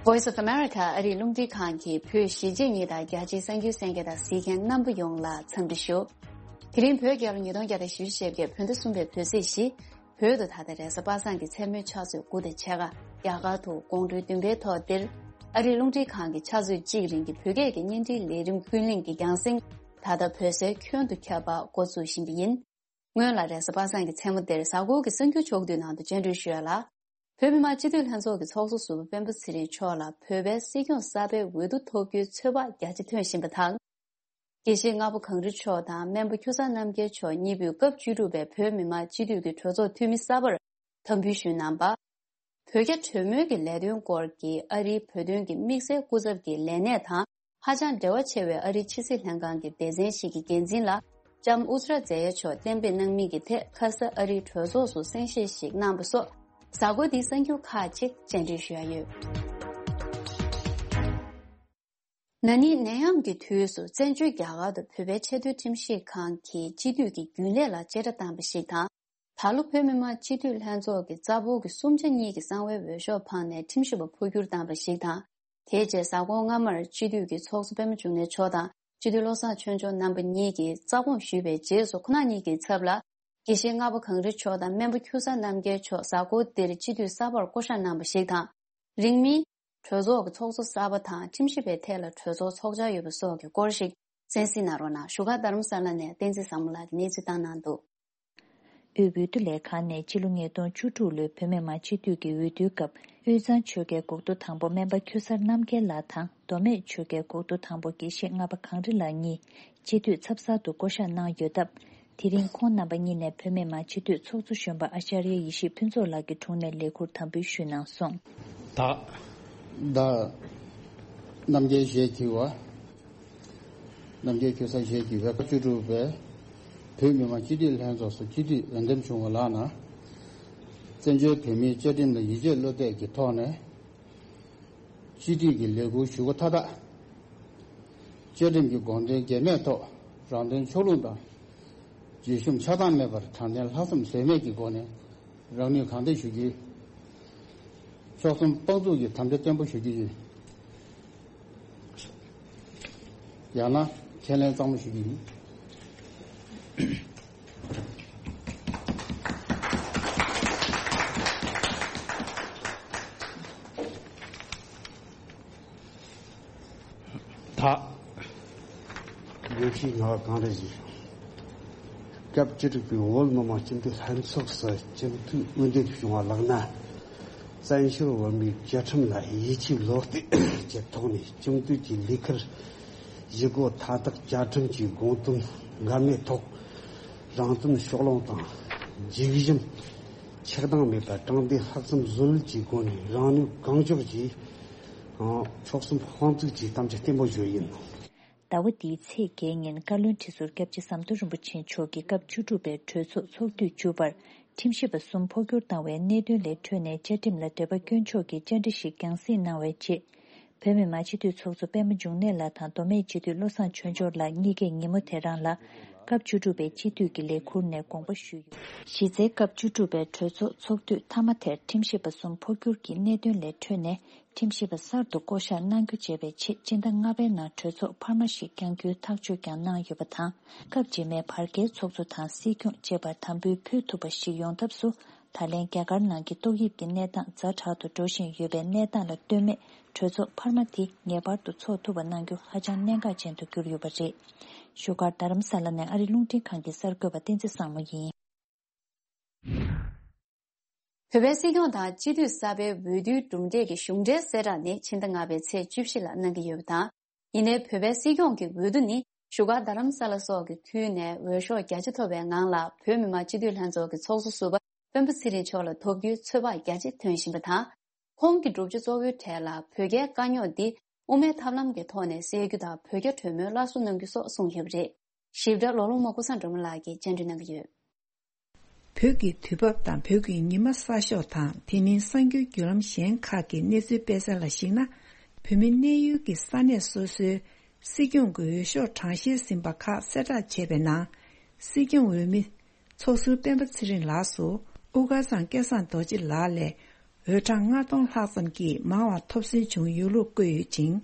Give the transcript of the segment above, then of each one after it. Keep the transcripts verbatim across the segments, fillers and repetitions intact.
Voice of America ཨ་རིའི་རླུང་འཕྲིན་ཁང་གིས་བོད་གཞིས་བྱེས་གཉིས་དང་རྒྱ་ཆེའི་གསར་འགྱུར་གསན་མཁན་དང་གཟིགས་མཁན་རྣམ་པ་ཡོངས་ལ་འཚམས་འདྲི་ཞུ། དེ་རིང་བོད་རྒྱལ་ལོ་ཉིས་སྟོང་བརྒྱ་དང་བཞི་བཅུ་ཞེ་བརྒྱད་བོད་ཟླ་གསུམ་པའི་བོད་ཚེས་བཞི། བོད་དུ་ད་ལྟ་རེས་གཟའ་པ་སངས་ཀྱི་མཚན་མོའི་ཕྱག་ཚོད་དགུ་དང་ཕྱེད་ཀ། རྒྱ་གར་དུ་དགོང་དྲོའི་བདུན་པའི་ཐོག་འདིར། ཨ་རིའི་རླུང་འཕྲིན་ཁང་གི་ཕྱག་ཚོད་གཅིག་རིང་གི་བོད་སྐད་ཀྱི་བརྙན་འཕྲིན་ལས་རིམ་ཀུན་གླེང་གི་རྒྱང་སྲིང་། ད་ལྟ་བོད་སའི་ཁྱོན་དུ་ཁྱབ་པ་འགོ་འཛུགས་བཞིན་པ་ཡིན། སྔོན་ལ་རེས་གཟའ་པ་སངས་ཀྱི་མཚན་མོ་འདིར་གཟའ་འཁོར་གྱི་གསར་འགྱུར་ཕྱོགས་བསྡུས་ནང་དུ་སྤྱན་འབུལ་ཞུ་ཡ་ལ། བོད་མི་མང་སྤྱི་འཐུས་ལྷན་ཚོགས་ཀྱི་ཚོགས་གཙོ་ཟུར་པ་སྤེན་པ་ཚེ་རིང་མཆོག་ལ་བོད་པའི་སྲིད་སྐྱོང་གསར་པའི་འོས་བསྡུ་ཐོབ་རྒྱུའི་ཚོད་དཔག་རྒྱ་ཆེ་ཐོན་བཞིན་པ་དང་། དགེ་བཤེས་ལྔ་པ་གངས་རི་མཆོག་དང་སྨན་པ་ཁྱུ་གསར་རྣམ་རྒྱལ་མཆོག་གཉིས་པོས་སྐབས་བཅུ་དྲུག་པའི་བོད་མི་མང་སྤྱི་འཐུས་ཀྱི་གྲོས་ཚོགས་འཐུས་མི་གསར་པར་དམ་འབུལ་ཞུས་གནང་བ། བོད་རྒྱ་གྲོས་མོལ་གྱི་ལས་དོན་སྐོར་གྱི་ཨ་རིའི་བོད་དོན་གྱི་དམིགས་བསལ་སྐུ་ཚབ་ཀྱི་ལས་གནས་དང་ཧ་ཅང་འབྲེལ་བ་ཆེ་བའི་ཨ་རིའི་ཕྱི་སྲིད་ལྷན་ཁང་གི་སྡེ་ཚན་ཞིག་གི་འགན་འཛིན་ལ་ལྕམ་ཨུ་ཛ་ར་ཛེ་ཡ་མཆོག་གཏན་འབེབས་གནང་མིན་གྱི་ཐད་ཁ་ས་ཨ་རིའི་གྲོས་ཚོགས་སུ་གསན་བཤད་ཞིག་གནང་བ་སོགས་གཟའ་འཁོར་འདིའི་གསར་འགྱུར་ཁག་ཅིག་སྤྱན་འབུལ་ཞུ་ཡ་ཡོད། ན་ནིང་ནད་ཡམས་ཀྱི་དུས་སུ་བཙན་བྱོལ་རྒྱ་གར་དུ་བོད་པའི་ཆེས་མཐོའི་ཁྲིམས་ཞིབ་ཁང་གིས་སྤྱི་འཐུས་ཀྱི་རྒྱུན་ལས་ལ་བཅད་ཁྲ་བཏང་བ་ཞིག་དང་། ད་ལོ་བོད་མི་མང་སྤྱི་འཐུས་ལྷན་ཚོགས་ཀྱི་རྩ་འབོར་གྱི་གསུམ་ཆ་གཉིས་ཀྱི་གསང་བའི་འོས་ཤོག་འཕངས་ནས་ཁྲིམས་ཞིབ་པ་འཕོ་འགྱུར་བཏང་བ་ཞིག་དང་། དེའི་རྗེས་གཟའ་འཁོར་སྔ་མར་སྤྱི་འཐུས་ཀྱི་ཚོགས་གཙོ་པད་མ་འབྱུང་གནས་མཆོག་དང་སྤྱི་འཐུས་བློ་བཟང་ཆོས་འབྱོར་རྣམ་པ་གཉིས་ཀྱིས་རྩ་དགོངས་ཞུས་པའི་རྗེས་སུ་ཁོང་རྣམ་གཉིས་ཀྱི་ཚབ་ལ་དགེ་བཤེས་ལྔ་པ་གངས་རི་མཆོག་དང་སྨན་པ་ཁྱུ་གསར་རྣམ་རྒྱལ་མཆོག་གཟའ་འཁོར་འདིར་སྤྱི་འཐུས་གསར་པར་བསྐོ་གཞག་གནང་བ་ཞིག་དང་། རིང་མིན། གྲོས་ཚོགས་ཀྱི་ཚོགས་གཙོ་གསར་པ་དང་ཁྲིམས་ཞིབ་པའི་ཐད་ལ་གྲོས་ཚོགས་ཚོགས་འཆར་ཡོད་པ་སོགས་ཀྱི་སྐོར་ཞིག་གསན་གཟིགས་གནང་རོགས་གནང་། བཞུགས་སྒར་རྡ་རམ་ས་ལ་ནས་བསྟན་འཛིན་བཟང་མོ་ལགས་ཀྱིས་གནས་ཚུལ་བཏང་གནང་འདུག་དབུས་འོས་བསྡུ་ལས་ཁང་ནས་ཕྱི་ལོ་ཉིས་སྟོང་བཅུ་དྲུག་ལོའི་བོད་མི་མང་སྤྱི་འཐུས་ཀྱི་འོས་བསྡུའི་སྐབས་དབུས་གཙང་ཆོལ་ཁའི་འགོ་ཁྲིད་དང་པོ་སྨན་པ་ཁྱུ་གསར་རྣམ་རྒྱལ་ལགས་དང་མདོ་སྨད་ཆོལ་ཁའི་འགོ་ཁྲིད་དང་པོ་དགེ་བཤེས་ལྔ་པ་གངས་རི་ལགས་གཉིས་སྤྱི་འཐུས་ཚབ་གསར་དུ་བསྐོ་གཞག་གནང་ཡོད་སྟབས། དེ་རིང་ཁོང་རྣམ་པ་གཉིས་ནས་བོད་མི་མང་སྤྱི་འཐུས་ཚོགས་གཙོ་གཞོན་པ་ཨ་ཤ་རི་ཡ་ཡེ་ཤེས་ཕུན་ཚོགས་ལགས་ཀྱི་དྲུང་ནས་ལས་འཁུར་དམ་འབུལ་ཞུས་གནང་སོང་། ད། ད། རྣམ་རྒྱལ་ཞེས་བགྱི་བ། རྣམ་རྒྱལ་ཁྱུ་གསར་ཞེས་བགྱི་བའི་སྐབས་བཅུ་དྲུག་པའི་བོད་མི་མང་སྤྱི་འཐུས་ལྷན་ཚོགས་སུ་སྤྱི་འཐུས་འོས་འདེམས་བྱུང་བ་ལགས་ན། བཙན་བྱོལ་བོད་མིའི་བཅའ་ཁྲིམས་ལ་ཡིད་ཆེས་བློ་གཏད་ཀྱི་ཐོག་ནས། སྤྱི་འཐུས་ཀྱི་ལས་འཁུར་ཞུ་སྒོ་མཐའ་དག་བཅའ་ཁྲིམས་ཀྱི་དགོངས་དོན་འགལ་མེད་ཐོག་རང་དོན་ཕྱོགས་ལྷུང་དང་། བརྗོད་གཞུང་ཆགས་སྡང་མེད་པར་དྲང་བདེན་ལྷག་བསམ་ཟོལ་མེད་ཀྱི་སྒོ་ནས་རང་ནུས་གང་ཐོན་ཞུ་རྒྱུ། ཕྱོགས་གསུམ་དཔང་བཙུགས་ཀྱི་དམ་བཅའ་བརྟན་པོ་ཞུ་རྒྱུ་ཡིན། ཡང་ན་ཁས་ལེན་གཙང་མ་ཞུ་རྒྱུ་ཡིན། ད། དགེ་བཤེས་ལྔ་པ་གངས་རི་ཡེ་ཤེས། སྐབས་བཅུ་དྲུག་པའི་བོད་མི་མང་སྤྱི་འཐུས་ལྷན་ཚོགས་སུ་སྤྱི་འཐུས་འོས་འདེམས་བྱུང་བ་ལགས་ན། བཙན་བྱོལ་བོད་མིའི་བཅའ་ཁྲིམས་ལ་ཡིད་ཆེས་བློ་གཏད་ཀྱི་ཐོག་ནས་སྤྱི་འཐུས་ཀྱི་ལས་ཁུར་ཞུ་སྒོ་མཐའ་དག་བཅའ་ཁྲིམས་ཀྱི་དགོངས་དོན་འགལ་མེད་ཐོག་རང་དོན་ཕྱོགས་ལྷུང་དང་། སྒྲིག་གཞི་ཆགས་སྡང་མེད་པར་དྲང་བདེན་ལྷག་བསམ་བཟོད་གླགས་ཀྱི་སྒོ་ནས་རང་ནུས་གང་ལྕོགས་ཀྱིས་ཕྱོགས་གསུམ་དཔང་བཙུགས་ཀྱི་དམ་བཅའ་བརྟན་པོ་ཞུ་ཡིན། ཟླ་བ་འདིའི་ཚེས་བརྒྱད་ཉིན་བཀའ་བློན་ཁྲི་ཟུར་སྐྱབས་རྗེ་ཟམ་གདོང་རིན་པོ་ཆེ་མཆོག་གིས་སྐབས་བཅུ་དྲུག་པའི་གྲོས་ཚོགས་ཚོགས་དུས་བཅུ་པར་ཁྲིམས་ཞིབ་པ་གསུམ་འཕོ་འགྱུར་བཏང་བའི་གནད་དོན་ལས་འཕྲོས་ནས་བཅའ་ཁྲིམས་ལ་འདོད་པ་སྐྱོན་ཕྱོགས་ཀྱི་བཅར་འདྲི་ཞིག་རྒྱང་སྲིང་གནང་བའི་རྗེས། བོད་མི་མང་སྤྱི་འཐུས་ཚོགས་གཙོ་པད་མ་འབྱུང་གནས་ལགས་དང་མདོ་སྨད་སྤྱི་འཐུས་བློ་བཟང་ཆོས་འབྱོར་ལགས་གཉིས་ཀས་ཉིན་མོ་དེ་རང་ལ་སྐབས་བཅུ་དྲུག་པའི་སྤྱི་འཐུས་ཀྱི་ལས་ཁུར་ནས་དགོངས་པ་ཞུས་ཡོད། གཞི་རྩའི་སྐབས་བཅུ་དྲུག་པའི་གྲོས་ཚོགས་ཚོགས་དུས་མཐའ་མ་དེར་ཁྲིམས་ཞིབ་པ་གསུམ་འཕོ་འགྱུར་གྱི་གནད་དོན་ལས་འཕྲོས་ནས། ཁྲིམས་ཞིབ་པ་གསར་དུ་བསྐོ་གཞག་གནང་རྒྱུ་བྱས་པའི་ཆེད་སྤྱི་ཟླ་ལྔ་པའི་ནང་གྲོས་ཚོགས་འཕར་མ་ཞིག་བསྐྱང་རྒྱུའི་ཐག་གཅོད་ཀྱང་གནང་ཡོད་པ་དང་། སྐབས་རྗེས་མའི་བར་བརྒལ་ཚོགས་གཙོ་དང་སྲིད་སྐྱོང་བཅས་པར་དམ་འབུལ་ཕུལ་ཐུབ་པ་ཞིག་ཡོང་ཐབས་སུ། ད་ལན་རྒྱ་གར་ནང་གི་ཏོག་དབྱིབས་ཀྱི་གནས་སྟངས་ཛ་དྲག་ཏུ་འགྲོ་བཞིན་ཡོད་པའི་གནས་སྟངས་ལ་ལྟོས་མེད་གྲོས་ཚོགས་འཕར་མ་དེ་ངེས་པར་དུ་ཚོགས་ཐུབ་པ་གནང་རྒྱུ་ཧ་ཅང་གནད་འགག་ཅན་དུ་གྱུར་ཡོད་པ་རེད། བཞུགས་སྒར་རྡ་རམ་ས་ལ་ནས་ཨ་རི་རླུང་འཕྲིན་ཁང་གི་གསར་འགོད་པ་བསྟན་འཛིན་བཟང་མོ་ཡིན། བོད་པའི་སྲིད་སྐྱོང་དང་སྤྱི་འཐུས་གསར་པའི་འོས་བསྡུའི་གྲུབ་འབྲས་ཀྱི་གཞུང་འབྲེལ་གསལ་བསྒྲགས་ནི་ཕྱི་ཟླ་ལྔ་པའི་ཚེས་བཅུ་བཞི་ལ་གནང་གི་ཡོད་པ་དང་། ཡིན་ནའི་བོད་པའི་སྲིད་སྐྱོང་གི་འོས་བསྡུ་ནི་བཞུགས་སྒར་རྡ་རམ་ས་ལ་སོགས་ཀྱི་ཁུལ་ནས་འོས་ཤོག་རྒྱ་ཆེ་ཐོབ་པའི་ངང་ལ་བོད་མི་མང་སྤྱི་འཐུས་ལྷན་ཚོགས་ཀྱི་ཚོགས་གཙོ་ཟུར་པ་སྤེན་པ་ཚེ་རིང་མཆོག་ལ་ཐོབ་རྒྱུའི་ཚོད་དཔག་རྒྱ་ཆེ་ཐོན་བཞིན་པ་དང་། ཁོང་གི་བསྒྲུབ་བྱ་གཙོ་བོའི་གྲས་ལ་བོད་རྒྱའི་དཀའ་རྙོག་འདི་དབུ་མའི་ཐབས་ལམ་གྱི་ཐོག་ནས་སེལ་རྒྱུ་དང་། བོད་རྒྱ་གྲོས་མོལ་སླར་གསོ་གནང་རྒྱུ་སོགས་གསུངས་ཡོད་པ་རེད། ཞིབ་ཕྲ་ལོ་ལོང་མ་ཀུ་སང་སྒྲོལ་མ་ལགས་ཀྱིས་སྤྱན་འབུལ་གནང་གི་ཡོད། བོད་ཀྱི་དུས་བབ་དང་བོད་ཀྱི་ཉི་མ་གསར་ཤོག་དང་དེ་མིན་གསར་འགྱུར་བརྒྱུད་ལམ་གཞན་ཁག་གི་གནས་ཚུལ་སྤེལ་གསལ་ལ་གཞིགས་ན། བོད་མི་གནས་ཡུལ་གྱི་ས་གནས་སོ་སོའི་སྲིད་སྐྱོང་གི་འོས་ཤོག་གྲངས་བཤེར་ཟིན་པ་ཁག་གསལ་བསྒྲགས་བྱས་པའི་ནང་། སྲིད་སྐྱོང་འོས་མི་ཚོགས་ཟུར་སྤེན་པ་ཚེ་རིང་ལགས་སུ་དབུ་དཀར་ཚང་སྐལ་བཟང་རྡོ་རྗེ་ལགས་ལས་ འོས་གྲངས་ལྔ་སྟོང་ལྷག་ཙམ་གྱིས་མང་བ་ཐོབ་སོན་བྱུང་ཡོད་ལུགས་བཀོད་ཡོད་ཅིང་།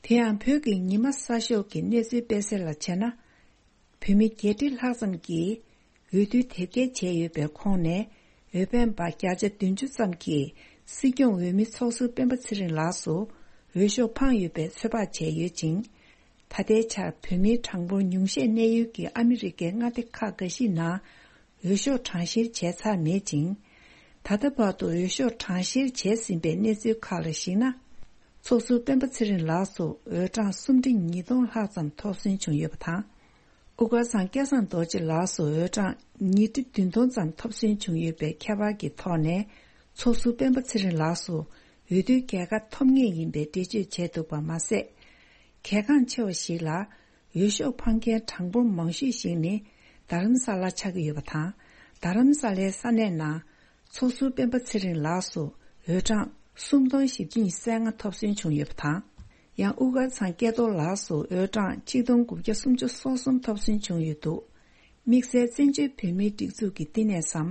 དེ་ཡང་བོད་ཀྱི་ཉི་མ་གསར་ཤོག་གི་གནས་ཚུལ་སྤེལ་གསལ་ལ་བྱས་ན། བོད་མི་བརྒྱད་ཁྲི་ལྷག་ཙམ་གྱིས་འོས་བསྡུ་དེབ་སྐྱེལ་བྱས་ཡོད་པའི་ཁོངས་ནས། འོས་འཕེན་པ་བརྒྱ་ཆ་བདུན་ཅུ་ཙམ་གྱིས་སྲིད་སྐྱོང་འོས་མི་ཚོགས་ཟུར་སྤེན་པ་ཚེ་རིང་ལགས་སུ་འོས་ཤོག་འཕངས་ཡོད་པའི་ཚོད་དཔག་བྱས་ཡོད་ཅིང་། ད་ལྟའི་ཆར་བོད་མིའི་གྲངས་འབོར་ཉུང་ཤས་གནས་ཡུལ་གྱི་ཨ་མི་རི་ཀའི་མངའ་སྡེ་ཁག་འགའ་ཞིག་ནང་འོས་ཤོག་གྲངས་བཤེར་བྱས་ཚར་མེད་ཅིང་། ད་ལྟ་བར་དུ་འོས་ཤོག་གྲངས་བཤེར་བྱས་ཟིན་པའི་གནས་ཚུལ་ཁག་ལ་གཞིགས་ན། ཚོགས་ཟུར་སྤེན་པ་ཚེ་རིང་ལགས་སུ་འོས་གྲངས་སུམ་ཁྲི་ཉིས་སྟོང་ལྷག་ཙམ་ཐོབ་སོན་བྱུང་ཡོད་པ་དང་། དབུ་དཀར་ཚང་སྐལ་བཟང་རྡོ་རྗེ་ལགས་སུ་འོས་གྲངས་ཉིས་ཁྲི་བདུན་སྟོང་ཙམ་ཐོབ་སོན་བྱུང་ཡོད་པའི་ཁྱད་པར་གྱི་ཐོག་ནས། ཚོགས་ཟུར་སྤེན་པ་ཚེ་རིང་ལགས་སུ་འོས་བསྡུའི་རྒྱལ་ཁ་ཐོབ་ངེས་ཡིན་པའི་འགྲེལ་བརྗོད་བྱས་འདུག་པ་མ་ཟད། གལ་འགངས་ཆེ་བ་ཞིག་ལ། འོས་ཤོག་འཕངས་མཁན་གྲངས་འབོར་མང་ཤོས་ཤིག་ནི་རྡ་རམ་ས་ལ་ཆགས་ཀྱི་ཡོད་པ་དང་། རྡ་རམ་ས་ལའི་ས་གནས་ནང་ཚོགས་ཟུར་སྤེན་པ་ཚེ་རིང་ལགས་སུ་འོས་གྲངས་སུམ་སྟོང་བཞི་བརྒྱ་ཉི་ཤུ་རྩ་ལྔ་ཐོབ་སོན་བྱུང་ཡོད་པ་དང་། ཡང་དབུ་དཀར་ཚང་སྐལ་རྡོར་ལགས་སུ་འོས་གྲངས་གཅིག་སྟོང་དགུ་བརྒྱ་སུམ་ཅུ་སོ་གསུམ་ཐོབ་སོན་བྱུང་ཡོད་འདུག་དམིགས་བསལ་བཙན་བྱོལ་བོད་མིའི་སྒྲིག་འཛུགས་ཀྱི་བསྟི་གནས་སམ།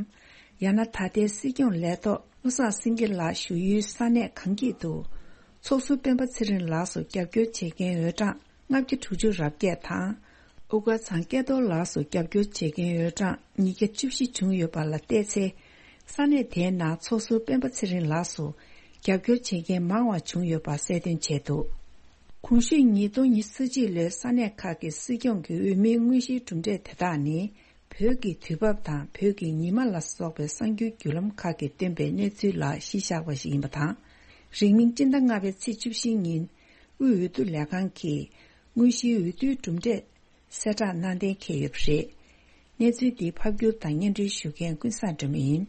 ཡང་ན་ད་ལྟའི་སྲིད་སྐྱོང་ལས་ཐོག་བློ་བཟང་སེང་གེ་ལགས་བཞུགས་ཡུལ་ས་གནས་གངས་སྐྱིད་དུ། ཚོགས་ཟུར་སྤེན་པ་ཚེ་རིང་ལགས་སུ་རྒྱབ་སྐྱོར་བྱེད་མཁན་འོས་གྲངས་ལྔ་བརྒྱ་དྲུག་ཅུ་རེ་བརྒྱད་དང་། དབུ་དཀར་ཚང་སྐལ་རྡོར་ལགས་སུ་རྒྱབ་སྐྱོར་བྱེད་མཁན་འོས་གྲངས་ཉིས་བརྒྱ་བཅུ་བཞི་བྱུང་ཡོད་པ་ལ་བལྟས་ཚེ། ས་གནས་དེའི་ནང་ཚོགས་ཟུར་སྤེན་པ་ཚེ་རིང་ལགས་སུ་རྒྱབ་སྐྱོར་བྱེད་མཁན་མང་བ་བྱུང་ཡོད་པ་གསལ་སྟོན་བྱས་འདུག་གོང་ཞུས་ཉིས་སྟོང་ཉི་ཤུ་རྩ་གཅིག་ལོའི་ས་གནས་ཁག་གི་སྲིད་སྐྱོང་གི་འོས་མིའི་དངོས་གཞིའི་གྲུབ་འབྲས་དེ་དག་ནི། བོད་ཀྱི་དུས་བབ་དང་བོད་ཀྱི་ཉི་མ་ལ་སོགས་པའི་གསར་འགྱུར་བརྒྱུད་ལམ་ཁག་གིས་བཏོན་པའི་གནས་ཚུལ་ལ་གཞི་བཞག་པ་ཞིག་ཡིན་པ་དང་། རིང་མིན་སྤྱི་ཟླ་ལྔ་པའི་ཚེས་བཅུ་བཞི་ཉིན་དབུས་འོས་བསྡུ་ལས་ཁང་གིས་དངོས་གཞིའི་འོས་བསྡུའི་གྲུབ་འབྲས་གསལ་བསྒྲགས་གནང་གཏན་འཁེལ་ཡོད་པ་རེད། གནས་ཚུལ་འདི་ཕབ་སྒྱུར་དང་སྙན་སྒྲོན་ཞུ་མཁན་ཀུན་བཟང་སྒྲོལ་མ་ཡིན།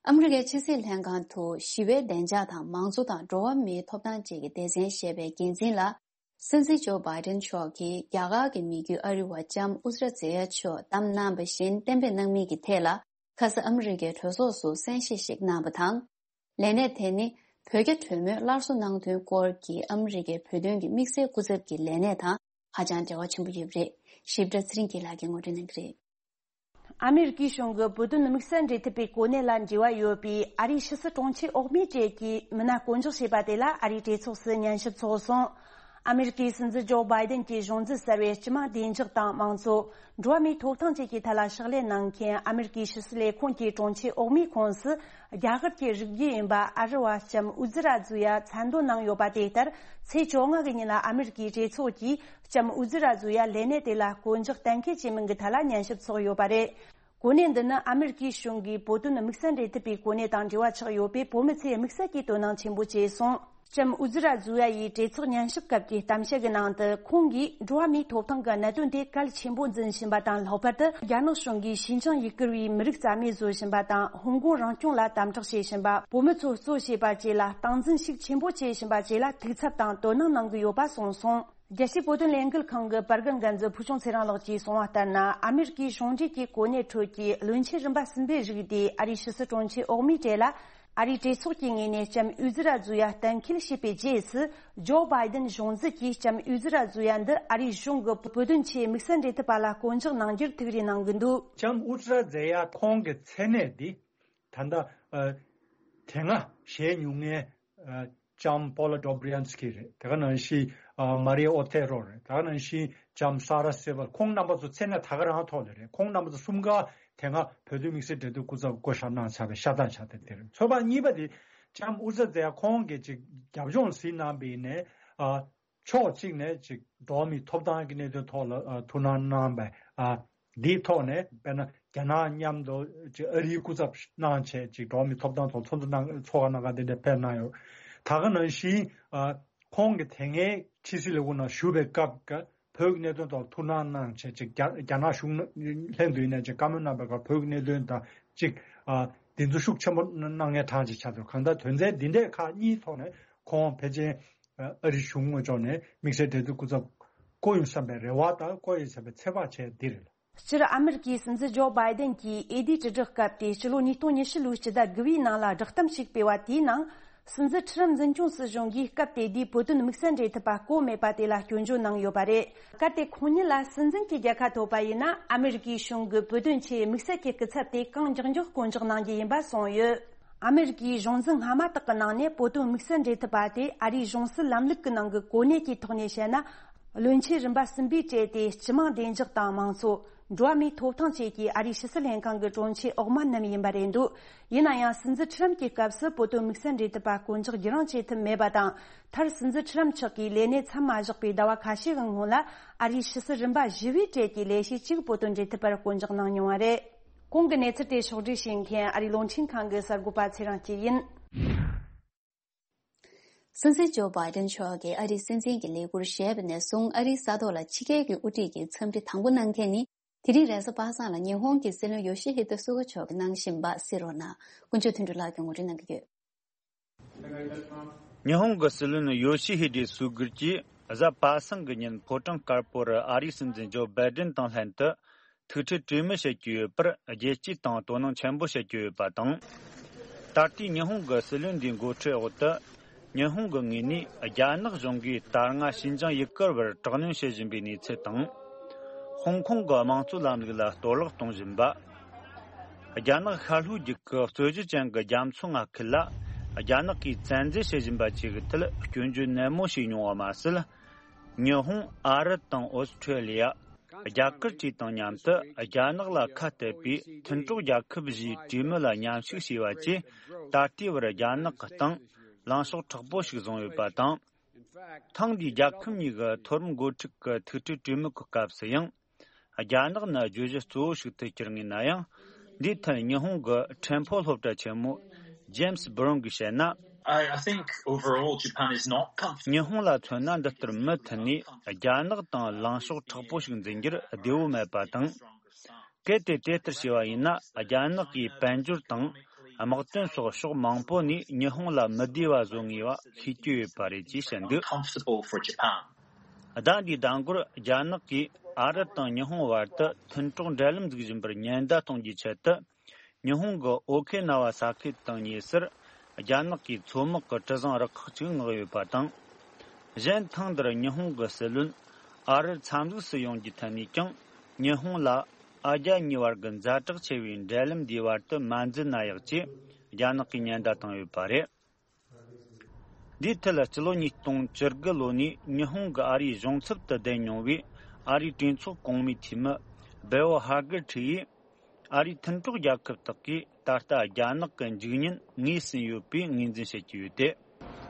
ཨ་མི་རི་ཀའི་ཕྱི་སྲིད་ལྷན་ཁང་དུ་ཞི་བའི་བདེ་འཇགས་དང་མང་གཙོ་དང་འགྲོ་བ་མིའི་ཐོབ་ཐང་བཅས་ཀྱི་སྡེ་ཚན་ཞེས་པའི་འགན་འཛིན་ལ། སྲིད་འཛིན་ཇོ་བྷའི་ཏན་མཆོག་གིས་རྒྱ་གར་གྱི་མི་རྒྱུད་ཨ་རི་བ་ལྕམ་ཨུ་ཛ་ར་ཛེ་ཡ་མཆོག་བདམས་གནང་བ་བཞིན་གཏན་འབེབས་གནང་མིན་གྱི་ཐད་ལ། ཁ་ས་ཨ་མི་རི་ཀའི་གྲོས་ཚོགས་སུ་གསན་བཞེས་ཤིག་གནང་བ་དང་། ལས་གནས་དེ་ནི་བོད་རྒྱ་གྲོས་མོལ་སླར་གསོ་གནང་དོན་སྐོར་གྱི་ཨ་མི་རི་ཀའི་བོད་དོན་གྱི་དམིགས་བསལ་སྐུ་ཚབ་ཀྱི་ལས་གནས་དང་ཧ་ཅང་འབྲེལ་བ་ཆེན་པོ་ཡོད་པ་རེད། ཞིབ་ཕྲ་ཚེ་རིང་སྐྱིད་ལགས་ཀྱིས་ངོ་སྤྲོད་གནང་གི་རེད། ཨ་མེ་རི་ཀའི་གཞུང་གིས་བོད་དོན་དམིགས་བསལ་འབྲེལ་མཐུད་པའི་གོ་གནས་ལ་འབྲེལ་བ་ཡོད་པའི་ཨ་རིའི་ཕྱི་སྲིད་དྲུང་ཆེ་འོག་མའི་གྲས་ཀྱི་མི་སྣ་བསྐོ་འཇོག་བྱས་པ་དེ་ལ་ཨ་རིའི་གྲོས་ཚོགས་སུ་ཉན་ཞིབ་ཚོགས་སོང་། ཨ་མེ་རི་ཀའི་སྲིད་འཛིན་ཇོ་བྷའི་ཏན་གྱི་གཞུང་འཛིན་གསར་བས་སྤྱི་དམངས་བདེ་འཇགས་དང་མང་གཙོ། འགྲོ་བ་མིའི་ཐོབ་ཐང་བཅས་ཀྱི་ཐད་ལ་ཕྱག་ལས་གནང་མཁན་ཨ་མེ་རི་ཀའི་ཕྱི་སྲིད་ལས་ཁུངས་ཀྱི་དྲུང་ཆེ་འོག་མའི་ཁོངས་སུ། རྒྱ་གར་གྱི་རིགས་རྒྱུད་ཡིན་པ་ཨ་རི་བ་ལྕམ་ཨུ་ཛི་ར་ཛུ་ཡ་མཚན་འདོན་གནང་ཡོད་པ་དེ་ལྟར། ཚེས་བཅོ་ལྔ་གི་ཉིན་ལ་ཨ་མེ་རི་ཀའི་གྲོས་ཚོགས་ཀྱིས་ལྕམ་ཨུ་ཛི་ར་ཛུ་ཡ་ལས་གནས་དེ་ལ་བསྐོ་འཇོག་གཏན་འཁེལ་བྱས་མིན་གྱི་ཐད་ལ་ཉན་ཞིབ་ཚོགས་ཡོད་པ་རེད། གོ་གནས་འདི་ནི་ཨ་མེ་རི་ཀའི་གཞུང་གིས་བོད་དོན་དམིགས་བསལ་འབྲེལ་མཐུད་པའི་གོ་གནས་དང་འབྲེལ་བ་ཆགས་ཡོད་པས། བོད་མི་ཚོས་དམིགས་བསལ་གྱིས་དོ་སྣང་ཆེན་པོ་བྱས་སོང་། ལྕམ་ཨུ་ཛི་ར་ཛུ་ཡ་ཡིས་གྲོས་ཚོགས་ཉན་ཞིབ་སྐབས་ཀྱི་གཏམ་བཤད་ཀྱི་ནང་དུ། ཁོང་གིས་འགྲོ་བ་མིའི་ཐོབ་ཐང་གི་གནད་དོན་དེ་གལ་ཆེན་པོ་འཛིན་བཞིན་པ་དང་། ལྷག་པར་དུ་རྒྱ་ནག་གཞུང་གིས་ཞི་འཇིང་ཡུ་གུར་བའི་མི་རིགས་རྩ་མེད་བཟོ་བཞིན་པ་དང་། ཧོང་ཀོང་རང་སྐྱོང་ལ་དམ་དྲག་བྱེད་བཞིན་པ། བོད་མི་ཚོ་གཙོ་བྱས་པ་བཅས་ལ་སྟངས་འཛིན་ཤུགས་ཆེན་པོ་བྱེད་བཞིན་པ་བཅས་ལ་ཐུགས་འཚབ་དང་དོ་སྣང་གནང་གི་ཡོད་པ་གསུངས་སོང་། རྒྱལ་སྤྱིའི་བོད་དོན་ལས་འགུལ་ཁང་གི་པར་རྒན་འགན་འཛིན་ཕུལ་བྱུང་ཚེ་རིང་ལགས་ཀྱིས་གསུངས་པ་ལྟར་ན། ཨ་མེ་རི་ཀའི་གཞུང་འབྲེལ་གྱི་གོ་གནས་ཁྲོད་ཀྱི་བློན་ཆེན་རིམ་པ་གསུམ་པའི་རིགས་དེ་ཨ་རིའི་ཕྱི་སྲིད་དྲུང་ཆེ་འོག་མའི་གྲས་ལ། ཨ་རིའི་གྲོས་ཚོགས་ཀྱི་ངོས་ནས་ལྕམ་ཨུ་ཛི་ར་ཛུ་ཡ་གཏན་འཁེལ་བྱས་པའི་རྗེས་སུ། ཇོ་བྷའི་ཏན་གཞུང་འཛིན་གྱིས་ལྕམ་ཨུ་ཛི་ར་ཛུ་ཡ་འདི་ཨ་རིའི་གཞུང་གི་བོད་དོན་ཆེད་དམིགས་བསལ་འབྲེལ་མཐུད་པ་ལ་བསྐོ་འཇོག་གནང་རྒྱུར་ཐུགས་རེ་གནང་གི་འདུག་ལྕམ་ཨུ་ཛི་ར་ཛེ་ཡ་ཁོང་གི་མཚན་གནས་འདི། ད་ལྟ་ཨ་དེ་སྔ་བཞེས་མྱོང་མཁན་ཨ་ལྕམ་པོ་ལ་ཌོ་བྷི་རི་ཡན་སི་ཀི་རེད། དེ་ག་ནང་བཞིན་ཨ་མ་རི་ཨོ་ཐེ་རོ་རེད། དེ་ག་ནང་བཞིན་ལྕམ་ས་ར་སེ་ཝལ། ཁོང་རྣམ་པ་ཚོ་མཚན་གནས་ད་ག་རང་ཐོག་ལ་རེད། ཁོང་རྣམ་པ་ཚོ་གསུམ་ཀ་དེ་སྔ་བོད་དོན་དམིགས་བསལ་འབྲེལ་མཐུད་སྐུ་ཚབ་བསྐོ་བཞག་གནང་ཚར་བའི་ཤ་སྟག་ཆགས་བསྡད་དེ་རེད། ཚོད་དཔག་གཉིས་པ་དེ་ལྕམ་ཨུ་ཛི་ར་ཛེ་ཡ་ཁོང་གིས་ཅིག་རྒྱབ་ལྗོངས་གཟིགས་གནང་བ་ཡིན་ནའི་ཨ། ཕྱོགས་གཅིག་ནས་ཅིག་འགྲོ་བ་མིའི་ཐོབ་ཐང་གི་གནད་དོན་ཐོག་ལ་ཨ་ཐུགས་སྣང་གནང་བ་ཨ་འདིའི་ཐོག་ནས། དཔེར་ན་རྒྱ་ནག་མཉམ་དུ་ཅིག་ཨ་རིའི་སྐུ་ཚབ་གནང་བྱས་ཅིག་འགྲོ་བ་མིའི་ཐོབ་ཐང་ཐོག་ཚོགས་འདུ་གནང་ཚོགས་ཁག་གནང་ག་འདི་འདྲ་ཕེབས་གནང་ཡོད། ད་ག་ནང་བཞིན་ཨ་ཁོང་གིས་དེ་སྔའི་ཕྱི་སྲིད་ལས་ཁུངས་ནང་བཞུགས་པའི་སྐབས་ཀྱི་བོད་ཀྱི་གནད་དོན་ཐོག་ཐུགས་སྣང་གནང་བྱས་ཅིག་རྒྱ་རྒྱ་ནག་གཞུང་ལྷན་དུ་ཡིན་ནའི་ཅིག་བཀའ་མོལ་གནང་བའི་སྐབས་བོད་ཀྱི་གནད་དོན་དང་ཅིག་ཨ་འདི་ཚོ་ཤུགས་ཆེན་པོ་གནང་མཁན་གྲངས་ཅིག་ཆགས་འདུག་གང་ལྟར་དོན་ཚན་འདི་འདྲའི་ཁག་གཉིས་ཐོག་ནས། ཁོང་ཕལ་ཆེར་ཨ་རིའི་གཞུང་ངོས་ཕྱོགས་ནས་དམིགས་བསལ་འབྲེལ་མཐུད་སྐུ་ཚབ་བསྐོ་ཡོང་བསམ་པའི་རེ་བ་དང་བསྐོ་ཡོང་བསམ་པའི་ཚོད་དཔག་བྱས་འདི་རེད། སྤྱིར་ཨ་མེ་རི་ཀའི་སྲིད་འཛིན་ཇོ་བྷའི་ཏན་གྱིས་ཨེ་ཌི་དྲིལ་བསྒྲགས་སྐབས་ཏེ་སྤྱི་ལོ་ཉིས་སྟོང་ཉི་ཤུ་ལོའི་སྤྱི་ཟླ་དགུ་པའི་ནང་ལ་བསྒྲགས་གཏམ་ཞིག་སྤེལ་བ་དེའི་ནང་། སྲིད་འཛིན་ཁྲི་རམ་འཛིན་སྐྱོང་སྲིད་གཞུང་གིས་སྐབས་དེ་དུས་བོད་དོན་དམིགས་བསལ་འབྲེལ་མཐུད་པ་བསྐོ་མེད་པ་དེ་ལ་སྐྱོན་བརྗོད་གནང་ཡོད་པ་རེད། གལ་ཏེ་ཁོང་ཉིད་ལ་སྲིད་འཛིན་གྱི་རྒྱལ་ཁ་ཐོབ་པ་ཡིན་ན། ཨ་མི་རི་ཀའི་གཞུང་གི་བོད་དོན་ཆེད་དམིགས་བསལ་གྱི་སྐུ་ཚབ་དེ་གང་མགྱོགས་མགྱོགས་བསྐོ་འཇོག་གནང་རྒྱུ་ཡིན་པ་གསུངས་ཡོད། ཨ་མི་རི་ཀའི་གཞུང་འཛིན་སྔ་མ་དག་གི་ནང་ནས་བོད་དོན་དམིགས་བསལ་འབྲེལ་མཐུད་པ་དེ་ཨ་རིའི་གཞུང་སྲིད་ལམ་ལུགས་ཀྱི་ནང་གི་གོ་གནས་ཀྱི་ཐོག་ནས་བཤད་ན། བློན་ཆེན་རིམ་པ་གསུམ་པའི་གྲས་དེ་སྤྱི་དམངས་བདེ་འཇགས་དང་མང་གཙོ། འགྲོ་བ་མིའི་ཐོབ་ཐང་བཅས་ཀྱི་ཨ་རིའི་ཕྱི་སྲིད་ལྷན་ཁང་གི་དྲུང་ཆེ་འོག་མ་རྣམས་ཡིན་པ་རེད་འདུག་ཡིན་ན་ཡང་། སྲིད་འཛིན་ཁྲི་རམ་གྱི་སྐབས་སུ་བོད་དོན་དམིགས་བསལ་འབྲེལ་མཐུད་པ་བསྐོ་འཇོག་བགྱི་རིན་བྱེད་ཐུབ་མེད་པ་དང་། མཐར་སྲིད་འཛིན་ཁྲི་རམ་མཆོག་གིས་ལས་གནས་མཚམས་མ་བཞག་པའི་ཟླ་བ་ཁ་ཤས་ཀྱི་སྔོན་ལ། ཨ་རིའི་ཕྱི་སྲིད་རིམ་པ་བཞི་པའི་གྲས་ཀྱི་ལས་བྱེད་གཅིག་བོད་དོན་འབྲེལ་མཐུད་པར་བསྐོ་འཇོག་གནང་མྱོང་བ་རེད། གོང་གི་གནས་ཚུལ་དེ་ཕྱོགས་བསྒྲིགས་བྱེད་མཁན་ཨ་རིའི་རླུང་འཕྲིན་ཁང་གི་གསར་འགོད་པ་ཚེ་རིང་སྐྱིད་ཡིན། སྲིད་འཛིན་ཇོ་བྷའི་ཏན་མཆོག་གིས་ཨ་རིའི་སྲིད་འཛིན་གྱི་ལས་འཁུར་བཞེས་པ་ནས་བཟུང་ཨ་རིའི་ས་ཐོག་ལ་ཕྱི་རྒྱལ་གྱི་དབུ་ཁྲིད་ཀྱི་འཚམས་འདྲི་དང་པོ་གནང་མཁན་ནི། དེ་རིང་རེས་གཟའ་པ་སངས་ལ་ཉི་ཧོང་གི་སྲིད་བློན་ཡོ་ཤི་ཧི་ཏོ་སུ་ག་མཆོག་གིས་གནང་བཞིན་པ་གསན་རོགས་གནང་། དཀོན་མཆོག་དོན་གྲུབ་ལགས་ཀྱིས་ངོ་སྤྲོད་གནང་གི་ཡོད། ཉི་ཧོང་གི་སྲིད་བློན་ཡོ་ཤི་ཧི་ཏོ་སུ་ག་གིས་གཟའ་པ་སངས་ཀྱི་ཉིན་ཕོ་བྲང་དཀར་པོ་རུ་ཨ་རིའི་སྲིད་འཛིན་ཇོ་བྷའི་ཏན་དང་ལྷན་དུ་ཐུག་འཕྲད་གྲོས་མོལ་བྱེད་ཀྱི་ཡོད་པར་རྒྱལ་སྤྱིའི་སྟེང་དོ་སྣང་ཆེན་པོ་བྱེད་ཀྱི་ཡོད་པ་དང་། ད་ལྟའི་ཉི་ཧོང་གི་སྲིད་བློན་འདིའི་འགོ་ཁྲིད་འོག་ཏུ། ཉི་ཧོང་གི་ངོས་ནས་རྒྱ་ནག་གཞུང་གིས་ད་སྔ་ཤིན་ཅང་ཡུ་གུར་བར་དྲག་གནོན་བྱེད་བཞིན་པའི་གནས་ཚུལ་དང་། ཧོང་ཀོང་གི་དམངས་གཙོ་ལམ་ལུགས་ལ་གཏོར་བརླག་གཏོང་བཞིན་པ། རྒྱ་ནག་ཤར་ལྷོའི་རྒྱུད་ཀྱི་རྩོད་གཞི་ཅན་གྱི་རྒྱ་མཚོ་མངའ་ཁུལ་ལ་རྒྱ་ནག་གིས་བཙན་འཛུལ་བྱེད་བཞིན་པ་བཅས་ཀྱི་ཐད་སྐྱོན་བརྗོད་ནན་མོ་བྱས་མྱོང་བ་མ་ཟད། ཉི་ཧོང་། ཨ་རི་དང་ཨོ་སི་ཁྲེ་ལི་ཡ། རྒྱ་གར་བཅས་དང་མཉམ་དུ་རྒྱ་ནག་ལ་ཁ་གཏད་པའི་མཐུན་གྲོགས་རྒྱལ་ཁབ་བཞིའི་གྲོས་མོལ་ལ་མཉམ་ཞུགས་བྱས་པ་བཅས། ད་ལྟའི་བར་རྒྱ་ནག་གི་སྟེང་ལངས་ཕྱོགས་མཁྲེགས་པོ་ཞིག་བཟུང་ཡོད་པ་དང་། ཐེངས་འདིའི་རྒྱལ་ཁབ་གཉིས་ཀྱི་མཐོ་རིམ་འགོ་ཁྲིད་ཀྱི་ཐུག་འཕྲད་གྲོས་མོལ་གྱི་སྐབས་སུ་ཡང་། རྒྱ་ནག་ནི་བརྗོད་གཞི་གཙོ་བོ་ཞིག་ཏུ་གྱུར་ངེས་ན་ཡང་། འདིའི་ཐད་ཉི་ཧོང་གི་ཁྲེན་ཕོ་སློབ་གྲྭ་ཆེན་མོ་ཇེམ་སི་བྷི་རོན་གྱིས་བཤད་ན། I, I think overall Japan is not comfortable. ཉི་ཧོང་ལ་མཚོན་ན་འདི་ལྟར་མུ་མཐུད་ནས་རྒྱ་ནག་དང་ལངས་ཕྱོགས་མཁྲེགས་པོ་ཞིག་འཛིན་རྒྱུར་བདེ་བོ་མེད་པ་དང་། གལ་ཏེ་དེ་ལྟར་བྱས་པ་ཡིན་ན། རྒྱ་ནག་གིས་དཔལ་འབྱོར་དང་དམག་དོན་སོགས་ཕྱོགས་མང་པོ་ནས་ཉི་ཧོང་ལ་མི་བདེ་བ་བཟོ་ངེས་པ་ཤེས་ཀྱི་ཡོད་པ་རེད་ཅེས་བཤད་འདུག Comfortable for Japan. ཟླ་འདིའི་ཟླ་འགོར་རྒྱ་ནག་གིས་ཨ་རི་དང་ཉི་ཧོང་བར་དུ་མཐུན་གྲོགས་འབྲེལ་ལམ་འཛུགས་བཞིན་པར་ཉེན་བརྡ་གཏོང་རྒྱུའི་ཆེད་དུ། ཉི་ཧོང་གི་ཨོ་ཁེ་ན་ཝ་ས་ཁུལ་དང་ཉེ་སར་རྒྱ་ནག་གི་མཚོ་དམག་གི་གྲུ་གཟིངས་རུ་ཁག་ཅིག་མངགས་ཡོད་པ་དང་། གཞན་ཐེངས་འདིར་ཉི་ཧོང་གི་སྲིད་བློན་ཨ་རིར་འཚམས་གཟིགས་སུ་ཡོང་རྒྱུའི་ཐད་ནས་ཀྱང་། ཉི་ཧོང་ལ་ཨ་རྒྱ་གཉིས་བར་གྱི་ཛ་དྲག་ཆེ་བའི་འབྲེལ་ལམ་འདིའི་བར་དུ་མ་འཛུལ་ན་ཡག་ཅེས་རྒྱ་ནག་གིས་ཉེན་བརྡ་བཏང་ཡོད་པ་རེད། འདིའི་ཐད་ལ་སྤྱི་ལོ་ཉིས་སྟོང་བཅུ་དགུ་ལོ་ནས་ཉི་ཧོང་གི་ཨ་རིའི་གཞུང་ཚབ་ཏུ་བསྡད་མྱོང་བའི་ཨ་རིའི་གྲོས་ཚོགས་གོང་མའི་འཐུས་མི་སྦེལ་ཧ་གར་ཁྲི་ཡིས། ཨ་རིའི་མཐུན་གྲོགས་རྒྱལ་ཁབ་དག་གིས་ད་ལྟ་རྒྱ་ནག་གི་འཇིགས་ཉེན་ངོས་ཟིན་ཡོད་པའི་ངོས་འཛིན་བྱེད་ཀྱི་ཡོད་དེ།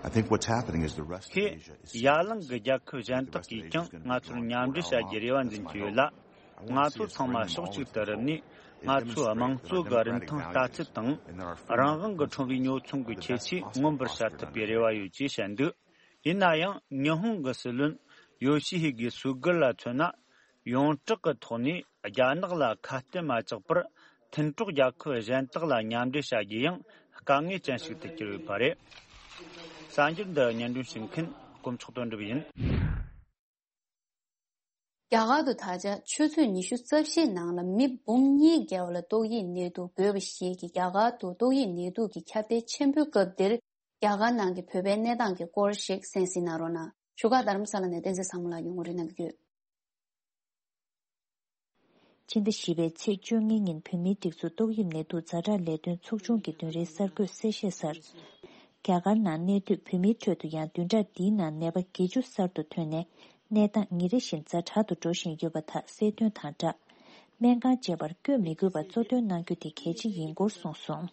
I think what's happening is the rest of ཧེ། Asia is ཡ་གླིང་གི་རྒྱལ་ཁབ་གཞན་དག་གིས་ཀྱང་ང་ཚོར་མཉམ་འབྲེལ་བྱ་རྒྱུའི་རེ་བ་འཛིན་གྱི་ཡོད་ལ། ང་ཚོ་ཚང་མ་ཕྱོགས་གཅིག་ཏུ་རུབ་ནས། ང་ཚོའི་དམངས་གཙོ་གི་རིན་ཐང་ལྟ་ཚུལ་དང་། རང་དབང་གི་ཁྲོམ་རའི་ཉོ་ཚོང་གི་ཁྱད་ཆོས་མངོན་པར་བྱ་ཐུབ་པའི་རེ་བ་ཡོད་ཅེས་བཤད་འདུག་ཡིན་ན་ཡང་། ཉི་ཧོང་གི་སྲིད་བློན་ཡོ་ཤི་ཧི་གི་སུ་གར་ལ་མཚོན་ན། ཡོངས་གྲགས་ཀྱི་ཐོག་ནས་རྒྱ་ནག་ལ་ཁ་གཏད་མ་བཅག་པར། མཐུན་གྲོགས་རྒྱལ་ཁབ་གཞན་དག་ལ་མཉམ་འབྲེལ་བྱ་རྒྱུ་ཡང་དཀའ་ངལ་ཅན་ཞིག་ཏུ་གྱུར་ཡོད་པ་རེད། གསར་འགྱུར་འདི་སྙན་སྒྲོན་ཞུ་མཁན་དཀོན་མཆོག་དོན་གྲུབ་ཡིན། རྒྱ་གར་དུ་ད་ཆ་ཆུ་ཚོད་ཉི་ཤུ་རྩ་བཞིའི་ནང་ལ་མི་འབུམ་གཉིས་བརྒལ་བ་ལ་ཏོག་དབྱིབས་ནད་དུག་འགོས་པ་ཞིག་གིས་རྒྱ་གར་དུ་ཏོག་དབྱིབས་ནད་དུག་གི་ཁྱབ་གདལ་ཆེན་པོའི་སྐབས་འདིར། རྒྱ་གར་ནང་གི་བོད་པའི་གནས་སྟངས་ཀྱི་སྐོར་ཞིག་གསན་གཟིགས་གནང་རོགས་གནང་། བཞུགས་སྒར་རྡ་རམ་ས་ལ་ནས་བསྟན་འཛིན་བཟང་མོ་ལགས་ཀྱིས་ངོ་སྤྲོད་གནང་གི་ཡོད། ཕྱི་ཟླ་བཞི་པའི་ཚེས་བཅོ་ལྔ་ཉིན་བོད་མིའི་སྒྲིག་འཛུགས་ཏོག་དབྱིབས་ནད་དུག་ཛ་དྲག་ལས་དོན་ཚོགས་ཆུང་གི་བདུན་རེའི་གསར་འགོད་གསལ་བཤད་གསར། རྒྱ་གར་ནང་གནས་སྡོད་བོད་མིའི་ཁྲོད་དུ་ཡང་བདུན་ཕྲག་འདིའི་ནང་ནད་པ་བརྒྱད་ཅུ་གསར་དུ་ཐོན་ནས། གནས་སྟངས་ཉིན་རེ་བཞིན་ཛ་དྲག་ཏུ་འགྲོ་བཞིན་ཡོད་པ་དག་གསལ་སྟོན་དང་སྦྲགས། སྨན་ཁང་བཅས་པར་བསྐྱོད་མི་དགོས་པར་གཙོ་འདོན་གནང་རྒྱུ་དེ་གལ་ཆེ་ཡིན་སྐོར་གསུངས་སོང་།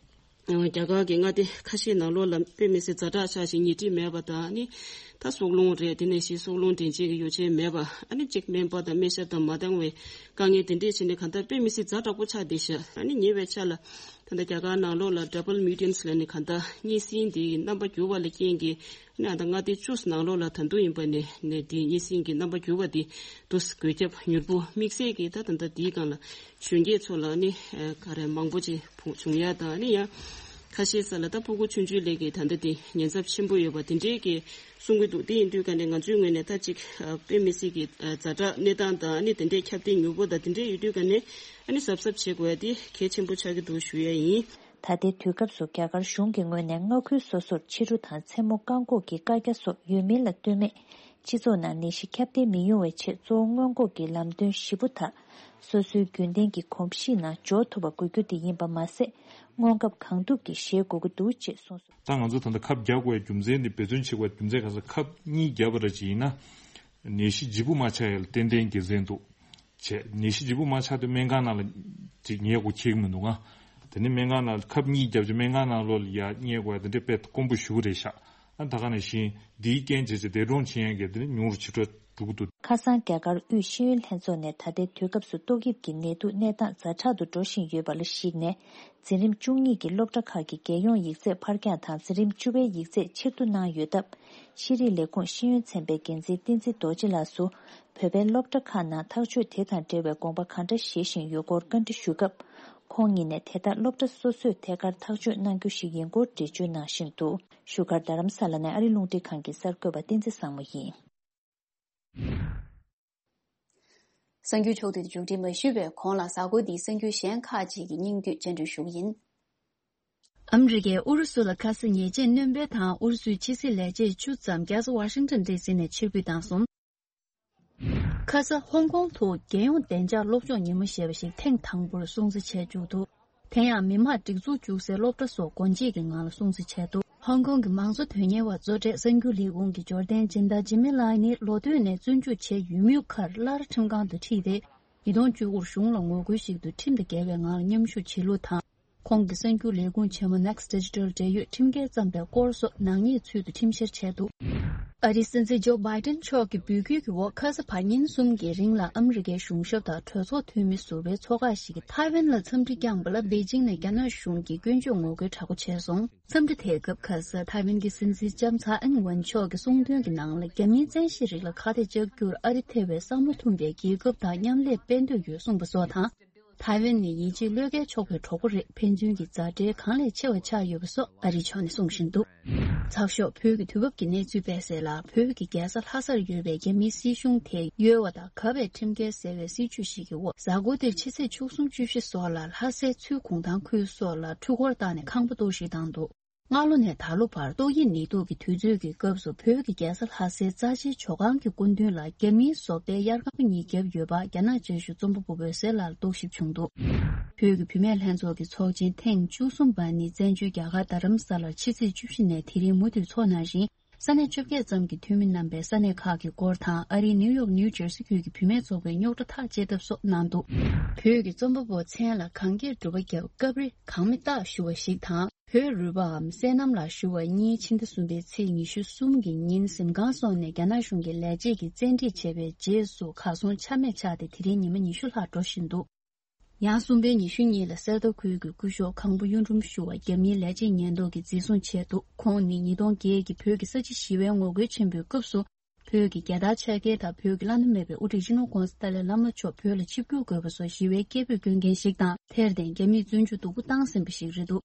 རྒྱ་གར་གྱི་མངའ་སྡེ་ཁ་ཤས་ནང་ལོགས་ལ་དཔེ་མི་སྲིད་ཛ་དྲག་ཆགས་ཤིང་ཉལ་ཁྲི་མེད་པ་དང་ནི། ད་སྲོག་རླུང་རེད། དེ་ནས་ཞིག་སྲོག་རླུང་འདྲེན་བྱེད་ཀྱི་ཡོ་བྱད་མེད་པ། ཨ་ནི་གཅིག་སྨན་པ་དང་སྨན་ཞབས་དང་མ་འདང་བའི་དཀའ་ངལ་དེ་འདྲས་བྱས་ནས་གང་ལྟར་དཔེ་མི་སྲིད་ཛ་དྲག་པོ་ཆགས་བསྡད་ཤག་ཨ་ནི་ཉེ་བའི་ཆར་ལ་ད་ལྟ་རྒྱ་གར་ནང་ལོགས་ལ་double mutants་ལབ་ནས་གང་ལྟར་གཉན་སྲིན་དེའི་རྣམ་པ་འགྱུར་བ་ལ་རྐྱེན་གྱིས། ནི་ཨ་ད་མངའ་སྡེ་བཅུ་ནང་ལོགས་ལ་ད་དུང་ཡིན་པ་ནི་ནི་དེའི་གཉན་སྲིན་གྱི་རྣམ་པ་འགྱུར་བ་དེ་དུས་འགོས་ཁྱབ་མྱུར་པོ་དམིགས་བསལ་གྱིས་ད་ད་ལྟ་དེའི་སྒང་ལ་གཞོན་སྐྱེས་ཚོ་ལ་ནི་ག་རེ་མང་པོ་ཅིག་བྱུང་ཡ་དང་ནི་ཡང་ཁ་ཤས་ས་ལ་ད་ཕྲུ་གུ་ཆུང་ཆུང་ལས་ཀྱི་ད་ལྟ་དེ་ཉེན་ཚབས་ཆེན་པོ་ཡོད་པ་དེ་འདྲའི་གི་གསུང་གི་འདུག་དེ་ཡིན་དུས་ཀ་ནས་ང་ཚོའི་ངོས་ནས་ད་ཅིག་དཔེ་མི་སྲིད་ཀྱི་ཛ་དྲག་གནས་སྟངས་དང་ནི་དེ་འདྲའི་ཁྱབ་གདལ་མྱུར་པོ་དང་དེ་འདྲའི་ཡོད་དུས་ཀ་ནས་ཨ་ནི་གཟབ་གཟབ་བྱེད་དགོས་ཡ་དེ་གལ་ཆེན་པོ་ཆགས་ཀྱི་འདུག་ཞུ་ཡ་ཡིན། ད་ལྟའི་དུས་སྐབས་སུ་རྒྱ་གར་གཞུང་གི་ངོས་ནས་མངའ་ཁུལ་སོ་སོར་ཕྱི་རུ་དང་མཚན་མོ་བཀག་འགོག་གི་བཀའ་རྒྱ་སོགས་ཡོད་མིན་ལ་ལྟོས་མེད། སྤྱི་ཚོགས་ནང་ནད་གཞི་ཁྱབ་གདལ་མི་ཡོང་བའི་ཆེད་གཙོ་བོ་སྔོན་འགོག་གི་ལམ་སྟོན་བཞི་པོ་དག་སོ་སོའི་རྒྱུན་ལྡན་གྱི་གོམས་གཤིས་ནང་འཇོག་ཐུབ་པ་དགོས་རྒྱུ་དེ་ཡིན་པ་མ་ཟད། སྔོན་ཁབ་གང་ཐུབ་ཀྱིས་བཞེས་དགོས་ཀྱི་འདུག་ཅེས་གསུངས་སོང་། ད་ང་ཚོ་ད་ལྟ་ཁབ་རྒྱག་དགོས་པའི་རྒྱུ་མཚན་དེ། འབད་བརྩོན་བྱེད་དགོས་པའི་རྒྱུ་མཚན་ག་ཚོད། ཁབ་གཉིས་བརྒྱབ་པ་འདྲ་ཅིག་ཡིན་ན། ནད་གཞི་ལྗིད་པོ་མ་ཆགས་ཡ་ལ་ཏན་ཏན་དགེ་མཚན་འདུག་བྱས། ནད་གཞི་ལྗིད་པོ་མ་ཆགས་དུས་སྨན་ཁང་ནང་ལ་ཅིག་ཉལ་དགོས་ཁེལ་གྱི་མི་འདུག་ང་། དེ་ནས་སྨན་ཁང་ནང་ལ་ཁབ་གཉིས་བརྒྱབ་རྗེས་སྨན་ཁང་ནང་ལོགས་ལ་ཡར་ཉལ་དགོས་ཡ་དེ་འདྲ་དཔེ་དཀོན་པོ་ཞེ་པོ་རེད་ཤག་ཨ། ད་ག་ནང་བཞིན་འདིའི་རྐྱེན་བྱས་རྗེས་འདས་གྲོངས་ཕྱིན་ཡ་གི་དེ་ནི་ཉུང་རུ་ཕྱིན་འགྲོ་འགྲོ་གི་འདུག་ཁ་སང་རྒྱ་གར་དབུས་ཤེས་ཡོན་ལྷན་ཚོགས་ནས་ད་ལྟའི་དུས་སྐབས་སུ་ཏོག་དབྱིབས་ཀྱི་ནད་དུག་གནས་སྟངས་ཛ་དྲག་ཏུ་འགྲོ་བཞིན་ཡོད་པ་ལ་གཞིགས་ནས། འཛིན་རིམ་བཅུ་གཉིས་ཀྱི་སློབ་གྲྭ་ཁག་གི་རྒྱལ་ཡོངས་ཡིག་ཚད་ཕར་འགྱངས་དང་། འཛིན་རིམ་བཅུ་པའི་ཡིག་ཚད་ཕྱིར་བསྡུ་གནང་ཡོད་སྟབས། ཤེས་རིག་ལས་ཁུངས་ཤེས་ཡོན་ཚན་པའི་འགན་འཛིན་བསྟན་འཛིན་རྡོ་རྗེ་ལགས་སུ། བོད་པའི་སློབ་གྲྭ་ཁག་ནང་ཐག་གཅོད་དེ་དང་འབྲེལ་བའི་དགོངས་པ་གང་འདྲ་བཞེས་བཞིན་ཡོད་སྐོར་བཀའ་འདྲི་ཞུས་སྐབས། ཁོང་ཉིད་ནས་དེ་ལྟར་སློབ་གྲྭ་སོ་སོས་ཐད་ཀར་ཐག་གཅོད་གནང་རྒྱུ་ཞིག་ཡིན་སྐོར་འགྲེལ་བརྗོད་གནང་བཞིན་འདུག་བཞུགས་སྒར་རྡ་རམ་ས་ལ་ནས་ཨ་རི་རླུང་འཕྲིན་ཁང་གི་གསར་འགོད་པ་བསྟན་འཛིན་བཟང་མོ་ཡིན། གསར་འགྱུར་ཕྱོགས་བསྡུས་མཇུག་སྒྲིལ་མ་ཞུས་པའི་གོང་ལ་གཟའ་འཁོར་འདིའི་གསར་འགྱུར་གཞན་ཁག་ཅིག་གི་སྙིང་བསྡུས་སྤྱན་འགྲེལ་ཞུ་གི་ཡིན། ཨ་མི་རི་ཀས་ཨུ་རུ་སུ་ལ་ཁ་ས་ཉེས་ཆད་སྣོན་སྤེལ་དང་ཨུ་རུ་སུའི་ཕྱི་སྲིད་ལས་བྱེད་བཅུ་ཙམ་རྒྱལ་ས་ཝ་ཤིང་ཊོན་ཌི་སི་ནས་ཕྱིར་འབུད་བཏང་སོང་། ཁ་ས་ཧོང་ཀོང་དུ་རྒྱལ་ཡོངས་བདེ་འཇགས་སློབ་སྦྱོང་ཉིན་མོ་ཞེས་པ་ཞིག་ཐེངས་དང་པོར་སྲུང་བརྩི་བྱས་བཅུག་འདུག་དེ་ཡང་མི་དམངས་སྒྲིག་འཛུགས་བཅུག་སའི་སློབ་གྲྭ་སོགས་སྒོ་འབྱེད་ཀྱི་ངང་ལ་སྲུང་བརྩི་བྱས་འདུག་ཧོང་ཀོང་གི་མང་གཙོ་དོན་གཉེར་བ་གཙོ་གྲས་གསར་འགྱུར་ལས་ཁུངས་ཀྱི་འབྱོར་ལྡན་ཇིན་དཱ་ཇི་མི་ལའི་ནི་ལོ་སྟོད་ནས་བཙོན་འཇུག་བྱས་ཡོད་མུས་ཁར་སླར་ཁྲིམས་ཁང་དུ་ཁྲིད་དེ། ཉིས་སྟོང་བཅུ་དགུར་གཞུང་ལ་ངོ་རྒོལ་ཞིག་ཏུ་ཁྲིམས་དང་འགལ་བའི་ངང་ལ་མཉམ་ཞུགས་བྱེད་ལུགས་དང་། ཁོང་གི་གསར་འགྱུར་ལས་ཁུངས་ཆེན་མོ་Next Digital འབྲེལ་ཡོད་ཁྲིམས་འགལ་བརྩམས་པའི་སྐོར་སོགས་ནག་ཉེས་ཚུལ་དུ་ཁྲིམས་བཤེར་བྱས་འདུག་ཨ་རིའི་སྲིད་འཛིན་ཇོ་བྷའི་ཏན་མཆོག་གི་འབོད་སྐུལ་གྱི་འོག་ཁ་ས་བར་ཉིན་གསུམ་གྱི་རིང་ལ་ཨ་མི་རི་ཀའི་གཞུང་ཞབས་དང་གྲོས་ཚོགས་འཐུས་མི་ཟུར་པའི་ཚོགས་ཁག་ཞིག་གིས་ཐའེ་ཝན་ལ་འཚམས་འདྲི་བསྐྱངས་པ་ལ་པེ་ཅིང་ནས་རྒྱ་ནག་གཞུང་གིས་སྐྱོན་བརྗོད་ངོ་རྒོལ་དྲག་པོ་བྱས་སོང་། འཚམས་འདྲི་དེའི་སྐབས་ཁ་ས་ཐའེ་ཝན་གྱི་སྲིད་འཛིན་ལྕམ་ཚའེ་ཨིན་ཝེན་མཆོག་གིས་གསུངས་དོན་གྱི་ནང་ལ། རྒྱ་མིའི་བཙན་ཤེད་རིགས་ལ་ཁ་གཏད་གཅོག་རྒྱུར་ཨ་རི་ཐེ་བའི་བསམ་བློ་ཐོན་པའི་རྒྱལ་ཁབ་དང་མཉམ་ལས་སྤེལ་འདོད་ཡོད་གསུངས་པ་སོགས་དང་། ཐའེ་ཝན་ནི་ཡིད་ཆེས་བློས་འགེལ་ཆོག་པའི་གྲོགས་པོ་རེད། ཕན་ཚུན་གྱི་མཛའ་འབྲེལ་གང་ལས་ཆེ་བ་ཆགས་ཡོད་པ་སོགས་ཨ་རིའི་ཕྱོགས་ནས་གསུངས་བཞིན་འདུག་ཚགས་ཤོག་བོད་ཀྱི་དུས་བབ་ཀྱི་གནས་ཚུལ་སྤེལ་གསལ་ལ། བོད་ཀྱི་རྒྱལ་ས་ལྷ་སར་ཡོད་པའི་རྒྱ་མིའི་སྲིད་གཞུང་དེ་གཡོལ་བ་དང་། གབ་པའི་ཁྲིམས་འགལ་ཟེར་བའི་སྲིད་བྱུས་ཤིག་གི་འོག་གཟའ་འཁོར་འདིར་ཕྱི་ཚེས་བཅུ་གསུམ་བཅུ་བཞི་སོགས་ལ་ལྷ་སའི་ཚུལ་ཁུངས་དང་ཁུལ་སོགས་ལ་འཕྲུལ་འཁོར་བཏང་ནས་ཁང་པ་གཏོར་བཤིག་བཏང་འདུག་སྔ་ལོ་ནས་ད་ལོ་བར་ཏོག་དབྱིབས་ནད་དུག་གི་དུས་ཚོད་ཀྱི་སྐབས་སུ་བོད་ཀྱི་རྒྱལ་ས་ལྷ་སའི་རྩ་ཆེའི་ཇོ་ཁང་གི་སྐུ་མདུན་ལ་རྒྱ་མིའི་བཟོ་ལྟའི་དབྱར་ཁང་གཉིས་བརྒྱབ་ཡོད་པ་རྒྱ་ནག་བརྗོད་གཞུང་རྩོམ་པ་པོ་འོད་ཟེར་ལགས་རྟོག་ཞིབ་བྱུང་འདུག་བོད་ཀྱི་བུད་མེད་ལྷན་ཚོགས་ཀྱི་ཚོགས་ཆེན་ཐེངས་བཅུ་གསུམ་པ་ནི་བཙན་བྱོལ་རྒྱ་གར་རྡ་རམ་ས་ལར་ཕྱི་ཚེས་བཅུ་བཞི་ནས་དེ་རིང་མུ་མཐུད་འཚོགས་གནང་ཞིང་། ས་གནས་བཅོ་བརྒྱད་ཙམ་གྱི་འཐུས་མི་རྣམ་པས་ས་གནས་ཁག་གི་སྐོར་དང་། ཨ་རིའི་ནིའུ་ཡོག་ནིའུ་ཇར་སི་ཁུལ་གྱི་བུད་མེད་ཚོགས་པའི་རྙོག་དྲ་ཐག་བཅད་ཐབས་སོགས་གནང་འདུག་བོད་ཀྱི་རྩོམ་པ་པོ་མཚན་ལ་གངས་སྐྱེས་སྒྲུབ་པ་རྒྱབ་སྐབས་རེ་གངས་མི་རྟགས་ཞུ་བ་ཞིག་དང་། བོད་རུས་པའམ་སྲས་གནམ་ལ་ཞུ་བ་གཉིས་ཕྱི་ཟླ་གསུམ་པའི་ཚེས་ཉི་ཤུ་གསུམ་གྱི་ཉིན་གཟིམ་ཁང་སོགས་ནས་རྒྱ་ནག་གཞུང་གིས་ལས་བྱེད་ཀྱིས་བཙན་ཁྲིད་བྱས་པའི་རྗེས་སུ་གར་སོང་ཆ་མེད་ཆགས་ཏེ་དེ་རིང་ཉི་མ་ཉི་ཤུ་ལྷག་འགྲོ་བཞིན་འདུག་ཡང་གསུམ་པའི་ཉི་ཤུ་གཉིས་ལ་གསེར་རྟ་ཁུལ་གྱི་སྐུ་ཞབས་ཁང་པ་གཡུ་འབྲུམ་ཞུ་བ་རྒྱ་མིའི་ལས་བྱེད་ཉེན་རྟོག་གིས་འཛིན་བཟུང་བྱས་འདུག་ཁོང་ནི་ཉིས་སྟོང་བརྒྱད་ཀྱི་བོད་ཀྱི་ས་བྱི་ཞི་བའི་ངོ་རྒོལ་ཆེན་པོའི་སྐབས་སུ། བོད་ཀྱི་རྒྱལ་དར་འཕྱར་མཁན་དང་། བོད་ཀྱི་བླ་ན་མེད་པའི་དབུ་ཁྲིད་སྤྱི་ནོར་༧གོང་ས་ཏཱ་ལའི་བླ་མ་མཆོག་བོད་ལ་ཆིབས་བསྒྱུར་དགོས་པ་སོགས་ཞི་བའི་སྐད་འབོད་བསྐྱོན་མཁན་ཞིག་དང་། དེར་བརྟེན་རྒྱ་མིས་བཙོན་འཇུག་སྡུག་པོ་བཏང་ཟིན་པ་ཞིག་རེད་འདུག་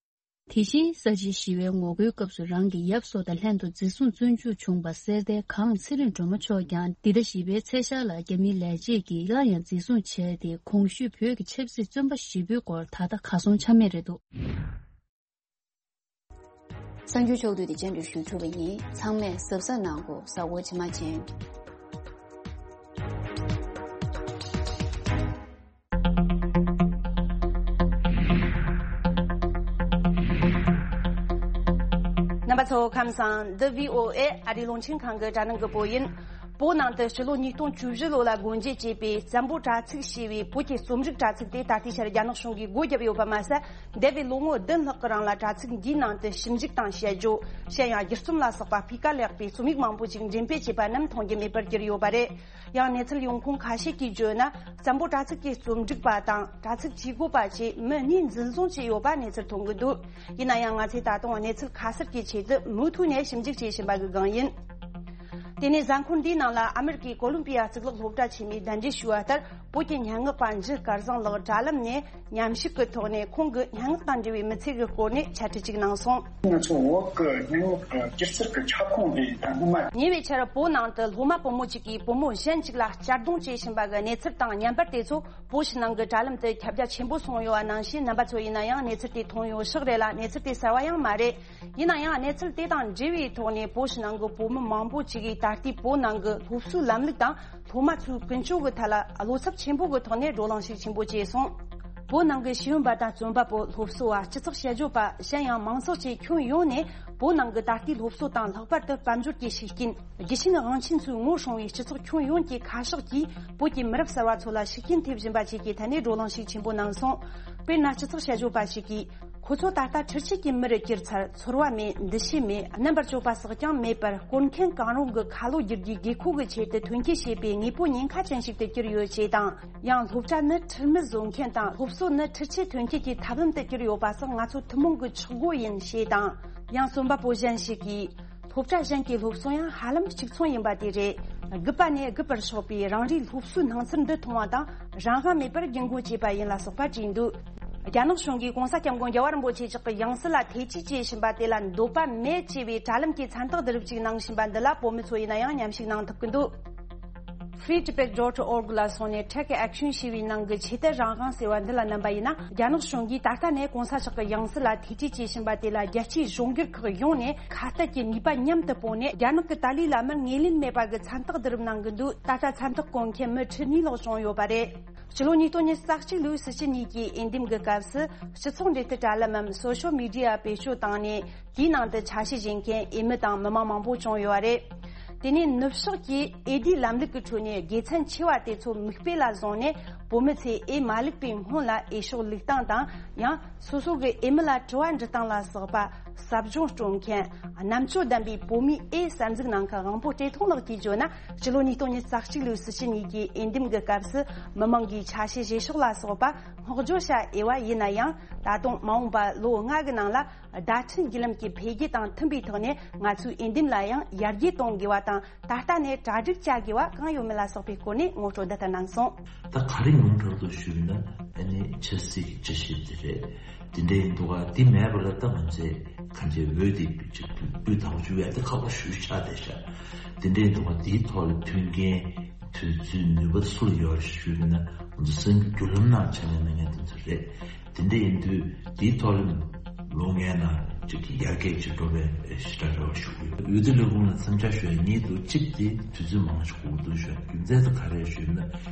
དེ་བཞིན་ས་བྱི་ཞི་བའི་ངོ་རྒོལ་སྐབས་སུ་རང་གི་ཡབ་སོགས་དང་ལྷན་དུ་འཛིན་བཟུང་བཙོན་འཇུག་བྱུང་བ་གསེར་རྟའི་གངས་ཚེ་རིང་སྒྲོལ་མ་མཆོག་ཀྱང་འདི་ཟླ་བཞི་པའི་ཚེས་ཤར་ལ་རྒྱ་མིའི་ལས་བྱེད་ཀྱིས་སླར་ཡང་འཛིན་བཟུང་བྱས་ཏེ། གོང་ཞུས་བོད་ཀྱི་ཆབ་སྲིད་བཙོན་པ་བཞི་པོའི་སྐོར་ད་ལྟ་གར་སོང་ཆ་མེད་རེད་འདུག་གསར་འགྱུར་ཕྱོགས་བསྡུས་དེ་སྤྱན་འབུལ་ཞུ་ཚུགས་པ་ཡིན། ཚང་མས་གཟབ་གཟབ་གནང་དགོས། གཟའ་འཁོར་ཕྱི་མ་མཇལ། རྣམ་པ་ཚོ་ཁམས་བཟང་། འདི་བྷི་ཨོ་ཨེ་ཨ་རིའི་རླུང་འཕྲིན་ཁང་གི་དྲ་ནང་གི་བོད་ཡིན། བོད་ནང་དུ་ཕྱི་ལོ་ཉིས་སྟོང་བཅུ་བཞི་ལོ་ལ་སྒོ་འབྱེད་བྱས་པའི་བཙན་པོ་དྲ་ཚིགས་ཞེས་པའི་བོད་ཀྱི་རྩོམ་རིག་དྲ་ཚིགས་དེ་ད་ལྟའི་ཆར་རྒྱ་ནག་གཞུང་གིས་སྒོ་བརྒྱབ་ཡོད་པ་མ་ཟད། འདས་པའི་ལོ་ངོ་བདུན་ལྷག་གི་རིང་ལ་དྲ་ཚིགས་འདིའི་ནང་དུ་ཞིབ་འཇུག་དང་དཔྱད་བརྗོད། གཞན་ཡང་སྒྱུ་རྩོམ་ལ་སོགས་པ་སྤུས་ཀ་ལེགས་པའི་རྩོམ་ཡིག་མང་པོ་ཞིག་འགྲེམས་སྤེལ་བྱས་པ་རྣམས་མཐོང་རྒྱུ་མེད་པར་གྱུར་ཡོད་པ་རེད། ཡང་གནས་ཚུལ་ཡོང་ཁུངས་ཁ་ཤས་ཀྱིས་བརྗོད་ན། བཙན་པོ་དྲ་ཚིགས་ཀྱི་རྩོམ་སྒྲིག་པ་དང་དྲ་ཚིགས་ཇུས་འགོད་པ་བཅས་མི་གཉིས་འཛིན་བཟུང་བྱས་ཡོད་པ་གནས་ཚུལ་ཐོན་གྱི་འདུག་ཡིན་ན་ཡང་ང་ཚོས་ད་དུང་གནས་ཚུལ་ཁ་གསལ་གྱི་ཆེད་དུ་མུ་མཐུད་ནས་ཞིབ་འཇུག་བྱེད་བཞིན་པ་གི་སྒང་ཡིན། དེ་ནས་གཟའ་འཁོར་འདིའི་ནང་ལ་ཨ་མེ་རི་ཀའི་ཀོ་ལོམ་པི་ཡ་གཙུག་ལག་སློབ་གྲྭ་ཆེན་མོས་གདན་འདྲེན་ཞུས་པ་ལྟར། བོད་ཀྱི་སྙན་ངག་པ་འཇུ་སྐལ་བཟང་ལགས་དྲ་ལམ་ནས་མཉམ་ཞུགས་ཀྱི་ཐོག་ནས་ཁོང་གི་སྙན་ངག་དང་འབྲེལ་བའི་མི་ཚེ་གི་སྐོར་ནས་འཆད་ཁྲིད་ཅིག་གནང་སོང་། ང་ཚོ་བོད་ཀྱི་སྙན་ངག་གི་སྒྱུ་རྩལ་གྱི་ཁྱབ་ཁོངས་དེ་ད་སྔོན་མ། ཉེ་བའི་ཆར་བོད་ནང་དུ་སློབ་མ་བུ་མོ་གཅིག་གིས་བུ་མོ་གཞན་གཅིག་ལ་གཅར་རྡུང་བྱས་ཕྱིན་པ་གི་གནས་ཚུལ་དང་མཉམ་པར། དེ་ཚོ་བོད་ཕྱི་ནང་གི་དྲ་ལམ་དུ་ཁྱབ་རྒྱ་ཆེན་པོ་སོང་ཡོད་པ་ནང་བཞིན། རྣམ་པ་ཚོ་ཡིན་ན་ཡང་གནས་ཚུལ་དེ་མཐོང་ཡོད་ཤག་རེད་ལ། གནས་ཚུལ་དེ་གསར་བ་ཡང་མ་རེད། ཡིན་ན་ཡང་གནས་ཚུལ་དེ་དང་འབྲེལ་བའི་ཐོག་ནས་བོད་ཕྱི་ནང་གི་བོད་མི་མང་པོ་ཅིག་གིས་ད་ལྟའི་བོད་ནང་གི་སློབ་གསོའི་ལམ་ལུགས་དང་སློབ་མ་ཚོའི་ཀུན་སྤྱོད་ཀྱི་ཐད་ལ་བློ་འཚབ་ཆེན་པོ་གི་ཐོག་ནས་བགྲོ་གླེང་ཞིག་ཆེན་པོ་བྱས་སོང་། བོད་ནང་གི་ཤེས་ཡོན་པ་དང་རྩོམ་པ་པོ། སློབ་གསོ་བ། སྤྱི་ཚོགས་དཔྱད་བརྗོད་པ། གཞན་ཡང་མང་ཚོགས་བཅས་ཁྱོན་ཡོངས་ནས་བོད་ནང་གི་ད་ལྟའི་སློབ་གསོ་དང་། ལྷག་པར་དུ་དཔལ་འབྱོར་གྱི་ཤུགས་རྐྱེན། རྒྱུ་ཆེན་དབང་ཆེན་ཚོས་ངོ་སྲུང་བའི་སྤྱི་ཚོགས་ཁྱོན་ཡོངས་ཀྱི་ཁ་ཕྱོགས་ཀྱིས་བོད་ཀྱི་མི་རབས་གསར་བ་ཚོ་ལ་ཤུགས་རྐྱེན་ཐེབས་བཞིན་པ་བཅས་ཀྱི་ཐད་ནས་བགྲོ་གླེང་ཞིག་ཆེན་པོ་གནང་སོང་། དཔེར་ན། སྤྱི་ཚོགས་དཔྱད་བརྗོད་པ་ཞིག་གིས། ཁོ་ཚོ་ད་ལྟ་འཕྲུལ་ཆས་ཀྱི་མི་རུ་གྱུར་ཚར། ཚོར་བ་མེད། འདུ་ཤེས་མེད། རྣམ་པར་དཔྱོད་པ་སྲེག་རྐྱང་མེད་པར། སྐོར་མཁན་གང་རུང་གི་ཁ་ལོ་བསྒྱུར་རྒྱུའི་དགོས་མཁོ་གི་ཆེད་དུ་ཐོན་སྐྱེད་བྱེད་པའི་དངོས་པོ་ཉེན་ཁ་ཅན་ཞིག་ཏུ་གྱུར་ཡོད་ཅེས་དང་། ཡང་སློབ་གྲྭ་ནི་ཁྲིམས་མེད་བཟོ་མཁན་དང་། སློབ་གསོ་ནི་འཕྲུལ་ཆས་ཐོན་སྐྱེད་ཀྱི་ཐབས་ལམ་དུ་གྱུར་ཡོད་པ་སོགས་ང་ཚོ་ཐུན་མོང་གི་ཆག་སྒོ་ཡིན་ཞེས་དང་། ཡང་རྩོམ་པ་པོ་གཞན་ཞིག་གིས། སློབ་གྲྭ་གཞན་གྱི་སློབ་གསོ་ཡང་ཧ་ལམ་གཅིག་མཚུངས་ཡིན་པ་དེ་རེད། རྒུད་པ་ནས་རྒུད་པར་ཕྱོགས་པའི་རང་རེའི་སློབ་གསོའི་སྣང་ཚུལ་འདི་མཐོང་བ་དང་། རང་དབང་མེད་པར་རྒྱུད་འགོ་བཅད་པ་ཡིན་ལ་སོགས་པ་བྲིས་འདུག་རྒྱ་ནག་གཞུང་གིས་༸གོང་ས་༸སྐྱབས་མགོན་རྒྱལ་བ་རིན་པོ་ཆེ་མཆོག་གི་ཡང་སྲིད་ལ་ཐེ་ཇུས་བྱེད་བཞིན་པ་དེ་ལ་འདོད་པ་མེད་ཅེས་པའི་དྲ་ལམ་གྱི་མཚན་རྟགས་བསྡུ་རུབ་ཅིག་གནང་བཞིན་པ་འདི་ལ། བོད་མི་ཚོ་ཡིན་ན་ཡང་མཉམ་ཞུགས་གནང་ཐུབ་ཀྱི་འདུག Free Tibet dot org ལ་སོང་ནས་take action ཞེས་པའི་ནང་གི་ཆེད་དུ་རང་དབང་ཟེར་བ་འདི་ལ་མནན་པ་ཡིན་ན། རྒྱ་ནག་གཞུང་གིས་ད་ལྟ་ནས་༸གོང་ས་མཆོག་གི་ཡང་སྲིད་ལ་ཐེ་ཇུས་བྱེད་བཞིན་པ་དེ་ལ། རྒྱལ་སྤྱིའི་གཞུང་སྒེར་ཁག་ཡོངས་ནས་ཁ་གཏད་ཀྱི་ནུས་པ་མཉམ་དུ་སྤུངས་ནས། རྒྱ་ནག་གི་ཏཱ་ལའི་བླ་མར་ངོས་ལེན་མེད་པ་གི་མཚན་རྟགས་བསྡུ་རུབ་གནང་གི་འདུག་ད་ལྟ་མཚན་རྟགས་བཀོད་མཁན་མི་ཁྲི་གཉིས་ལྷག་བྱུང་ཡོད་པ་རེད། ཕྱི་ལོ་ཉིས་སྟོང་ཉི་ཤུ་རྩ་གཅིག་ལོའི་སྲིད་སྤྱི་གཉིས་ཀྱི་འོས་འདེམས་ཀྱི་སྐབས་སུ། སྤྱི་ཚོགས་འབྲེལ་མཐུད་དྲ་ལམ་མམ་social media བེད་སྤྱོད་བཏང་ནས། དེའི་ནང་དུ་ཆ་ཤས་བཞེས་མཁན་འོས་མི་དང་མི་མང་མང་པོ་བྱུང་ཡོད་པ་རེད། དེ་ནས་ནུབ་ཕྱོགས་ཀྱི་འོས་བསྡུའི་ལམ་ལུགས་ཀྱི་ཁྲོད་ནས་དགེ་མཚན་ཆེ་བ་དེ་ཚོ་མིག་དཔེ་ལ་བཟུང་ནས། བོད་མི་ཚོས་འོས་མ་བླུགས་པའི་སྔོན་ལ་འོས་ཤོག་བླུགས་སྟངས་དང་། ཡང་སོ་སོ་གི་འོས་མི་ལ་དྲི་བ་འདྲི་སྟངས་ལ་སོགས་པ་ཟབ་སྦྱོང་སྤྲོད་མཁན། རྣམ་དཔྱོད་ལྡན་པའི་བོད་མིའི་འོས་གསར་འཛུགས་གནང་མཁན་དབང་པོ་བཀྲས་མཐོང་ལགས་ཀྱིས་བརྗོད་ན། ཕྱི་ལོ་ཉིས་སྟོང་ཉི་ཤུ་རྩ་གཅིག་ལོའི་སྲིད་སྤྱི་གཉིས་ཀྱི་འོས་འདེམས་ཀྱི་སྐབས་སུ། མི་མང་གིས་ཆ་ཤས་བཞེས་ཕྱོགས་ལ་སོགས་པ་བསྔགས་བརྗོད་བྱ་འོས་པ་ཡིན་ན་ཡང་། ད་དུང་མ་འོངས་པ་ལོ་ལྔ་གི་ནང་ལ། བརྡ་འཕྲིན་བརྒྱུད་ལམ་གྱི་འཕེལ་རྒྱས་དང་མཐུན་པའི་ཐོག་ནས། ང་ཚོའི་འོས་འདེམས་ལ་ཡང་ཡར་རྒྱས་གཏོང་དགོས་པ་དང་། ད་ལྟ་ནས་གྲ་སྒྲིག་བྱ་དགོས་པ་གང་ཡོད་མེད་ལ་སོགས་པའི་སྐོར་ནས་ངོ་སྤྲོད་འདི་ལྟར་གནང་སོང་། ད་ག་རེ་ཉུང་དྲགས་འདུག་ཞུས་ན། ཨ་ནི་ཆབ་སྲིད་ཀྱི་དཔྱད་ཞིབ་དེ་རེད། དེ་འདྲ་ཡིན་འདུག་ག་དེ་མེད་པ་ལ་ད་ང་ཚོས་གང་ཅི་འོས་དེ་ཅིག་སྤུས་དག་པོ་ཞུ་ཡ་དེ་ཁག་པོ་ཞེ་པོ་ཆགས་བསྡད་ཤག་དེ་འདྲ་ཡིན་འདུག་ག་དེའི་ཐོག་ལ་མཐུན་རྐྱེན་དུས་ཚོད་ནུས་པ་སུ་ལ་ཡོད་རེད་ཞུས་པ་ན། ང་ཚོ་སེམས་ཀྱི་བརྒྱུད་ལམ་ནང་ཆ་ནས་གནང་མཁན་དེ་ཚོ་རེད། དེ་འདྲ་ཡིན་དུས་དེའི་ཐོག་ལ་ལོ་ལྔའི་ནང་ཅིག་གི་ཡར་རྒྱས་ཅིག་འགྲོ་བའི་ཞེ་དྲག་རེ་བ་ཞུ་གི་ཡོད། འོས་བསྡུ་ལས་ཁུངས་ལ་འཚམས་འཆར་ཞུ་ཡ་གཉིས་འདུག་གཅིག་དེ་དུས་ཚོད་མང་ཞིག་འགོར་འདུག་ཞུ་ཡ་རྒྱུ་མཚན་དེ་ག་རེ་ཞུས་ན།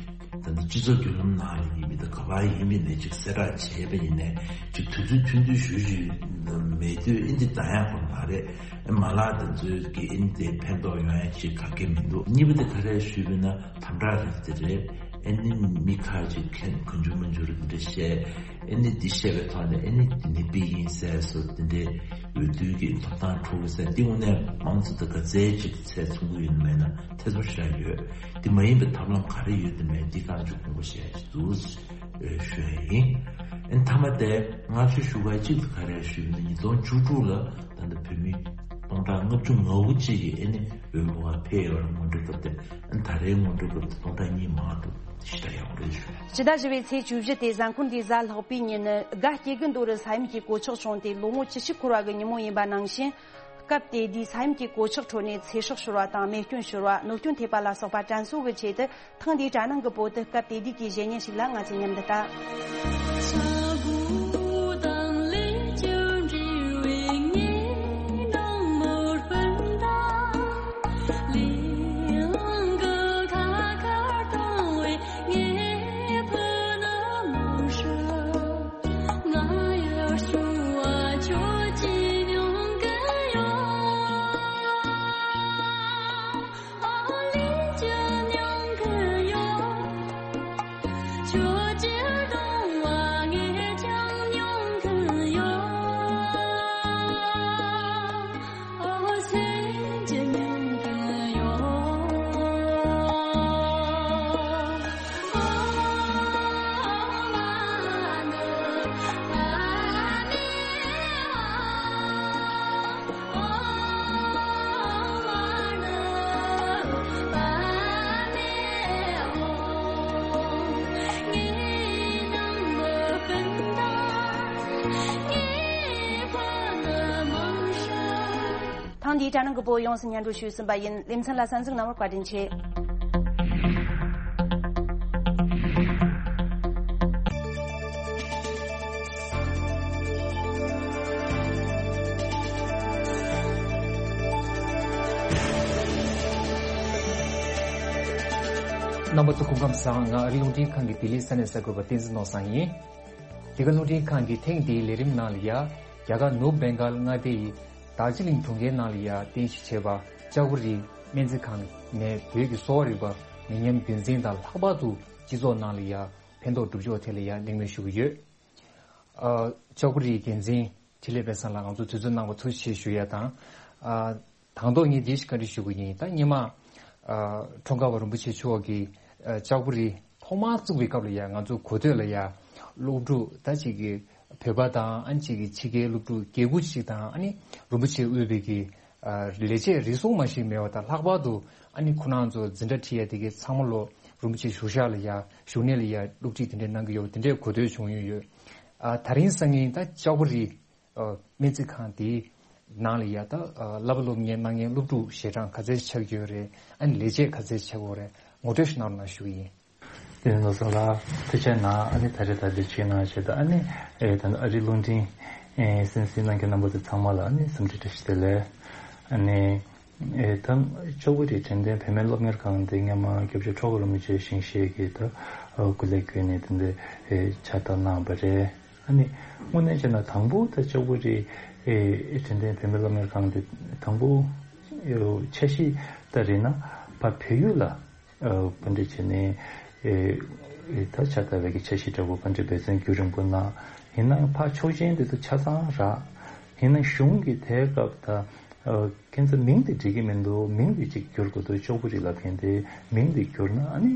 ད་ལྟ་སྤྱི་ཚོགས་བརྒྱུད་ལམ་ནང་ལ་ཡིན་མིན་དང་ག་པར་ཡིན་མིན་ནས་ཅིག་གསལ་བསྒྲགས་བྱས་པ་ཡིན་ནའི་ཅིག་དུས་ཚོད་ཐུང་ཐུང་ཞུ་ཞུ་མེད་དུས་ཨིན་དེ་འདང་ཡག་པོ་མ་རེད། མ་ལག་དེ་ཚོའི་གི་ཨིན་དེ་ཕན་ཐོགས་ཡོང་ཡ་ཅིག་ག་གེ་མི་འདུག་གཉིས་པ་དེ་ག་རེ་ཞུས་པ་ན། དམ་དྲག་རིགས་དེ་རེད། ཨེ་ནི་མི་ཁ་ཅིག་མཁན་གང་བྱུང་མང་བྱུང་རིགས་འདྲ་བཤད། ཨེ་ནི་འདི་བཤད་པའི་ཐོག་ནས་ཨེ་ནི་འདི་ནི་པི་ཡིན་ཟེར་སོ། འདི་འདྲའི་འོས་བསྡུ་གི་ཐོབ་ཐང་འཕྲོག་གི་ཟེར། འདི་དངོས་གནས་མང་ཚོགས་དང་ག་ཚད་ཅིག་ཚད་མཚུངས་ཀྱི་ཡོད་མེད་ན་ཐེ་ཚོམ་ཞིག་ཡོད། འདི་མ་ཡིན་པའི་ཐབས་ལམ་ག་རེ་ཡོད་དེ་མེད་འདི་གང་ཅིག་དགོངས་པ་བཞེས་འདུག་ཞུ་ཡ་ཡིན། ཨེ་མཐའ་མ་དེ་སྔ་ཕྱི་ཞུ་ག་གཅིག་ཏུ་ག་རེ་ཞུས་ན། ཉིས་སྟོང་བཅུ་དྲུག་ལ་ད་ལྟ་བོད་མི་སྟོང་ཕྲག་ལྔ་བཅུ་ང་དགུ་ཅིག་གིས་ཨེ་ནི་འོས་མི་བ་ཕེབས་ཡོད་རེད། སྔོན་འགྲོའི་སྐབས་དེ། ད་རེས་སྔོན་འགྲོའི་སྐབས་དེ་སྟོང་ཕྲག་གཉིས་མང་འདུག་ཞེ་དྲག་ཡག་པོ་རེད་ཞུ། ཕྱི་ཟླ་བཞི་པའི་ཚེས་བཅུ་བཞི་སྟེ་གཟའ་འཁོར་འདིའི་གཟའ་ལྷག་པའི་ཉིན་ནི་དགའ་སྐྱེ་དགུ་མདོ་རུ་ས་ཡོམ་གྱི་གོད་ཆག་བྱུང་སྟེ་ལོ་ངོ་བཅུ་བཞི་འཁོར་བ་གི་ཉིན་མོ་ཡིན་པ་ནང་བཞིན། སྐབས་དེ་དུས་ས་ཡོམ་གྱི་གོད་ཆག་ཁྲོད་ནས་ཚེ་སྲོག་ཤོར་བ་དང་རྨས་སྐྱོན་ཤོར་བ། གནོད་སྐྱོན་ཐེབས་པ་ལ་སོགས་པ་དྲན་གསོ་གི་ཆེད་དུ། ཐེངས་འདིའི་དྲ་སྣང་གི་བོད་དུ་སྐབས་དེ་དུས་ཀྱི་གཞས་ཉན་ཞིག་ལ་ང་ཚོས་མཉམ་དུ་ལྟ། དེའི་དྲ་ནང་གི་བོད་ཡོངས་སུ་སྙན་སྒྲོན་ཞུས་ཟིན་པ་ཡིན། ལེ་ཚན་ལ་གསན་གཟིགས་གནང་བར་བཀའ་དྲིན་ཆེ། རྣམ་པ་ཚོ་སྐུ་ཁམས་བཟང་། ང་ཨ་རི་རླུང་འཕྲིན་ཁང་གི་ལྡི་ལི་ས་གནས་གསར་འགོད་པ་བསྟན་འཛིན་ནོར་བཟང་ཡིན། འདི་ག་རླུང་འཕྲིན་ཁང་གི་ཐེངས་འདིའི་ལས་རིམ་ནང་ལ་ཡ། རྒྱ་གར་ནུབ་བེང་གཱལ་མངའ་སྡེ་ཡི་དར་ཇི་ལིང་གྲོང་ཁྱེར་ནང་ལ་ཡ་རྟེན་གཞི་བྱས་པ་ལྕགས་པོ་རི་སྨན་རྩིས་ཁང་ནས་བོད་ཀྱི་གསོ་བ་རིག་པ་མི་ཉམས་རྒྱུན་འཛིན་དང་ལྷག་པར་དུ་སྤྱི་ཚོགས་ནང་ལ་ཡ་ཕན་ཐོགས་སྒྲུབ་ཕྱོགས་ཐད་ལ་ཡ་གླེང་མོལ་ཞུ་གི་ཡོད། ཨ། ལྕགས་པོ་རིའི་འགན་འཛིན་འཕྲིན་ལས་དཔལ་བཟང་ལགས་ང་ཚོ་དུས་ཚོད་གནང་བ་ཐུགས་རྗེ་ཆེ་ཞུ་ཡ་དང་། ཨ། དང་ཐོག་ངས་འདི་ཞིག་བཀའ་འདྲི་ཞུ་གི་ཡིན། ད་སྔོན་མ། ཨ། འཁྲུངས་སྐར་བ་རིན་པོ་ཆེ་མཆོག་གིས། ཨ། ལྕགས་པོ་རི་ཐོག་མར་བཙུགས་པའི་སྐབས་ལ་ཡ་ང་ཚོ་གོ་ཐོས་ལ་ཡ། སློབ་ཕྲུག་ད་ཅིག་གི་བོད་པ་དང་ཨ་ནི་ཅིག་གི་ཕྱི་རྒྱལ་སློབ་ཕྲུག་བརྒྱད་དགུ་ཅིག་དང་ཨ་ནི་རིན་པོ་ཆེ་དབུས་པའི་གི། ཨ། ལས་བྱེད་རེ་ཟུང་མ་ཞིག་མེད་པ་དང་ལྷག་པར་དུ་ཨ་ནི་ཁོ་རང་ཚོ་འཛིན་གྲྭ་ཁྲིད་ཡ་དེ་གའི་ཚང་མ་ལོ་རིན་པོ་ཆེ་བཞུགས་ཤག་ལ་ཡ་བཞུགས་གནས་ལ་ཡ་སློབ་ཁྲིད་དེ་འདྲས་གནང་གི་ཡོད་པ་དེ་འདྲས་གོ་ཐོས་བྱུང་ཡོད་ཡོད། ཨ། ད་རིང་སང་ཉིན་ད་ལྕགས་པོ་རི། ཨ། སྨན་རྩིས་ཁང་དེའི་ནང་ལ་ཡ་ད། ཨ། བསླབ་པ་སློབ་གཉེར་གནང་མཁན་སློབ་ཕྲུག་ཞལ་གྲངས་ག་ཚད་ཆགས་ཀྱི་ཡོད་རེད། ཨ་ནི་ལས་བྱེད་ག་ཚད་ཆགས་ཀྱི་ཡོད་རེད། ངོ་སྤྲོད་ཞིག་གནང་རོགས་གནང་ཞུ་གི་ཡིན། དེ་ནོར་བཟང་ལགས་ཐུགས་རྗེ་གནང་། ཨ་ནི་ད་རེས་ད་འདི་ཆེད་གནང་བྱས་ད་ཨ་ནི་ཨེ་ད་ཨ་རི་རླུང་འཕྲིན་ཨེ་གསན་གཟིགས་གནང་མཁན་རྣམ་པ་ཚོ་ཚང་མ་ལ་ཨ་ནི་འཚམས་འདྲི་བཀྲ་ཤིས་བདེ་ལེགས། ཨ་ནི་ཨེ་ད་ལྕགས་པོ་རི་དྲན་རྟེན་བུད་མེད་སློབ་གཉེར་ཁང་དེ་སྔོན་མ་སྐྱབས་རྗེ་ཁྲོ་བོ་རིན་པོ་ཆེ་ཞིང་གཤེགས་ཀྱིས་ད་སྐུ་ལས་བསྐྱོན་ནས་དེ་འདྲ་ཨེ་ཕྱག་བཏབ་གནང་བ་རེད། ཨ་ནི་དངོས་གནས་བྱས་ན་དང་པོ་ད་ལྕགས་པོ་རི་ཨེ་དྲན་རྟེན་བུད་མེད་སློབ་གཉེར་ཁང་དེ་དང་པོ་འཆར་གཞི་ད་རེད་ན་ཕ་བལ་ཡུལ་ལ། ཨ། བཀའ་འདྲི་བྱས་ནས་ཨེ་ཨེ་ད་ཕྱག་བཏབ་པའི་གི་འཆར་གཞི་འདྲ་བོ་བཀའ་འདྲི་འབད་བརྩོན་རྒྱུན་རིང་པོ་གནང་། ཡིན་ནའང་ཕར་ཆོག་མཆན་དེ་ཚོ་ཆ་ཚང་རག་ཡིན་ནའང་གཞུང་གི་དེའི་སྐབས་ད་ཨ་ཁྱེད་ཚོ་མིང་དེ་འགྲིག་གི་མི་འདུག་མིང་དེ་གཅིག་བསྒྱུར་དགོས་འདུག་ལྕགས་པོ་རི་ལབ་མཁན་དེ་མིང་དེ་བསྒྱུར་ན་ཨ་ནི་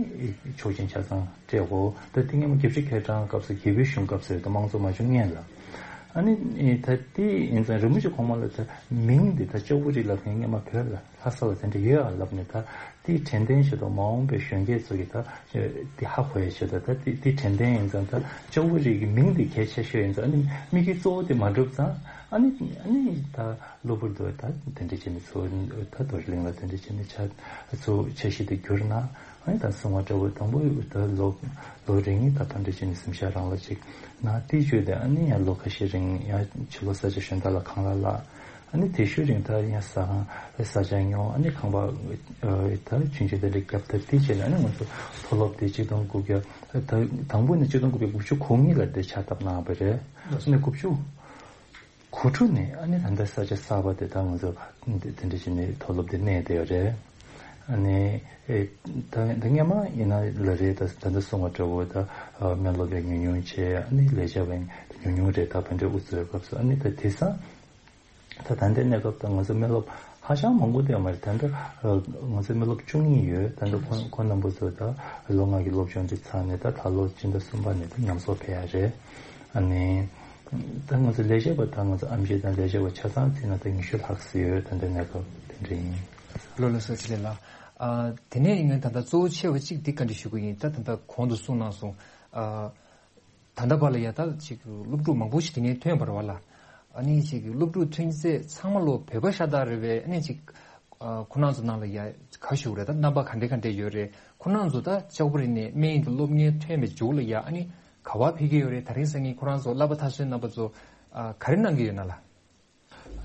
ཆོག་མཆན་ཆ་ཚང་སྤྲད་དགོས། ད་དེ་སྔོན་མ་རྒྱལ་སྤྱི་ཁེ་གྲང་སྐབས་སུ་རྒྱལ་པོའི་གཞུང་སྐབས་སུ་ད་དམངས་གཙོ་མ་བྱུང་སྔོན་ལ། ཨ་ནི་ད་དེ་ཡིན་ཙང་རིན་པོ་ཆེ་གོང་མ་ལ་ད་མིང་འདི་ད་ལྕགས་པོ་རི་ལབ་མཁན་སྔོན་མ་བོད་ལ་ལྷ་ས་ལ་དེ་འདྲ་ཡོད་ཨ་ལབ་ནས་ད་དེའི་དྲན་རྟེན་ཞིག་དང་མ་འོངས་པའི་གཞོན་སྐྱེས་ཚོ་གིས་ད་དེ་ཧ་གོ་ཡ་ཆེད་དུ་ད་དེ་དེའི་དྲན་རྟེན་ཡིན་ཙང་ད་ལྕགས་པོ་རི་གི་མིང་འདི་གལ་ཆེ་ཤོས་ཡིན་ཙང་ཨ་ནི་དམིགས་ཡུལ་གཙོ་བོ་དེ་མ་འགྲུབ་ཙང་ཨ་ནི་ཨ་ནི་ད་གློ་བུར་དུ་ད་དེ་འདྲ་བྱས་ནས་ཚུར་ད་རྡོར་གླིང་ལ་དེ་འདྲ་བྱས་ནས་ཆ་ཚུར་འཆར་གཞི་དེ་བསྒྱུར་ན། ཨ་ནི་ད་གསུང་བ་འདྲ་བོ་དང་པོ་ད་ལོ་ལོ་རིང་ད་ཕར་འདྲ་བྱས་ནས་གཟིམ་ཤག་རང་ལ་ཅིག་ན་དེའི་རྗེས་དེ་ཨ་ནི་ཡང་ལོ་ཁ་ཤས་རིང་ཡང་ཕྱི་ལོགས་ས་ཆ་གཞན་དག་ལ་ཁང་གླ་གླ། ཨ་ནི་དེ་ཤུལ་རིང་ད་ཡང་ཟ་ཁང་ས་ཆ་ཉོ། ཨ་ནི་ཁང་པ་ད་ཆུང་ཆུང་དེ་འདྲ་བརྒྱབ། ད་དེའི་རྗེས་ལ་ཨ་ནི་ང་ཚོ་མཐོ་སློབ་དེ་གཅིག་སྟོང་དགུ་བརྒྱ་ད་དང་པོ་ནས་གཅིག་སྟོང་དགུ་བརྒྱ་དགུ་བཅུ་གོ་གཉིས་ལ་དེ་ཕྱག་བཏབ་གནང་བ་རེད། ཨ་ནི་དགུ་བཅུ་གོ་དྲུག་ནས་ཨ་ནི་ད་ལྟ་ས་ཆ་གསར་པ་དེ་ད་ང་ཚོ་དེ་འདྲ་བྱས་ནས་མཐོ་སློབ་དེ་གནས་བསྡད་ཡོད་རེད། ཨ་ནི་ཨེ་ད་ད་སྔོན་མ་ཡིན་ན་ལ་རེད། ད་ད་ལྟ་གསུང་བ་འདྲ་བོ་ད་སྨན་སློབ་ཡང་ཉུང་ཉུང་བྱས། ཨ་ནི་ལས་བྱེད་པ་ཉུང་ཉུང་རེད། ད་ཕན་འབྲས་ཨུ་ཚུགས་སྐབས་སུ་ཨ་ནི་ད་དེང་སང་ད་ད་ལྟའི་གནས་སྐབས་ད་ང་ཚོ་སྨན་སློབ་ཧ་ཅང་མང་པོ་དེ་མ་རེད། ད་ལྟ་ང་ཚོ་སྨན་སློབ་བཅུ་གཉིས་ཡོད། ད་ལྟ་ཁོང་ཁོང་རྣམ་པ་ཚོ་ད་ལོ་ལྔ་གི་སློབ་སྦྱོང་དེ་ཚར་ནས་ད་ད་ལོ་སྤྱི་ཟླ་གསུམ་པ་ནས་ད་ཉམས་གསོ་ཕེབས་ཡ་རེད། ཨ་ནི། ད་ང་ཚོ་ལས་བྱེད་པ་དང་ང་ཚོ་ཨེམ་ཆི་དང་ལས་བྱེད་པ་ཆ་ཚང་བརྩིས་ན་ད་ཉི་ཤུ་ལྷག་ཙམ་ཡོད། ད་ལྟ་གནས་སྐབས་དེ་འདྲ་ཡིན། ལགས་ལགས་སོ། ལགས་ལགས། ཨ། དེ་ནས་ངས་ད་ལྟ་གཙོ་བོ་ཆེ་བ་གཅིག་འདི་བཀའ་འདྲི་ཞུ་གི་ཡིན། ད་ད་ལྟ་གོང་དུ་གསུངས་གནང་སོང་། ཨ། ད་ལྟ་བར་ལ་ཡ་ད་ཅིག་སློབ་ཕྲུག་མང་པོ་ཞིག་དེ་ནས་ཐོན་པ་རེད་བ་ལ། ཨ་ནི་ཅིག་སློབ་ཕྲུག་ཐོན་ཚད་ཚང་མ་ལོ་བོད་པ་ཤ་སྟག་རེད་པས། ཨ་ནི་ཅིག་ཨ། ཁོ་རང་ཚོ་ནང་ལ་ཡ་ག་ཞུ་རེད། ད་རྣམ་པ་ག་འདྲ་ག་འདྲ་ཡོད་རེད། ཁོ་རང་ཚོ་ད་ལྕགས་པོ་རི་ནས་སྨན་གྱི་སློབ་གཉེར་ཐོན་པའི་མཇུག་ལ་ཡ་ཨ་ནི་ག་པར་ཕེབས་ཀྱི་ཡོད་རེད། ད་རིང་སང་ཉིན་ཁོ་རང་ཚོ་བསླབ་པ་མཐར་སོན་རྣམ་པ་ཚོ་ཨ་ག་རེ་གནང་གི་ཡོད་ན་ལ།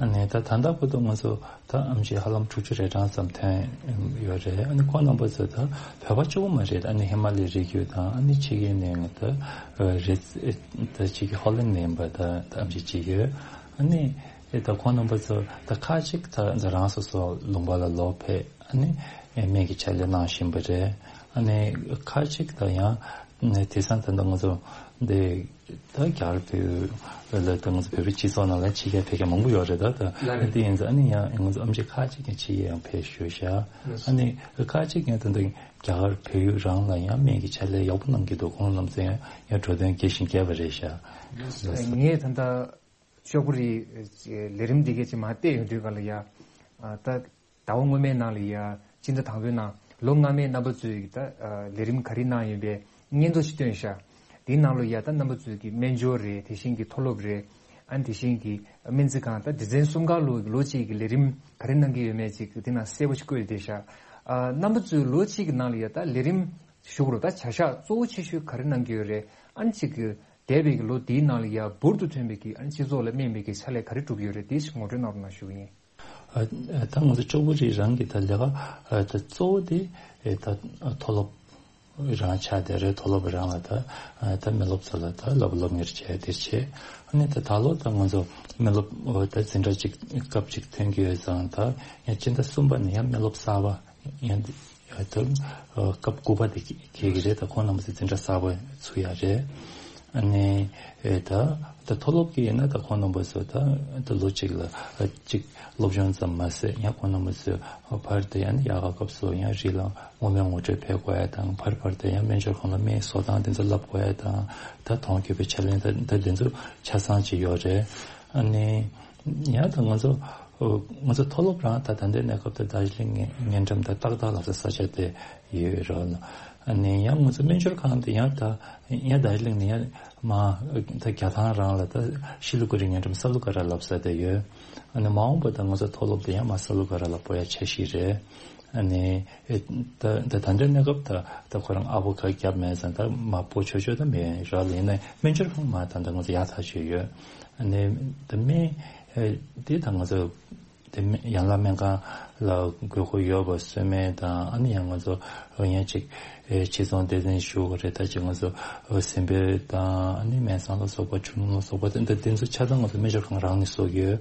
ཨ་ནི་ད་ད་ལྟ་བར་དུ་ང་ཚོ་ད་ཨེམ་ཆི་ཧ་ལམ་དྲུག་ཅུ་རེ་གྲངས་ཙམ་ཐོན་ཡོད་རེད། ཨ་ནི་ཁོང་རྣམ་པ་ཚོ་ད་བོད་པ་གཅིག་པོ་མ་རེད། ཨ་ནི་ཧི་མ་ལ་ཡའི་རི་རྒྱུད་དང་ཨ་ནི་ཕྱི་རྒྱལ་ནས་ད་རེད། ད་ཕྱི་རྒྱལ་ཧོ་ལན་ནས་ཡིན་པ་ད་ད་ཨེམ་ཆི་བྱེད་ཀྱི་ཡོད། ཨ་ནི་ད་ཁོང་རྣམ་པ་ཚོ་ད་ཁ་ཅིག་ད་རང་སོ་སོ་ལུང་པ་ལ་ལོག་ཕེབས། ཨ་ནི་སྨན་གྱི་ཕྱག་ལས་གནང་བཞིན་པ་རེད། ཨ་ནི་ཁ་ཅིག་ད་ཡང་དེང་སང་ད་ང་ཚོ་འདི་ད་རྒྱ་གར་བོད་ལ་ད་ང་ཚོ་བོད་པའི་སྤྱི་ཚོགས་ནང་ལ་ཕྱི་རྒྱལ་ཕེབས་མཁན་མང་པོ་ཡོད་རེད། ད་ད་ལགས་རེད། དེ་ཡིན་ཙང་ཨ་ནི་ཡང་ང་ཚོ་ཨེམ་ཆི་ཁ་ཅིག་ཀྱང་ཕྱི་རྒྱལ་ཡང་ཕེབས་བཞུགས་ཤག་ལགས། ཨ་ནི་ཁ་ཅིག་ཀྱང་ད་ལྟ་རྒྱ་གར་བལ་ཡུལ་རང་ལ་ཡང་སྨན་གྱི་ཕྱག་ལས་ཡག་པོ་གནང་གི་འདུག་ཁོང་རྣམ་ཚོ་ཡང་ཡང་འགྲོ་དོན་རྒྱས་ཤིང་རྒྱས་པ་རེད་ཤག་ལགས། ངས་ད་ལྟ་ལྕགས་པོ་རིའི་ལས་རིམ་འདི་གའི་ཅིག་མར་བལྟས་ཡོང་དུས་ག་ལ་ཡ། ཨ། ད་ཟླ་བ་སྔོན་མའི་ནང་ལ་ཡ་སྤྱི་ཟླ་དང་པོའི་ནང་ལོ་སྔ་མའི་རྣམ་པ་ཚོའི་ད་ལས་རིམ་ག་རེ་གནང་ཡོད་པའི་སྙན་ཐོ་ཞིག་བཏོན་ཤག་དེའི་ནང་ལ་ཡ་ད་རྣམ་པ་ཚོའི་གི་སྨན་སྦྱོར་རེད། དེ་བཞིན་གྱི་མཐོ་སློབ་རེད། ཨ་ནི་དེ་བཞིན་གྱི་སྨན་རྩིས་ཁང་ད་སྡེ་ཚན་གསུམ་ཀ་ལོ་ལོ་གཅིག་གི་ལས་རིམ་ག་རེ་གནང་གི་ཡོད་མེད་ཅིག་དེ་ན་གསལ་པོ་ཞིག་བཀོད་བསྡད་ཤག་ཨ་རྣམ་པ་ཚོས་ལོ་གཅིག་གི་ནང་ལ་ཡ་ད་ལས་རིམ་ཞུགས་རུ་ད་བྱ་གཞག་གཙོ་བོ་ཆེ་ཤོས་ག་རེ་གནང་གི་ཡོད་རེད། ཨ་ནི་ཅིག་གི་འདས་པའི་གི་ལོ་འདིའི་ནང་ལ་ཡ་འབུར་དུ་ཐོན་པའི་གི་ཨ་ནི་སྤྱི་ཚོགས་ལ་སྨན་པའི་གི་ཕྱག་ལས་ག་རེ་བསྒྲུབས་ཡོད་རེད། དེ་ཞིག་ངོ་སྤྲོད་གནང་རོགས་གནང་ཞུ་གི་ཡིན། ཨ་ད་ང་ཚོ་ལྕགས་པོ་རི་རང་གི་ད་ལས་ཀ་ཨ་ད་གཙོ་བོ་དེ་ཨེ་ད་མཐོ་སློབ་རང་ཆགས་བསྡད་རེད། མཐོ་སློབ་རང་ལ་ད་ཨ་ད་སྨན་སློབ་ཚོ་ལ་ད་སློབ་སློབ་གཉེར་བྱས་དེར་བྱས། ཨ་ནི་ད་ད་ལོ་ད་ང་ཚོ་སྨན་སློབ་ཨོ་ད་འཛིན་གྲྭ་གཅིག་སྐབས་གཅིག་ཐོན་གྱི་ཡོད་ཙང་། ད་ཡང་སྤྱི་ཟླ་གསུམ་པ་ནས་ཡང་སྨན་སློབ་གསར་པ་ཡང་ད་ཨ་སྐབས་དགུ་པ་དེ་འཁེལ་གྱི་རེད། ད་ཁོང་རྣམ་པ་ཚོ་འཛིན་གྲྭ་གསར་པ་ཚུགས་ཡ་རེད། ཨ་ནི་ཨེ་ད་ད་མཐོ་སློབ་ཀྱི་ཡིན་ན་ད་ཁོང་རྣམ་པ་ཚོ་ད་ད་ལོ་གཅིག་ལ་ཨ་གཅིག་སློབ་སྦྱོང་ཙམ་མ་ཟད། ཡང་ཁོང་རྣམ་པ་ཚོས་ཨ་ཕར་དུ་ཡང་ཡག་ག་སྐབས་སུ་ཡང་རི་ལ་མངོན་མིན་ངོ་སྤྲོད་ཕེབས་དགོས་ཡ་དང་། ཕར་ཕར་དུ་ཡང་སྨན་སྦྱོར་ཁང་ལ་སྨན་བཟོ་སྟངས་དེ་ཚོ་བསླབ་དགོས་ཡ་དང་། ད་དོན་འཁྱོལ་བའི་ཕྱག་ལེན་ད་ད་དེ་ཚོ་ཆ་ཚང་ཅིག་ཡོད་རེད། ཨ་ནི་ཡང་ད་ང་ཚོ་ཨོ་ང་ཚོ་མཐོ་སློབ་རང་ད་ད་ལྟའི་གནས་སྐབས་དེ་རྡོ་རྗེ་གླིང་ཉེ་ཉེ་འགྲམ་དང་ཏག་ཏག་ལབ་ས་ས་ཆ་དེ་ཡོད་རེད། ཨ་ནི་ཡང་ང་ཚོ་སྨན་སྦྱོར་ཁང་དེ་ཡང་ད་ཡང་རྡོ་རྗེ་གླིང་ནས་ཡང་མར་ད་རྒྱ་ཐང་རང་ལ་ད་ཤི་ལི་གུ་རི་ཉེ་འགྲམ་ས་ལུ་ཀ་ར་ལབ་ས་དེ་ཡོད། ཨ་ནི་མ་འོངས་པ་ད་ང་ཚོ་མཐོ་སློབ་དེ་ཡང་མར་ས་ལུ་ཀ་ར་ལ་སྤོ་ཡ་འཆར་གཞི་རེད། ཨ་ནི་ཨེ་ད་ད་ད་ལྟའི་གནས་སྐབས་ད་ད་ཁོ་རང་ཨ་ཕོ་ཁ་རྒྱབ་མེད་ཙང་ད་མར་སྤོ་ཆོག་ཆོག་ད་མེད་ར། ལ་ཡིན་ན་སྨན་སྦྱོར་ཁང་མར་ད་ད་ང་ཚོ་ཡག་ཐག་ཆོད་ཡོད། ཨ་ནི་ད་སྨན་ཨེ་དེ་ད་ང་ཚོ་དེ་སྨན་ཡན་ལག་སྨན་ཁང་ལ་དགོས་མཁོ་ཡོད་པ་གསོལ་སྨན་དང་། ཨ་ནི་ཡང་ང་ཚོ་ཡང་ཅིག་ཨེ་ཕྱི་ཚོང་སྡེ་ཚན་ཞུ་དགོས་རེད། ད་ཅིག་ང་ཚོ་ཨེ་སེམས་པའི་དང་། ཨ་ནི་སྨན་བཟང་ལ་སོགས་པ། ཆུ་ནུ་ལ་སོགས་པ། དེ་འདྲ་དེ་ཚོ་ཆ་ཚང་ང་ཚོ་སྨན་སྦྱོར་ཁང་རང་ནས་བཟོ་གི་ཡོད།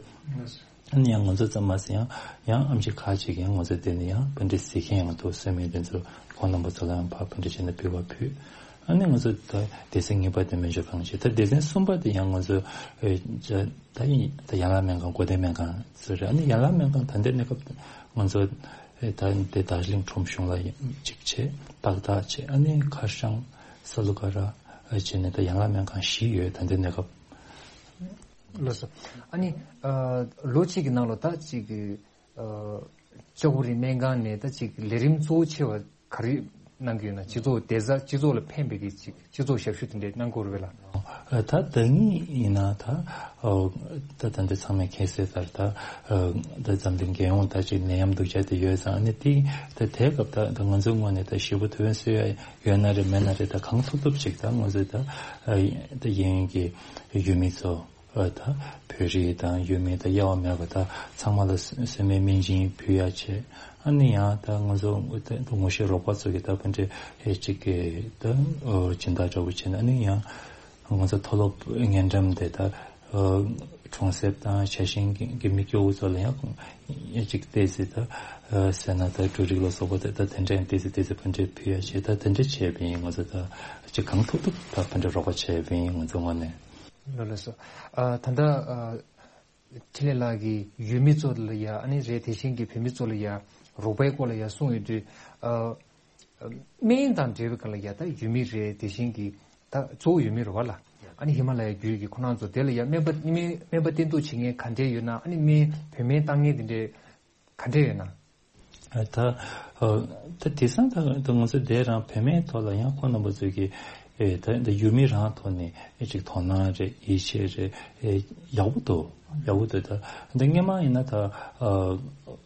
ཨ་ནི་ཡང་ང་ཚོ་ཙམ་མ་ཟད་ཡང་ཡང་ཨེམ་ཆི་ཁག་ཅིག་ཡང་ང་ཚོ་དེ་ནས་ཡང་ཕར་འགྲོ་གཟིགས་མཁན་ཡང་འདུག། གསོལ་སྨན་དེ་ཚོ་ཁོང་རྣམ་པ་ཚོ་ལ་ཡང་ཕར་ཕར་འགྲོ་བྱས་ནས་ཕུལ་བ་ཕུལ། ཨ་ནི་ང་ཚོ་ད་སྡེ་ཚན་གཉིས་པ་དེ་སྨན་སྦྱོར་ཁང་བྱས། ད་སྡེ་ཚན་གསུམ་པ་དེ་ཡང་ང་ཚོ་ཨེ་ད་ཡིན་ད་ཡན་ལག་སྨན་ཁང་། སྒོ་བསྟེན་སྨན་ཁང་ཚོ་རེད། ཨ་ནི་ཡན་ལག་སྨན་ཁང་ད་ལྟའི་གནས་སྐབས་ང་ཚོ་ཨེ་ད་དེ་རྡོ་རྗེ་གླིང་ཁྲོམ་གཞུང་ལ་གཅིག་བྱས། ཏག་ཏག་བྱས། ཨ་ནི་ཁ་སང་ས་ལུ་ཀ་ར་བྱས་ནས་ད་ཡན་ལག་སྨན་ཁང་བཞི་ཡོད་ད་ལྟའི་གནས་སྐབས། ལགས་སོ། ཨ་ནི་ཨ་ལོ་གཅིག་གི་ནང་ལ་ད་ཅིག་གི་ཨ་ལྕགས་པོ་རི་སྨན་ཁང་ནས་ད་ཅིག་ལས་རིམ་གཙོ་བོ་ཆེ་བ་ག་རེ་གནང་གི་ཡོད་ན། སྤྱི་ཚོགས་བདེ་རྩ། སྤྱི་ཚོགས་ལ་ཕན་པའི་གི་ཅིག་སྤྱི་ཚོགས་ཞབས་ཞུ་དེ་འདྲས་གནང་གི་ཡོད་རེད་པས་ལགས། ཨ་ད་ད་ངས་ཡིན་ན་ད་ཨ་ད་ད་འདི་ཚང་མས་མཁྱེན་གསལ་ལྟར་ད་ཨ་ད་འཛམ་གླིང་རྒྱལ་ཡོངས་ད་ཅིག་ནད་ཡམས་སྡུག་ཅག་དེ་ཡོད་ཙང་། ཨ་ནི་དེ་ད་དེའི་སྐབས་ད་ད་ང་ཚོའི་ངོས་ནས་ད་ཞེ་པོ་ཐུགས་ཕན་གསོས་ཡ་ཡོད་ན་རེད་མེད་ན་རེད། ད་གང་ཐུབ་ཐུབ་ཅིག་ད་ང་ཚོས་ད་ཨ་ད་གཡས་གཡོན་གྱི་ཡུལ་མི་ཚོ་ཨ་ད་བོད་རིགས་དང་ཡུལ་མི་ད་དབྱེ་བ་མེད་པ་ད་ཚང་མ་ལ་གསོལ་སྨན་སྨན་སྦྱིན་ཕུལ་ཡ་བྱས། ཨ་ནི་ཡང་ད་ང་ཚོ་ད་ངོ་ཤེས་རོགས་པ་ཚོ་གི་ད་ཕར་འགྲོ་ཨེ་ཅིག་གི་ད་ཨོ་སྦྱིན་བདག་འདྲ་བོ་བྱས་ནས། ཨ་ནི་ཡང་ང་ཚོ་མཐོ་སློབ་སྔོན་འགྲེམས་དེ་ད་ཨོ་གྲོང་གསེབ་དང་ཆ་ཤས་ཀྱི་མི་སྐྱོ་བོ་ཚོ་ལ་ཡང་ཨེ་ཅིག་ཏོག་ཙམ་ད་ཟས་སྣ་དང་འབྲུ་རིགས་ལ་སོགས་པ་དེ་ད་དེ་འདྲ་ཡང་ཏོག་ཙམ་ཏོག་ཙམ་ཕར་འགྲོ་ཕུལ་ཡ་བྱས། ད་དེ་འདྲ་བྱས་པ་ཡིན། ང་ཚོ་ད་ཅིག་གང་ཐུབ་ཐུབ་ད་ཕར་འགྲོ་རོགས་པ་བྱས་པ་ཡིན། ང་ཚོ་ངོས་ནས། ལགས་སོ། ཨ་ད་ལྟ་ཨ་འཕྲིན་ལས་ལགས་ཀྱིས་ཡུལ་མི་ཚོ་ལ་ཡ། ཨ་ནི་རེད། དེ་བཞིན་གྱི་བོད་མི་ཚོ་ལ་ཡ་རོགས་པའི་སྐོར་ལ་ཡ་གསུངས་ཡོད་དུས། ཨ་སྨན་དང་འབྲེལ་བའི་སྒང་ལ་ཡ་ད་ཡུལ་མི་རེད། དེ་བཞིན་གྱི་ད་གཙོ་བོ་ཡུལ་མི་རེད་པ་ལགས། ཨ་ནི་ཧི་མ་ལ་ཡའི་རྒྱུད་ཀྱི་ཁོ་རང་ཚོ་དེ་ལ་ཡ་སྨན་པ་སྨན་སྨན་པ་བསྟེན་གཏུག་བྱེད་མཁན་ག་འདྲས་ཡོད་ན། ཨ་ནི་སྨན་བོད་སྨན་བཏང་མཁན་དེ་འདྲས་ག་འདྲས་ཡོད་ན། ཨ་ད་ཨ་ད་དེང་སང་ད་ད་ང་ཚོ་དེ་རང་བོད་སྨན་ཐོག་ལ་ཡང་ཁོང་རྣམ་པ་ཚོས་ཀྱི་ཨེ་ད་ད་ཡུལ་མི་རང་ཐོག་ནས་ཨེ་ཅིག་དོ་སྣང་རེད། ཡིད་ཆེས་རེད། ཨེ་ཡག་པོ་འདུག། ཡག་པོ་འདུག། ད་ད་སྔོན་མ་ཡིན་ན་ད་ཨ་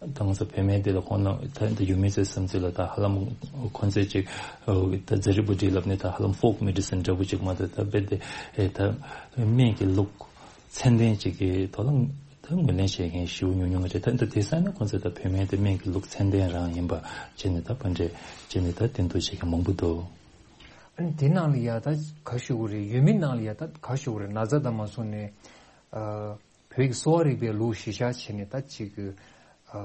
ད་ང་ཚོ་བོད་སྨན་འདི་ལ་ཁོང་རྣམ་ད་ད་ཡུལ་མི་ཚོའི་བསམ་ཚུལ་ལ་ད་ཧ་ལམ་ཁོང་ཚོས་ཅིག་ཨ་ད་ཛ་རི་བུ་ཌི་ལབ་ནས་ད་ཧ་ལམ་ཕོག་མེ་ཌི་སིན་འདྲ་བོ་ཅིག་མ་གཏོགས། ད་རྦད་དེ་ཨེ་ད་སྨན་གྱི་ལུགས་ཚད་ལྡན་ཅིག་གི་ཐོག་ལ་ད་ངོས་ལེན་བྱེད་མཁན་ཞེ་པོ་ཉུང་ཉུང་རེད། ད་ད་དེང་སང་ན་ཁོང་ཚོ་ད་བོད་སྨན་དེ་སྨན་གྱི་ལུགས་ཚད་ལྡན་རང་ཡིན་པ་བྱས་ནས་ད་ཕར་འགྲོ་བྱས་ནས་ད་བསྟེན་གཏུག་བྱེད་མཁན་མང་པོ་འདུག། ཨ་ནི་དེ་ནང་ལ་ཡ་ད་ག་ཞུ་དགོས་རེད། ཡུལ་མི་ནང་ལ་ཡ་ད་ག་ཞུ་དགོས་རེད། ན་ཚ་དང་མ་སོང་ནས་ཨ་བོད་ཀྱི་གསོ་བ་རིག་པའི་ལུགས་གཞི་བཞག་བྱས་ནས་ད་ཅིག་གི་ཨ་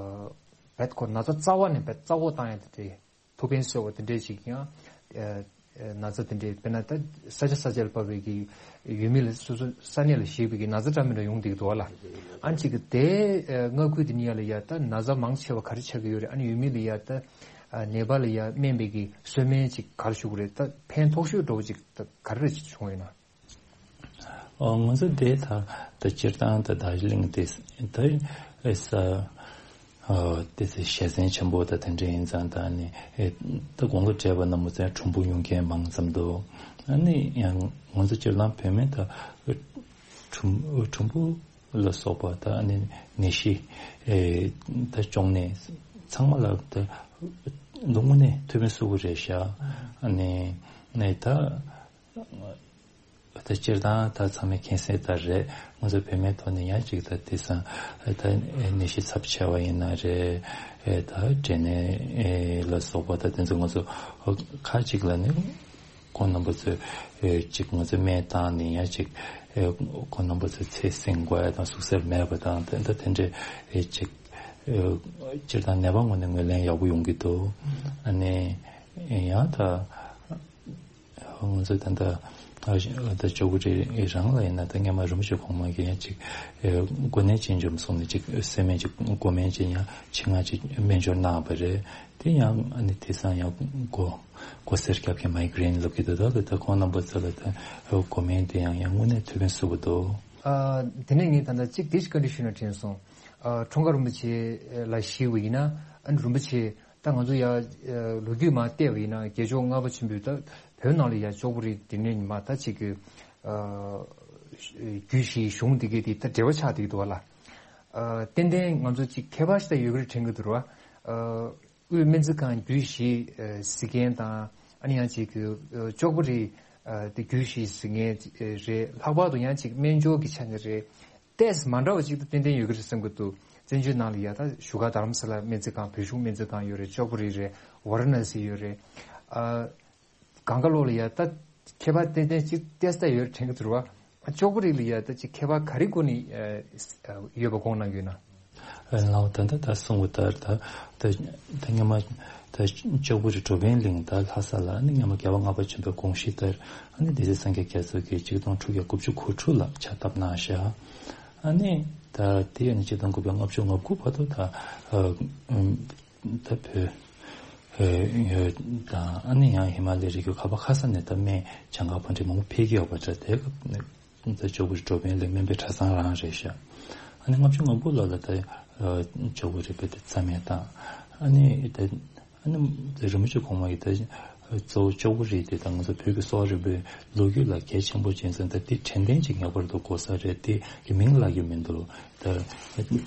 བད་ཁོ་ན་ཚ་རྩ་བ་ནས་བད་རྩ་བོ་བཏང་ཡ་དེ་དེ། ཐུགས་ཕན་གསོས་པ་དེ་འདྲས་ཅིག་ཡང་ཨ་ཨ་ན་ཚ་དེ་འདྲས། དཔེར་ན་ད་ས་ཆ་ས་ཆ་ལ་བབས་པའི་གི་ཡུལ་མི་ལ་སོ་སོ་ས་གནས་ལ་གཞིགས་པའི་གི་ན་ཚ་འདྲ་མི་འདྲ་ཡོང་བསྡད་ཀྱི་འདུག་བ་ལགས། ཨ་ནི་ཅིག་གི་དེ་ཨ་མངའ་ཁུལ་དེ་ནས་ཡར་ལ་ཡ་ད་ན་ཚ་མང་ཆེ་བ་ག་རེ་ཆགས་ཀྱི་ཡོད་རེད། ཨ་ནི་ཡུལ་མི་ལ་ཡ་ད་ཨ་ནད་པ་ལ་ཡ་སྨན་པའི་གི་གསོལ་སྨན་ཅིག་ག་རེ་ཞུ་དགོས་རེད། ད་ཕན་ཐོགས་ཤོས་འདྲ་བོ་ཅིག་ད་ག་རེ་བྱུང་ཡོད་ན། ཨོ་ང་ཚོ་དེ་ད་ད་སྤྱིར་བཏང་ད་རྡོ་རྗེ་གླིང་དེ་ད་ཨེ་ས་ཨོ་དེ་ཚེ་ཞལ་ཟས་ཆེན་པོ་ད་དེ་འདྲ་ཡིན་ཙང་། ད་ནི་ཨེ་ད་དགུང་ལོ་བགྲེས་པ་རྣམས་ཚོ་གྲུམ་བུ་ཉོ་མཁན་མང་ཙམ་འདུག། ཨ་ནི་ཡང་ང་ཚོ་སྤྱིར་བཏང་བོད་སྨན་ད་ གྲུམ་གྲུམ་བུ་ལ་སོགས་པ་ད་ཨ་ནི་ནད་གཞི་ཨེ་ད་གཅོང་ནད་ཚང་མ་ལ་ད་དངོས་གནས་ཐུགས་ཕན་གསོས་ཀྱི་རེད་ཤག་ཨ་ནི་ནས་ད་ད་སྤྱིར་བཏང་ད་ཚང་མས་མཁྱེན་གསལ་ལྟར་རེད། ང་ཚོ་བོད་མིའི་ཐོག་ནས་ཡང་ཅིག་ད་དེང་སང་ད་ནད་གཞི་ཚབས་ཆེ་བ་ཡིན་ན་རེད། ཨེ་ད་འབྲས་ནད་ལ་སོགས་པ་ད་དེ་ཚོ་ང་ཚོ་ཁ་ཅིག་ལ་ནི་ཁོང་རྣམ་པ་ཚོས་ཨེ་ཅིག་ང་ཚོ་སྨན་བཏང་ནས་ཡང་ཅིག་ཨེ་ཁོང་རྣམ་པ་ཚོས་ཚེ་བསྲིང་དགོས་ཡ་དང་ཟུག་གཟེར་མེད་པ་དང་ད་ད་དེ་འདྲའི་ཨེ་ཅིག་ཨེ་སྤྱིར་བཏང་ནད་པ་ངོས་ནས་ངོས་ལེན་ཡག་པོ་ཡོང་གི་འདུག་ཨ་ནི་ཡང་ད། ང་ཚོ་ད་ལྟ་ད་ཅོག་པོ་རི་རང་ལ་ཡིན་ན་ད་སྔོན་མ་རིན་པོ་ཆེ་གོང་མ་གིས་ཡང་ཅིག་འགོ་ནད་ཅན་འཇོམས་གསུངས་ནས་ཅིག་སེམས་མེད་ཅིག་འགོ་སྨན་ཅིག་ཡང་ཆེད་མངགས་ཅིག་སྨན་སྦྱོར་གནང་བ་རེད། དེ་ཡང་ཨ་ནི་དེང་སང་ཡང་མགོ་མགོ་སེར་རྒྱབ་ཀྱི་མའི་གྷི་རེན་ལབ་ཀྱི་འདུག་ད་ལ་ད་ཁོང་རྣམ་པ་ཚོ་ལ་ད་འགོ་སྨན་དེ་ཡང་ཡང་དངོས་གནས་ཐུགས་ཕན་གསོས་པ་འདུག་ཨ་དེ་ནས་ངས་ད་ལྟ་གཅིག་དེ་ཞིག་བཀའ་འདྲི་ཞུས་ན་དྲན་སོང་། ཨ་འཁྲུངས་སྐར་རིན་པོ་ཆེ་ལ་ཞུས་པ་ཡིན་ན་ཨ་ནི་རིན་པོ་ཆེ། ད་ང་ཚོ་ཡ་ལོ་རྒྱུས་མར་བལྟས་པ་ཡིན་ན་རྒྱལ་མཆོག་ལྔ་པ་ཆེན་པོས་ད་བོད་ནང་ལ་ཡ་ཅོག་པོ་རི་འདི་ནས་ཉི་མ་ད་ཅིག་གི་རྒྱུད་བཞིའི་གཞུང་འདི་གའི་དེ་ད་འབྲེལ་བ་ཆགས་བསྡད་ཀྱི་འདུག་བ་ལ། ཏན་ཏན་ང་ཚོ་ཅིག་ཁྱད་པར་ཞིག་ད་ཡོད་ཀྱི་རེད་དྲན་གྱི་འདུག་ར། དབུས་སྨན་རྩིས་ཁང་རྒྱུད་བཞི་གཟིགས་མཁན་དང་ཨ་ནི་ཡང་ཅིག་གི་ཅོག་པོ་རི་དེ་རྒྱུད་བཞི་གཟིགས་མཁན་རེད། ལྷག་པར་དུ་ཡང་ཅིག་སྨན་སྦྱོར་གྱི་ཆ་ནས་རེད། ཏེས་མ་འདྲ་བ་ཅིག་ཏུ་ཏན་ཏན་ཡོད་ཀྱི་རེད་བསམ་གྱི་འདུག་བཙན་བྱོལ་ནང་ལ་ཡ་ད་བཞུགས་སྒར་རྡ་རམ་ས་ལ་སྨན་རྩིས་ཁང་བོད་གཞུང་སྨན་རྩིས་ཁང་ཡོད་རེད། ཅོག་པོ་རི་རེད། ཝ་ར་ཎ་སི་ཡོད་རེད། ཨ་གང་ག་ལོག་ལ་ཡ་ད་ཁྱད་པར་ཏན་ཏན་ཅིག་ཏེས་ད་ཡོད་རེད་དྲན་གྱི་འདུག་བ། ཅོག་པོ་རི་ལ་ཡ་ད་ཅིག་ཁྱད་པར་ག་རེ་སྒོ་ནས་ཡོད་པ་དགོངས་གནང་གི་ཡོད་ན། ལའོ་ད་ལྟ་ད་གསུངས་པ་ལྟར་ད་ད་ད་སྔོན་མ་ད་ཅོག་པོ་རི་འགྲོ་ཕན་གླིང་ད་ལྷ་ས་ལ་ཨ་ནི་སྔོན་མ་རྒྱལ་བ་ལྔ་པ་ཆེན་པོའི་དགོངས་གཞི་ལྟར་ཨ་ནི་སྡེ་སྲིད་སངས་རྒྱས་རྒྱ་མཚོ་གིས་ཆིག་སྟོང་དྲུག་བརྒྱ་དགུ་བཅུ་གོ་དྲུག་ལ་ཕྱག་བཏབ་གནང་བཞག་ཨ་ནི་ད་དེ་ཨ་ནི་ཆིག་སྟོང་དགུ་བརྒྱ་ལྔ་བཅུ་ང་དགུ་བར་དུ་ད་ད་བོད་ཡོད་དང་ཨ་ནི་ཡང་ཧི་མ་ལའི་རི་རྒྱུད་ག་པ་ག་ས་ནས་ད་སྨན་བྱང་ཁ་ཕོན་ཆེ་མང་པོ་ཕེབས་ཀྱི་ཡོད་པ་འདྲ། དེ་སྐབས་ནས་ད་ཅོག་པོ་རི་འགྲོ་ཕན་གླིང་སྨན་པའི་གྲྭ་ཚང་རང་རེད་ཤག་ཨ་ནི་ལྔ་བཅུ་ང་དགུ་ལོ་ལ་ད་ཅོག་པོ་རི་བོད་དེ་རྩ་མེད་བཏང་། ཨ་ནི་ད་ཨ་ནི་རིན་པོ་ཆེ་གོང་མ་གིས་ད་གཙོ་བོ་ཅོག་པོ་རི་དེ་ད་ང་ཚོ་བོད་ཀྱི་གསོ་བ་རིག་པའི་ལོ་རྒྱུས་ལ་གལ་ཆེན་པོ་ཅན་ཙང་ད་དེ་དྲན་རྟེན་ཅིག་ངེས་པར་དུ་དགོས་ས་རེད། དེ་གི་མིང་ལབ་ཀྱི་མི་འདུག་ད་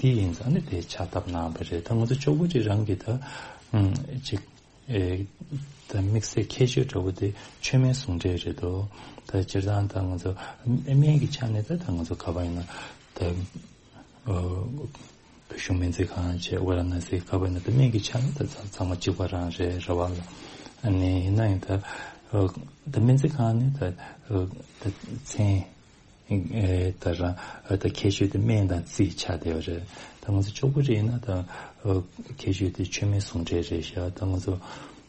དེ་ཡིན་ཙང་ཨ་ནི་དེ་ཕྱག་བཏབ་གནང་བ་རེད། ད་ང་ཚོ་ཅོག་པོ་རི་རང་གི་ད་ཅིག་ཨེ་ད་དམིགས་བསལ་ཁྱད་ཆོས་འདྲ་བོ་དེ་མཆོད་སྨན་ཟུང་འབྲེལ་རེད་དོ། ད་སྤྱིར་བཏང་ད་ང་ཚོ་སྨན་གྱི་ཆ་ནས་ད་ད་ང་ཚོ་ག་པར་ཡིན་ན་ད་ཨ་བོད་གཞུང་སྨན་རྩིས་ཁང་བྱས། ཝ་ར་ཎ་སི་ག་པར་ཡིན་ན་ད་སྨན་གྱི་ཆ་ནས་ད་ཚང་མ་གཅིག་པ་རང་རེད་རེད་བ་ལ། ཨ་ནི་ཡིན་ན་ཡང་ད་ཨ་ད་སྨན་རྩིས་ཁང་ནི་ད་ཨ་ད་མཚན་ཨེ་ད་རང་ཨ་ད་ཁྱད་ཆོས་དེ་སྨན་དང་རྩིས་ཆགས་བསྡད་པ་རེད། ད་ང་ཚོ་ཅོག་པོ་རི་ཡིན་ན་ད་ཨ་ཁྱད་ཆོས་དེ་མཆོད་སྨན་ཟུང་འབྲེལ་རེད་ཤག་ད་ང་ཚོ་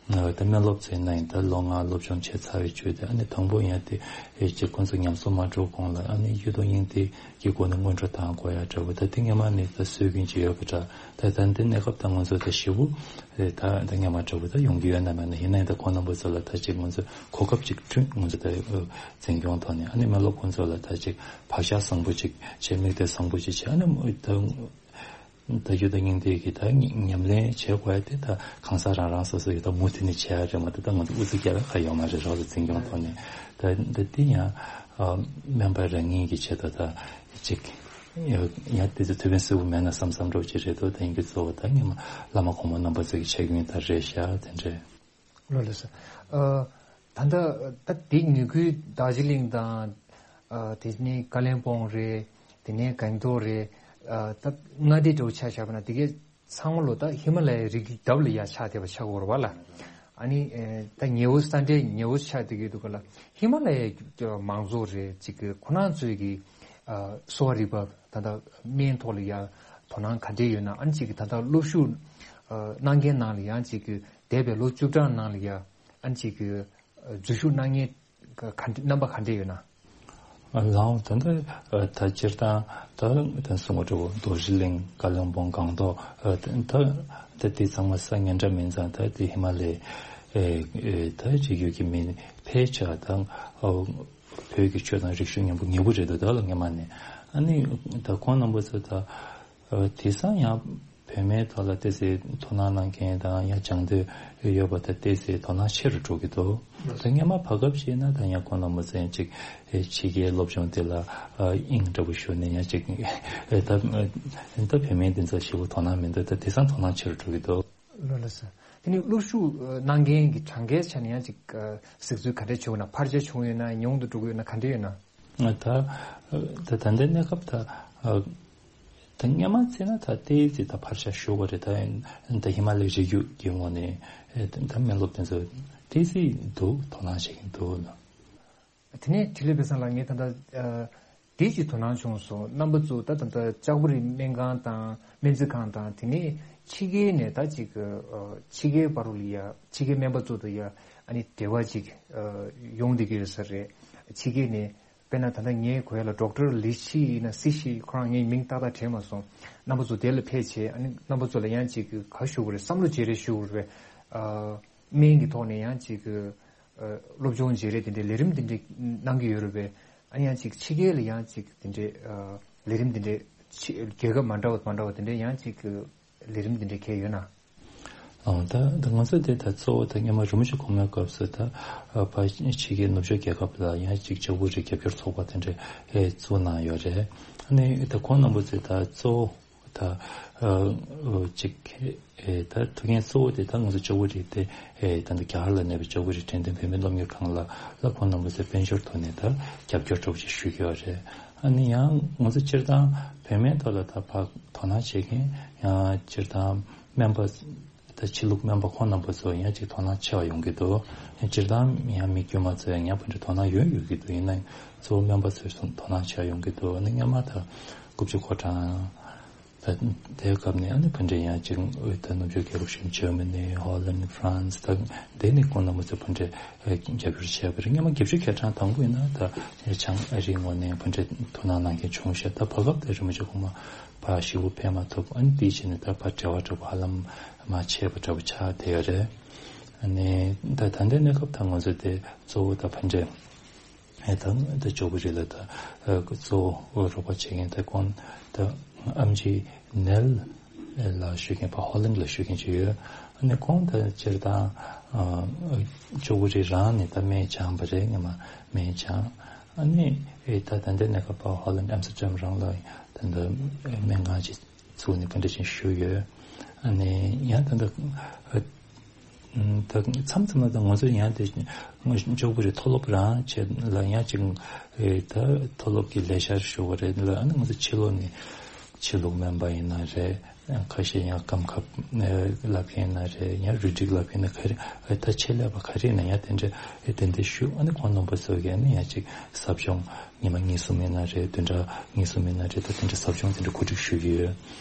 ཨ་ད་སྨན་སློབ་ཚོ་ཡིན་ན་ཡང་ད་ལོ་ལྔ་སློབ་སྦྱོང་བྱས་ཚར་བའི་རྗེས་དེ་ཨ་ནི་དང་པོ་ཡང་དེ་ཨེ་ཅིག་ཁོང་ཚོ་ཉམས་གསོ་མ་འགྲོ་གོང་ལ་ཨ་ནི་གཡུ་ཐོག་སྙིང་ཐིག་གི་སྒོ་ནས་སྔོན་འགྲོ་བཏང་དགོས་ཡ་འདྲ་བོ། ད་དེ་སྔོན་མ་ནས་ད་སྲོལ་རྒྱུན་ཅིག་ཡོད་པ་འདྲ། ད་ད་འདི་གནས་སྐབས་ད་ང་ཚོ་ད་ཞེ་པོ་ཨེ་ད་ད་སྔོན་མ་འདྲ་བོ་ད་ཡོང་གི་ཡོད་ན་མེད་ན། ཡིན་ན་ཡང་ད་ཁོང་རྣམ་པ་ཚོ་ལ་ད་ཅིག་ང་ཚོ་གོ་སྐབས་ཅིག་བསྐྲུན། ང་ཚོ་ད་འཛིན་སྐྱོང་ཐོག་ནས་ཨ་ནི་སྨན་སློབ་ཁོང་ཚོ་ལ་ད་ཅིག་བག་ཆགས་བཟང་པོ་ཅིག་བྱས། དམིགས་གཏད་བཟང་པོ་ཅིག་བྱས། ཨ་ནི་ད་ད་གཡུ་ཐོག་སྙིང་ཐིག་གི་ད་ཉམས་ལེན་བྱེད་དགོས་ཡ་དེ་ད་གང་ཟག་རང་རང་སོ་སོ་ཡི་ད་མུ་མཐུད་ནས་བྱེད་ཡ་རེད་མ་གཏོགས་ད་ང་ཚོ་ཨུ་ཚུགས་རྒྱག་ཡ་ག་ཡོད་མ་རེད་རོགས་ལ་འཛིན་སྐྱོང་ཐོག་ནས། ད་ད་དེ་ཡང་ཨ་སྨན་པ་རང་ཉིད་ཀྱི་ཆེད་དུ་ད་ཅིག་ཡང་དེ་ཚོ་ཐུགས་ཕན་གསོས་པོ་མེད་ན་བསམ་བསམ་འདྲ་བོ་ཅིག་རེད་དོ། ད་ཡིན་གྱི་གཙོ་བོ་ད་སྔོན་མ་བླ་མ་གོང་མ་རྣམ་པ་ཚོ་གི་ཆ་རྐྱེན་ད་རེད་ཤག་དེ་འདྲས། ལགས་ལགས་སོ། ཨ་ད་ལྟ་ད་དེ་ཉེ་ཁུལ་རྡོ་རྗེ་གླིང་དང་། ཨ་དེ་ནས་ཀ་ལོན་སྦུག་རེད། དེ་ནས་གང་ཏོ་རེད། ཨ་ད་མངའ་སྡེ་འདྲ་བོ་ཆ་བཞག་པ་ན་དེ་གའི་ཚང་མ་ལོ་ད་ཧི་མ་ལ་ཡའི་རི་རྒྱུད་འདབས་ལ་ཡ་ཆགས་བསྡད་པ་ཆགས་ཀྱི་ཡོད་རེད་བ་ལ། ཨ་ནི་ཨེ་ད་ཉེ་བོ་ས་འབྲེལ་ཉེ་བོ་ཆགས་བསྡད་ཀྱི་འདུག་ག་ལ། ཧི་མ་ལ་ཡའི་མང་ཚོགས་རེད་ཅིག་གི་ཁོ་རང་ཚོའི་གི་ཨ་གསོ་བ་རིག་པ་ད་ལྟ་སྨན་ཐོག་ལ་ཡ་དོ་སྣང་ག་འདྲས་ཡོད་ན། ཨ་ནི་ཅིག་གི་ད་ལྟ་སློབ་ཞུགས་ཨ་གནང་མཁན་ནང་ལ་ཡང་ཅིག་གི་འདས་པའི་ལོ་བཅུ་གྲངས་ནང་ལ་ཡ་ཨ་ནི་ཅིག་གི་འཛུལ་ཞུགས་གནང་མཁན་ག་འདྲ་རྣམ་པ་ག་འདྲ་ཡོད་ན། ལའོ་ད་ལྟ་ད་སྤྱིར་བཏང་ད་ད་གསུང་བ་འདྲ་བོ་རྡོ་རྗེ་གླིང་ཀ་ལོན་སྦུག་སྒང་ཏོག་ད་ད་དེ་ཚང་མ་ས་ངན་འདྲ་མིན་ཙང་ད་དེ་ཧི་མ་ལའི་ད་རི་རྒྱུད་ཀྱི་མི་ཕལ་ཆེར་ད་བོད་ཀྱི་ཆོས་དང་རིག་གཞུང་མཉམ་པོ་ངེས་པོ་རེད་འདུག་ད་ལ་སྔོན་མ་ནས་ཨ་ནི་ད་ཁོང་རྣམ་པ་ཚོ་ད་དེང་སང་ཡང་། བུད་མེད་ཐོག་ལ་ཏོག་ཙམ་དོ་སྣང་གནང་མཁན་དང་ཡང་སྦྱང་འདོད་ཡོད་པ་དང་ཏོག་ཙམ་དོ་སྣང་ཆེ་རུ་འགྲོ་གི་འདུག་ད་སྔོན་མ་བར་སྐབས་ཤིག་ན་ད་ཡང་ཁོང་རྣམ་པ་ཚོ་ཡང་ཅིག་ཕྱི་རྒྱལ་སློབ་སྦྱོང་དེ་ལ་དབྱིངས་འདྲ་པོ་ཞུགས་ནས་ཡང་ཅིག་ད་ད་བུད་མེད་འདི་ཚོ་ཞེ་པོ་དོ་སྣང་མི་འདུག་ད་དེང་སང་དོ་སྣང་ཆེ་རུ་འགྲོ་གི་འདུག་ལགས་ལགས་སོ། དེ་ནས་སློབ་ཞུགས་གནང་མཁན་གྱི་གྲངས་ཀའི་ཆ་ནས་ཡང་ཅིག་གཟིགས་ཚུལ་ག་འདྲ་བྱུང་ཡོད་ན། འཕར་ཆ་བྱུང་ཡོད་ན། ཉུང་དུ་འགྲོ་གི་ཡོད་ན། ག་འདྲ་ཡོད་ན། ད་ད་ད་ལྟའི་གནས་སྐབས་ད་ད་སྔོན་མ་བརྩིས་ན་ད་ཏོག་ཙམ་ད་འཕར་ཆ་ཞུ་དགོས་རེད། ད་ད་ཧི་མ་ལའི་རི་རྒྱུད་ཀྱི་ངོས་ནས་ད་སྨན་སློབ་དེ་ཚོ་ཏོག་ཙམ་འདུག་དོ་སྣང་བྱེད་ཀྱིན་འདུག་ལ། དེ་ནས་འཕྲིན་ལས་དཔལ་བཟང་ལགས། ངས་ད་ལྟ་དེ་ཅིག་དོ་སྣང་བྱུང་སོང་། རྣམ་པ་ཚོ་ད་ད་ལྟ་ལྕགས་པོ་རི་སྨན་ཁང་དང་སྨན་རྩིས་ཁང་དང་། དེ་ནས་ཕྱི་རྒྱལ་ནས་ད་ཅིག་ཕྱི་རྒྱལ་བར་ལ་ཡ་ཕྱི་རྒྱལ་སྨན་པ་ཚོ་དང་ཡ་ཨ་ནི་འབྲེལ་བ་ཅིག་ཡོང་བསྡད་ཀྱི་ཡོད་ས་རེད། ཕྱི་རྒྱལ་ནས་དཔེར་ན་ད་ལྟ་ངའི་གོ་ཡ་ལ་ཌོག་ཊར་ལི་ཤི་ཡིན་ན་སི་ཤི། ཁོ་རང་ངའི་མིང་ཏག་ཏག་དྲན་མ་སོང་། རྣམ་པ་ཚོ་དེ་ལ་ཕེབས་བྱས་ཨ་ནི་རྣམ་པ་ཚོ་ལ་ཡང་ཅིག་ག་ཞུ་དགོས་རེད། བསམ་བློ་བརྗེ་རེས་ཞུ་དགོས་རེད་པས། སྨན་གྱི་ཐོག་ནས་ཡང་ཅིག་སློབ་སྦྱོང་བརྗེ་རེས་དེ་འདྲའི་ལས་རིམ་དེ་འདྲའི་གནང་གི་ཡོད་རེད་པས། ཨ་ནི་ཡང་ཅིག་ཕྱི་རྒྱལ་ལ་ཡང་ཅིག་དེ་འདྲའི་ལས་རིམ་དེ་འདྲའི་ཕྱི་རྒྱལ་ཁབ་མ་འདྲ་བ་མ་འདྲ་བ་དེ་འདྲའི་ཡང་ཅིག་ལས་རིམ་དེ་འདྲའི་གང་ཡོད་ན། ཨང་། ད་ད་ང་ཚོ་དེ་ད་གཙོ་བོ་ད་སྔོན་མ་རིན་པོ་ཆེ་གོང་མའི་སྐབས་སུ་ད་ཕ་ཕྱི་རྒྱལ་ནུབ་ཕྱོགས་རྒྱལ་ཁབ་ལ་ཡང་ཅིག་ལྕགས་པོ་རི་རྒྱབ་སྐྱོར་ཚོགས་པ་དེ་འདྲ་བཙུགས་གནང་ཡོད་རེད། ཨ་ནི་ད་ཁོང་རྣམ་པ་ཚོས་ད་གཙོ་བོ་ད་ཅིག་ད་ཐུགས་འགན་གཙོ་བོ་དེ་ད་ང་ཚོ་ལྕགས་པོ་རི་དེ་ད་ལྟ་རྒྱ་གར་ལ་གནས་པའི་ལྕགས་པོ་རི་དྲན་རྟེན་བོད་མིའི་སློབ་གཉེར་ཁང་ལ་ལ་ཁོང་རྣམ་པ་ཚོས་དཔལ་འབྱོར་ཐོག་ནས་ད་རྒྱབ་སྐྱོར་འདྲ་པོ་ཅིག་ཞུ་གི་ཡོད་རེད། ཨ་ནི་ཡང་ང་ཚོ་སྤྱིར་བཏང་བུད་མེད་ཐོག་ལ་ད་ཕར་དོ་སྣང་བྱེད་མཁན་ཡང་སྤྱིར་བཏང་སྨན་པ་ད་ཕྱི་ལུགས་སྨན་པ་ཁོང་རྣམ་པ་ཚོ་ཡང་ཅིག་དོ་སྣང་ཆེ་བ་ཡོང་གི་འདུག་ཡང་སྤྱིར་བཏང་ཡང་མི་དཀྱུས་མ་ཚོ་ཡང་ཕར་འདྲ་དོ་སྣང་ཡོད་ཡོད་ཀྱི་འདུག་ཡིན་ན་ཡང་གཙོ་བོ་སྨན་པ་ཚོས་དོ་སྣང་ཆེ་བ་ཡོང་གི་འདུག་ཨ་ནི་སྔོན་མ་ད་དགུ་བཅུ་གོ་གྲངས་ད་དེའི་སྐབས་ནས་ཨ་ནི་ཕར་འདྲ་ཡང་ཅིག་ད་ནུབ་ཕྱོགས་རྒྱལ་ཁབ་གཞན་ཇར་མ་ནི། ཧོ་ལན། ཧྥ་རན་སི། ད་དེ་ནི་ཁོང་རྣམ་པ་ཚོས་ཕར་འདྲ་རྒྱབ་སྐྱོར་བྱས་པ་རེད། སྔོན་མ་བརྒྱད་ཅུ་གྱ་གྲངས་དང་པོ་ཡིན་ན་ད་བྱང་ཨ་རིའི་ངོས་ནས་ཕར་འདྲ་དོ་སྣང་གནང་མཁན་བྱུང་ཤག་ད་བར་སྐབས་དེ་རིན་པོ་ཆེ་གོང་མ་ཕར་ཞེ་པོ་ཕེབས་མ་ཐུབ། ཨ་ནི་དེའི་རྗེས་ནས་ད་ཕར་འབྲེལ་བ་འདྲ་པོ་ཧ་ལམ་མ་བྱས་པ་འདྲ་པོ་ཆགས་བསྡད་ཡོད་རེད། ཨ་ནི་ད་ད་ལྟའི་གནས་སྐབས་ད་ང་ཚོ་དེ་གཙོ་བོ་ད་ཕར་འདྲ་ཨེ་ད་ད་ལྕགས་པོ་རི་ལ་ད་ཨ་གཙོ་བོ་རོགས་པ་བྱེད་མཁན་ད་ཁོང་ད་ཨེམ་ཆི་ནེལ་ལགས་ཞུ་མཁན་ཕར་ཧོ་ལན་ལ་ཞུ་མཁན་ཅིག་ཡོད། ཨ་ནི་ཁོང་ད་སྤྱིར་བཏང་ཨ་ལྕགས་པོ་རི་རང་ནས་ད་སྨན་སྦྱངས་པ་རེད། སྔོན་མ་སྨན་སྦྱངས། ཨ་ནི་ཨེ་ད་ད་ལྟའི་གནས་སྐབས་ཕར་ཧོ་ལན་ཨམ་སི་ཊར་ཌམ་རང་ལ་ད་ད་སྨན་ཁང་ཅིག་བཙུགས་ནས་ག་འདྲ་ཅིག་བཞུགས་ཡོད། ཨ་ནི་ཡང་ད་ལྟ་ཨ་ད་མཚམས་མཚམས་ལ་ད་ང་ཚོ་ཡང་དེ་ལྕགས་པོ་རི་མཐོ་སློབ་རང་བྱས་ལ་ཡང་ཅིག་ཨེ་ད་མཐོ་སློབ་ཀྱི་ལས་འཆར་ཞུ་བ་རེད་ལ། ཨ་ནི་ང་ཚོ་ཕྱི་ལོགས་ནས་ཕྱི་ལུགས་སྨན་པ་ཡིན་ན་རེད། ཁ་ཤས་ཡང་སྐམ་ཁབ་བསླབ་མཁན་ཡིན་ན་རེད། ཡང་རུས་སྒྲིག་བསླབ་མཁན་ཡིན་ན་ག་རེ་ཨེ་ད་ཆེད་ལས་པ་ག་རེ་ཡིན་ན་ཡང་དེ་འདྲ་ཨེ་དེ་འདྲ་ཞུ། ཨ་ནི་ཁོང་རྣམ་པ་ཚོ་གིས་ཨ་ནི་ཡང་ཅིག་ཟབ་སྦྱོང་ཉི་མ་གཉིས་གསུམ་ཡིན་ན་རེད། བདུན་ཕྲག་གཉིས་གསུམ་ཡིན་ན་རེད། ད་དེ་འདྲ་ཟབ་སྦྱོང་དེ་འདྲ་གོ་སྒྲིག་ཞུ་གི་ཡོད།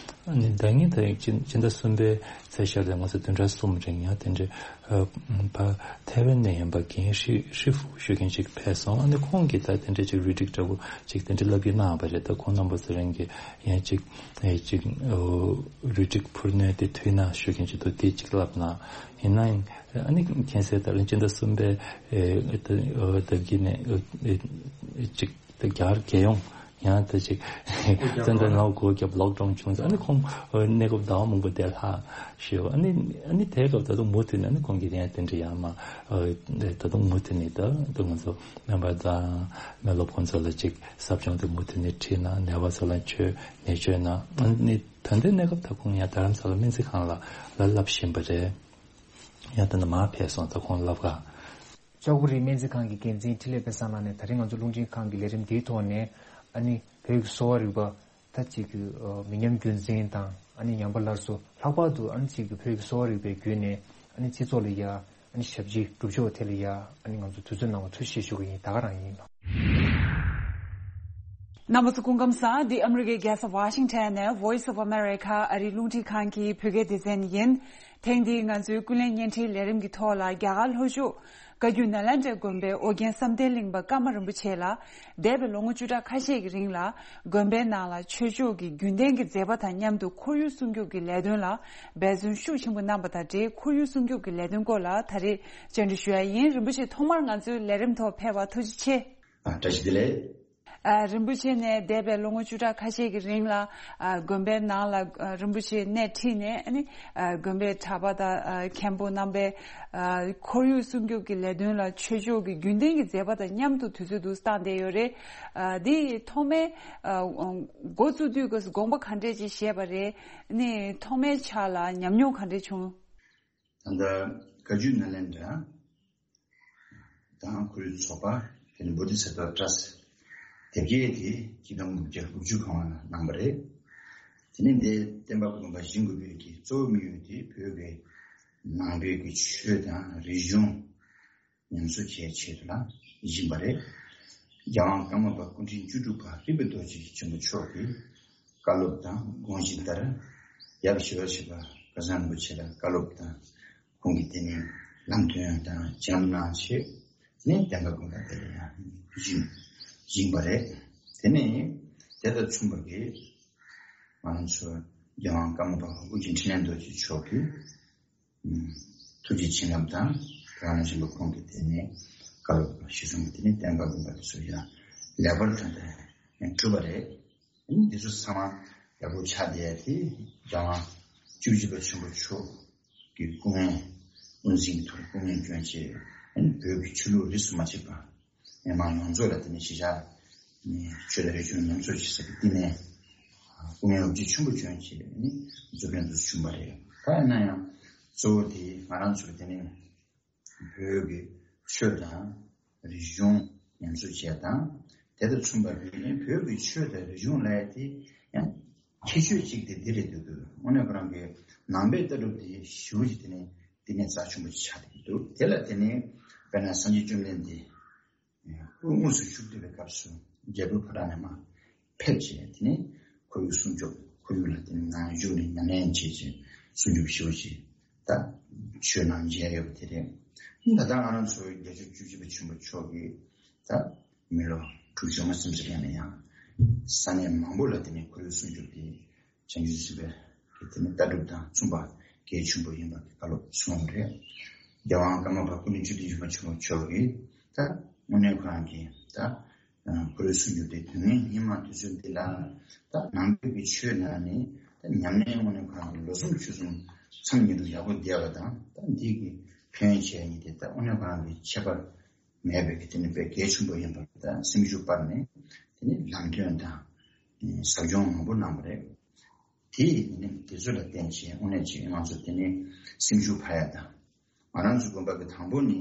ཨ་ནི་ཟླ་ཉིན་ད་སྤྱི་སྤྱི་ཟླ་གསུམ་པའི་ཚེས་ཤར་ལ་ང་ཚོ་བདུན་ཕྲག་གསུམ་རིང་ཡང་དེ་འདྲ་ཨ་ཕ་ཐའེ་ཝན་ནས་ཡིན་པ་རྒན་ཧྲི་ཧྲི་ཧྥུ་ཞུ་མཁན་ཅིག་ཕེབས་སོང་། ཨ་ནི་ཁོང་གིས་ད་དེ་འདྲ་ཅིག་རུས་སྒྲིག་འདྲ་པོ་ཅིག་དེ་འདྲ་བསླབ་ཀྱི་གནང་བ་རེད། ད་ཁོང་རྣམ་པ་ཚོ་རང་གིས་ཡང་ཅིག་ཨེ་ཅིག་ཨོ་རུས་སྒྲིག་འཕུར་སྣོན་དེ་མཐུད་ན་ཞུ་མཁན་ཅིག་འདུག་དེ་ཅིག་བསླབ་གནང་། ཡིན་ནའང་ཨ་ནི་མཁྱེན་གསལ་ལྟར་སྤྱི་ཟླ་གསུམ་པའི་ཨེ་ཨེ་ཨེ་ཟླ་དཀྱིལ་ནས་ཨེ་ཨེ་ཅིག་ད་རྒྱ་གར་རྒྱལ་ཡོངས་ཡང་ད་ཅིག་བཙན་བྱོལ་ནང་སྒོ་བརྒྱབ་ལོག་ཌའོན་བྱུང་ཙང་། ཨ་ནི་ཁོང་ཨེ་གནས་སྐབས་ཟླ་བ་མང་པོ་བསྡད་ལྷག་ཞུ། ཨ་ནི་ཨ་ནི་དེའི་སྐབས་ད་དུང་མུ་མཐུད་ནས་ཨ་ནི་ཁོང་གིས་ཡང་དེ་འདྲ་ཡང་མ་ཨེ་ད་དུང་མུ་མཐུད་ནས་ད་ད་ང་ཚོ་སྨན་པ་དང་སྨན་སློབ་ཁོང་ཚོ་ལ་ཅིག་ཟབ་སྦྱོང་དེ་མུ་མཐུད་ནས་ཁྲིད་གནང་། ནད་པ་ཚོ་ལ་བཅོས་ནད་བཅོས་གནང་། ཨ་ནི་ད་ལྟའི་གནས་སྐབས་ད་ཁོང་ཡང་རྡ་རམ་ས་ལ་སྨན་རྩིས་ཁང་ལ་ལ་བསླབ་བཞིན་པ་རེད། ཡང་ད་ནི་མར་ཕེབས་སོང་། ད་ཁོང་བསླབ་ག་ལྕགས་པོ་རི་སྨན་རྩིས་ཁང་གི་འགན་འཛིན་འཕྲིན་ལས་དཔལ་བཟང་ལགས་ནས་ད་རིང་ང་ཚོ་རླུང་འཕྲིན་ཁང་གི་ལས་རིམ་འདིའི་ཐོག་ནས་ཨ་ནི་བོད་ཀྱི་གསོ་བ་རིག་པ་ད་ཅིག་གི་ཨ་མི་ཉམས་རྒྱུན་འཛིན་དང་ཨ་ནི་ཉམས་པ་སླར་གསོ། ལྷག་པར་དུ་ཨ་ནི་ཅིག་གི་བོད་ཀྱི་གསོ་བ་རིག་པའི་བརྒྱུད་ནས་ཨ་ནི་སྤྱི་ཚོགས་ལ་ཡ་ཨ་ནི་ཞབས་ཕྱི་སྒྲུབ་ཕྱོགས་ཐད་ལ་ཡ་ཨ་ནི་ང་ཚོ་དུས་ཚོད་གནང་བར་ཐུགས་རྗེ་ཆེ་ཞུ་གི་ཡིན། ད་ག་རང་ཡིན། རྣམ་པ་ཚོ་སྐུ་ཁམས་བཟང་། འདི་ཨ་མི་རི་ཀའི་རྒྱལ་ས་ཝ་ཤིང་ཊོན་ནས་Voice of America ཨ་རིའི་རླུང་འཕྲིན་ཁང་གི་བོད་སྐད་སྡེ་ཚན་ཡིན། ཐེངས་འདིའི་ང་ཚོའི་ཀུན་གླེང་བརྙན་འཕྲིན་ལས་རིམ་གྱི་ཐོག་ལ་རྒྱ་གར་ལྷོ་ཕྱོགས་བཀའ་བརྒྱུད་ནཱ་ལེནྡྲའི་དགོན་པའི་ཨོ་རྒྱན་བསམ་གཏན་གླིང་པ་ཀརྨ་རིན་པོ་ཆེ་ལ་འདས་པའི་ལོ་ངོ་བཅུ་ཕྲག་ཁ་ཤས་ཀྱི་རིང་ལ་དགོན་པའི་ནང་ལ་ཆོས་ཕྱོགས་ཀྱི་རྒྱུན་ལྡན་གྱི་མཛད་པ་དང་མཉམ་དུ་ཁོར་ཡུག་སྲུང་སྐྱོབ་ཀྱི་ལས་དོན་ལ་འབད་བརྩོན་ཤུགས་ཆེན་པོ་གནང་པ་དང་འབྲེལ། ཁོར་ཡུག་སྲུང་སྐྱོབ་ཀྱི་ལས་དོན་སྐོར་ལ་ད་རེས་བཅར་འདྲི་ཞུ་ཡ་ཡིན། རིན་པོ་ཆེ་ཐོག་མར་ང་ཚོའི་ལས་རིམ་ཐོག་ཕེབས་པར་ཐུགས་རྗེ་ཆེ། ཨ། བཀྲ་ཤིས་བདེ་ལེགས། ཨ། རིན་པོ་ཆེ་ནས་འདས་པའི་ལོ་ངོ་བཅུ་ཕྲག་ཁ་ཤས་ཀྱི་རིང་ལ། ཨ། དགོན་པའི་ནང་ལ། ཨ། རིན་པོ་ཆེ་སྣེ་ཁྲིད་ནས། ཨ་ནི། ཨ། དགོན་པའི་གྲྭ་པ་དང་། ཨ། མཁན་པོ་རྣམ་པའི། ཨ། ཁོར་ཡུག་སྲུང་སྐྱོབ་ཀྱི་ལས་དོན་ལ་ཆོས་ཕྱོགས་ཀྱི་རྒྱུན་ལྡན་གྱི་མཛད་པ་དང་མཉམ་དུ་དུས་ཚོད་འདུག་བཏང་བསྡད་ཡོད་རེད། ཨ། འདི་ཐོག་མའི། ཨ། འགོ་བཙུགས་དུས་ཀྱི་དགོངས་པ་ག་འདྲས་ཅིག་བཞེས་པ་རེད། ཨ་ནི་ཐོག་མའི་ཆ་ལ་ཉམས་མྱོང་ག་འདྲས་བྱུང་། ད་ལྟ་བཀའ་བརྒྱུད་ནཱ་ལེནྡྲ་དང་ཁོར་ཡུག་ཚོགས་པ། དེ་ནས་བོ་དྷི་ས་ཏྭ་ཏྲ་སི་དེབ་སྐྱེལ་དེ་ཆིག་སྟོང་དགུ་བརྒྱ་དགུ་བཅུ་གོང་ལ་གནང་བ་རེད། དེ་ནས་འདི་བསྟན་པ་དགོན་པ་བཞེངས་དགོས་པའི་གི་གཙོ་བོ་དམིགས་ཡུལ་དེ་བོད་ཀྱི་ནང་པའི་གི་ཆོས་དང་རིག་གཞུང་ཉམས་གསོ་བྱེད་ཆེད་དུ་ལ་བཞེངས་པ་རེད། རྒྱལ་དབང་ཀརྨ་པ་སྐུ་ཕྲེང་བཅུ་དྲུག་པ་རིག་པའི་རྡོ་རྗེ་ཆེན་པོ་མཆོག་གི་བཀའ་སློབ་དང་དགོངས་གཞི་ལྟར། ཡབ་ཞི་བ་འཚོ་བརྒྱུད་པ་སྐལ་བཟང་རིན་པོ་ཆེ་ལ་བཀའ་སློབ་དང་། ཁོང་གིས་དེ་ནས་ལམ་སྟོན་དང་བྱིན་རླབས་གནང་ཆེད་ནས་བསྟན་པ་དགོན་པ་དེ་ལ་ཡང་བཞེངས་བཞེངས་པ་རེད། དེ་ནས་དེ་དང་མཚུངས་པ་གི་ང་རང་ཚོ་རྒྱལ་དབང་ཀརྨ་པ་ཨོ་རྒྱན་འཕྲིན་ལས་རྡོ་རྗེ་མཆོག་གི་ཐུགས་རྗེ་བྱིན་རླབས་དང་། རང་བཞིན་པ་ཁོང་གིས་དེ་ནས་བཀའ་སློབ་གཞིར་བཟུང་གིས་དེ་ནས་བསྟན་པ་དགོན་པ་དེ་ཚོ་ཡང་ལེགས་པར་ཐོན་ཏེ་གྲུབ་པ་རེད། འདི་ཚོ་ཚང་མ་ཡག་པོ་ཆགས་བསྡད་དེ། རྒྱལ་དབང་བཅུ་གཅིག་པ་ཆེན་པོ་མཆོག་གི་སྐུ་ངལ། དབུ་འཛིན་གྱི་ཐོག་སྐུ་ངལ་བསྐྱོན་ཆེད། བོད་ཀྱི་ཆོས་ལུགས་རིས་སུ་མ་ཆད་པ་མི་མང་ཡོངས་རྫོགས་ལ་དེ་ནས་གཞིས་ཆགས་ནས་ཆོས་དང་རིག་གཞུང་ཉམས་གསོ་བྱེད་ས་ཀྱི་བསྟི་གནས་སྐུ་ངལ་ལོ་རྒྱུས་ཆེན་པོ་བསྐྱོན་ཆེད་ནི་འཛུགས་སྐྲུན་དུ་བྱུང་བ་རེད། ད་ཡིན་ན་ཡང་གཙོ་བོ་དེ་ང་རང་ཚོ་དེ་ནས་བོད་ཀྱི་ཆོས་དང་རིག་གཞུང་ཉམས་གསོ་བྱས་དང་། དེ་དང་མཚུངས་པ་བོད་ཀྱི་ཆོས་དང་རིག་གཞུང་ལབ་ཡ་དེ་ཡང་ཁྱད་ཆོས་གཅིག་དེ་འདི་རེད་འདུག་དངོས་གནས་ཁོ་རང་གི་ནང་པའི་ལྟ་གྲུབ་དེ་ཞེ་པོ་ཅིག་དེ་ནས་བསྟི་གནས་རྩ་ཆེན་པོ་ཅིག་ཆགས་བསྡད་ཀྱི་འདུག་དེ་ལ་དེ་ནས་དཔེར་ན་སངས་རྒྱས་བཅོམ་ལྡན་འདས་དབུ་དངོས་སུ་བཞུགས་བསྡད་པའི་སྐབས་སུ་རྒྱལ་པོ་ཕོ་བྲང་ནས་མར་ཕེབས་བྱས། དེ་ནས་ཁོར་ཡུག་སྲུང་སྐྱོབ། ཁོར་ཡུག་ལ་དེ་ནས་ནང་བཞུགས་ནས་ཉམས་ལེན་བྱེད་ཅིང་སྲུང་སྐྱོབ་ཞུ་ཅིང་ད་ཆོས་ནང་མཇལ་ཡོད་པ་དེ་རེད། ད་ལྟ་ང་རང་ཚོ་རྒྱལ་མཆོག་བཅུ་གཅིག་པ་ཆེན་པོ་མཆོག་གིས་ད་མི་ལོ་དྲུག་ཅུ་མ་ཟིན་ཙམ་ཡང་ན་ཡང་ས་གནས་མང་པོ་ལ་དེ་ནས་ཁོར་ཡུག་སྲུང་སྐྱོབ་དེ་བྱང་ཆུབ་སེམས་དཔའི་དེ་ནི་ལྟ་གྲུབ་དང་མཚུངས་པ་གལ་ཆེན་པོ་ཡིན་པ་གི་བཀའ་སློབ་གསུངས་པ་རེད། རྒྱལ་དབང་ཀརྨ་པ་སྐུ་ཕྲེང་བཅུ་བདུན་པ་ཆེན་པོ་མཆོག་གིས་ད་དངོས་གནས་ཁོ་རང་གིས་ད་ཁོར་ཡུག་སྲུང་སྐྱོབ་དེ་དོན་ངན་སྙིགས་མ་དུས་ཚོད་འདི་ལ་ད་ནང་པའི་གི་ཆོས་ནང་ནས་ད་ཉམས་ལེན་དངོས་གནས་ཁོ་རང་གི་ལོ་གསུམ་ཕྱོགས་གསུམ་མཚམས་ཉིན་དུ་ཡག་པོ་བསྡད་པ་དང་། ད་འདི་གི་ཕན་ཡོན་ཆེ་ནི་དེ་ད་དངོས་གནས་ཁོ་རང་གི་ཁྱད་པར་མེད་པའི་གི་དེ་ནི་དཔེ་གལ་ཆེན་པོ་ཡིན་པ་དང་། སེམས་ཤུགས་སྤར་ནས་དེ་ནི་ལམ་སྟོན་དང་ཟབ་སྦྱོང་མང་པོ་གནང་བ་རེད། དེ་ཡིས་དེ་ནི་དེ་ཚོ་ལ་བརྟེན་བྱས་དངོས་གནས་ཅིག་ང་ཚོ་དེ་ནི་སེམས་ཤུགས་འཕར་ཡ་དང་། ང་རང་ཚོ་དགོན་པ་གི་དང་པོ་ནི་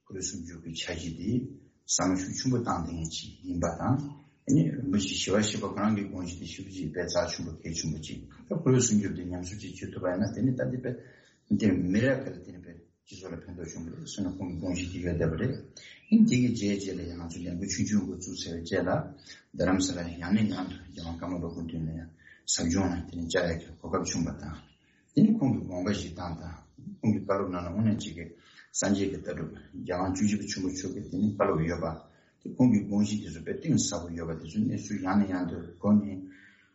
ཁོར་ཡུག་སྲུང་སྐྱོབ་ཀྱི་འཆར་གཞི་དེ་བསམ་བློ་ཤུགས་ཆེན་པོ་བཏང་བསྡད་མཁན་ཅིག་ཡིན་པ་དང་། དེ་ནི་རིན་པོ་ཆེ་ཞི་བ་ཞེས་པ་ཁོ་རང་གི་དགོངས་གཞི་དེ་ཞེ་པོ་ཅིག་དཔེ་རྩ་ཆེན་པོ་གལ་ཆེན་པོ་ཅིག་ད་ཁོར་ཡུག་སྲུང་སྐྱོབ་དེ་ཉམས་གསོ་ཅིག་བྱེད་ཐུབ་པ་ཡིན་ན་དེ་ནི་ད་འདི་དཔེ་འདི་མི་རབས་ཁག་ལ་དེ་ནི་དཔེ་སྤྱི་ཚོགས་ལ་ཕན་ཐོགས་བྱུང་གི་རེད་ཟེར་ནས་ཁོང་གི་དགོངས་གཞི་དེ་ཡོད་བསྡད་པ་རེད། ཨིན་དེ་གི་རྗེས་རྗེས་ལ་ཡང་ང་ཚོ་ལས་འགུལ་ཆུང་ཆུང་འགོ་བཙུགས་ཚར་བའི་རྗེས་ལ་རྡ་རམ་ས་ལར་ཡང་ནས་ཡང་དུ་རྒྱལ་དབང་ཀརྨ་པ་སྐུ་མདུན་ལ་ཡང་ཟབ་སྦྱོང་ལ་དེ་ནས་བཅར་ཡག་གི་གོ་སྐབས་བྱུང་བ་དང་། དེ་ནི་ཁོང་གི་དགོངས་པ་བཞེས་སྟངས་དང་ཁོང་གི་བཀའ་སློབ་ནང་ལ་དངོས་གནས་ཅིག་གི་སངས་རྒྱས་ཀྱི་ལྟ་གྲུབ་རྒྱལ་དབང་བཅུ་གཅིག་པ་ཆེན་པོ་མཆོག་གི་དེ་ནི་བཀའ་སློབ་ཡོད་པ། དེ་ཁོང་གི་དགོངས་གཞི་དེ་ཚོ་དཔེ་གཏིང་ཟབ་པོ་ཡོད་པ་དེ་ཚོ་གནས་ཚུལ་ཡང་ནས་ཡང་དུ་གོ་ནས་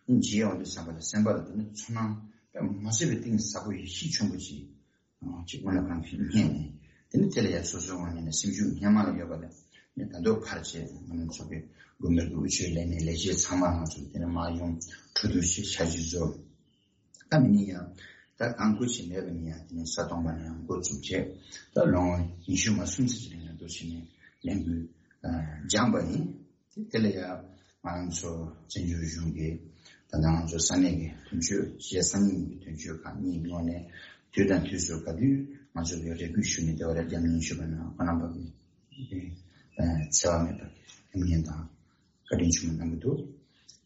མཇལ་ཡོང་དུས་ཙམ་པ་ལ་སེམས་པ་ལ་དེ་ནི་ཚོར་སྣང་དཔེ་མ་སྲིད་པའི་གཏིང་ཟབ་པོ་ཡིད་ཆེས་ཆེན་པོ་ཅིག་ཅིག་དངོས་གནས་ཁོང་གིས་རྙེད་ནས། དེ་ནི་དེ་ལ་ཡང་སོ་སོའི་ངོས་ནས་ནི་སེམས་ཤུགས་སྔོན་མ་ལ་ཡོད་པ་ལས་ནི་ད་དུང་འཕར་བྱས་ང་རང་ཚོ་གི་དགོན་པའི་དབུ་ཆོས་ལས་སྣེ་ལས་བྱེད་ཚང་མ་ང་ཚོ་དེ་ནི་མར་ཡོང་གྲོས་བསྡུར་བྱས་འཆར་གཞི་བཟོ། ད་མི་ནི་ཡང་ད་གང་དགོས་ཆེད་མེད་པ་ནི་ཡང་དེ་ནི་ས་སྟོང་པ་ནས་ཡང་འགོ་བཙུགས་བྱས་ད་ལོ་ངོ་ཉི་ཤུ་མ་སོང་ཙམ་ཅིག་ལ་ཡང་འདུག་བྱས་ནས་ལས་འགུལ་སྦྱངས་པ་ཡིན། དེ་དེ་ལ་ཡང་ང་རང་ཚོ་བཙན་བྱོལ་གཞུང་གིས་ད་ལྟ་ང་ཚོ་ས་གནས་ཀྱི་དོན་གཅོད་གཞན་ས་གནས་ཀྱི་དོན་གཅོད་ཁག་གཉིས་ངོས་ནས་དུས་དང་དུས་སུ་ག་དུས་ང་ཚོ་གི་རེ་སྐུལ་ཞུ་ནས་བདེ་བ་རེ་རྒྱབ་གནོན་ཞུས་པ་ན་ཁོང་རྣམ་པ་གིས་འཚེ་བ་མེད་པ་གི་ལམ་ངན་དང་བཀའ་དྲིན་ཆེན་པོ་གནང་གི་འདུག་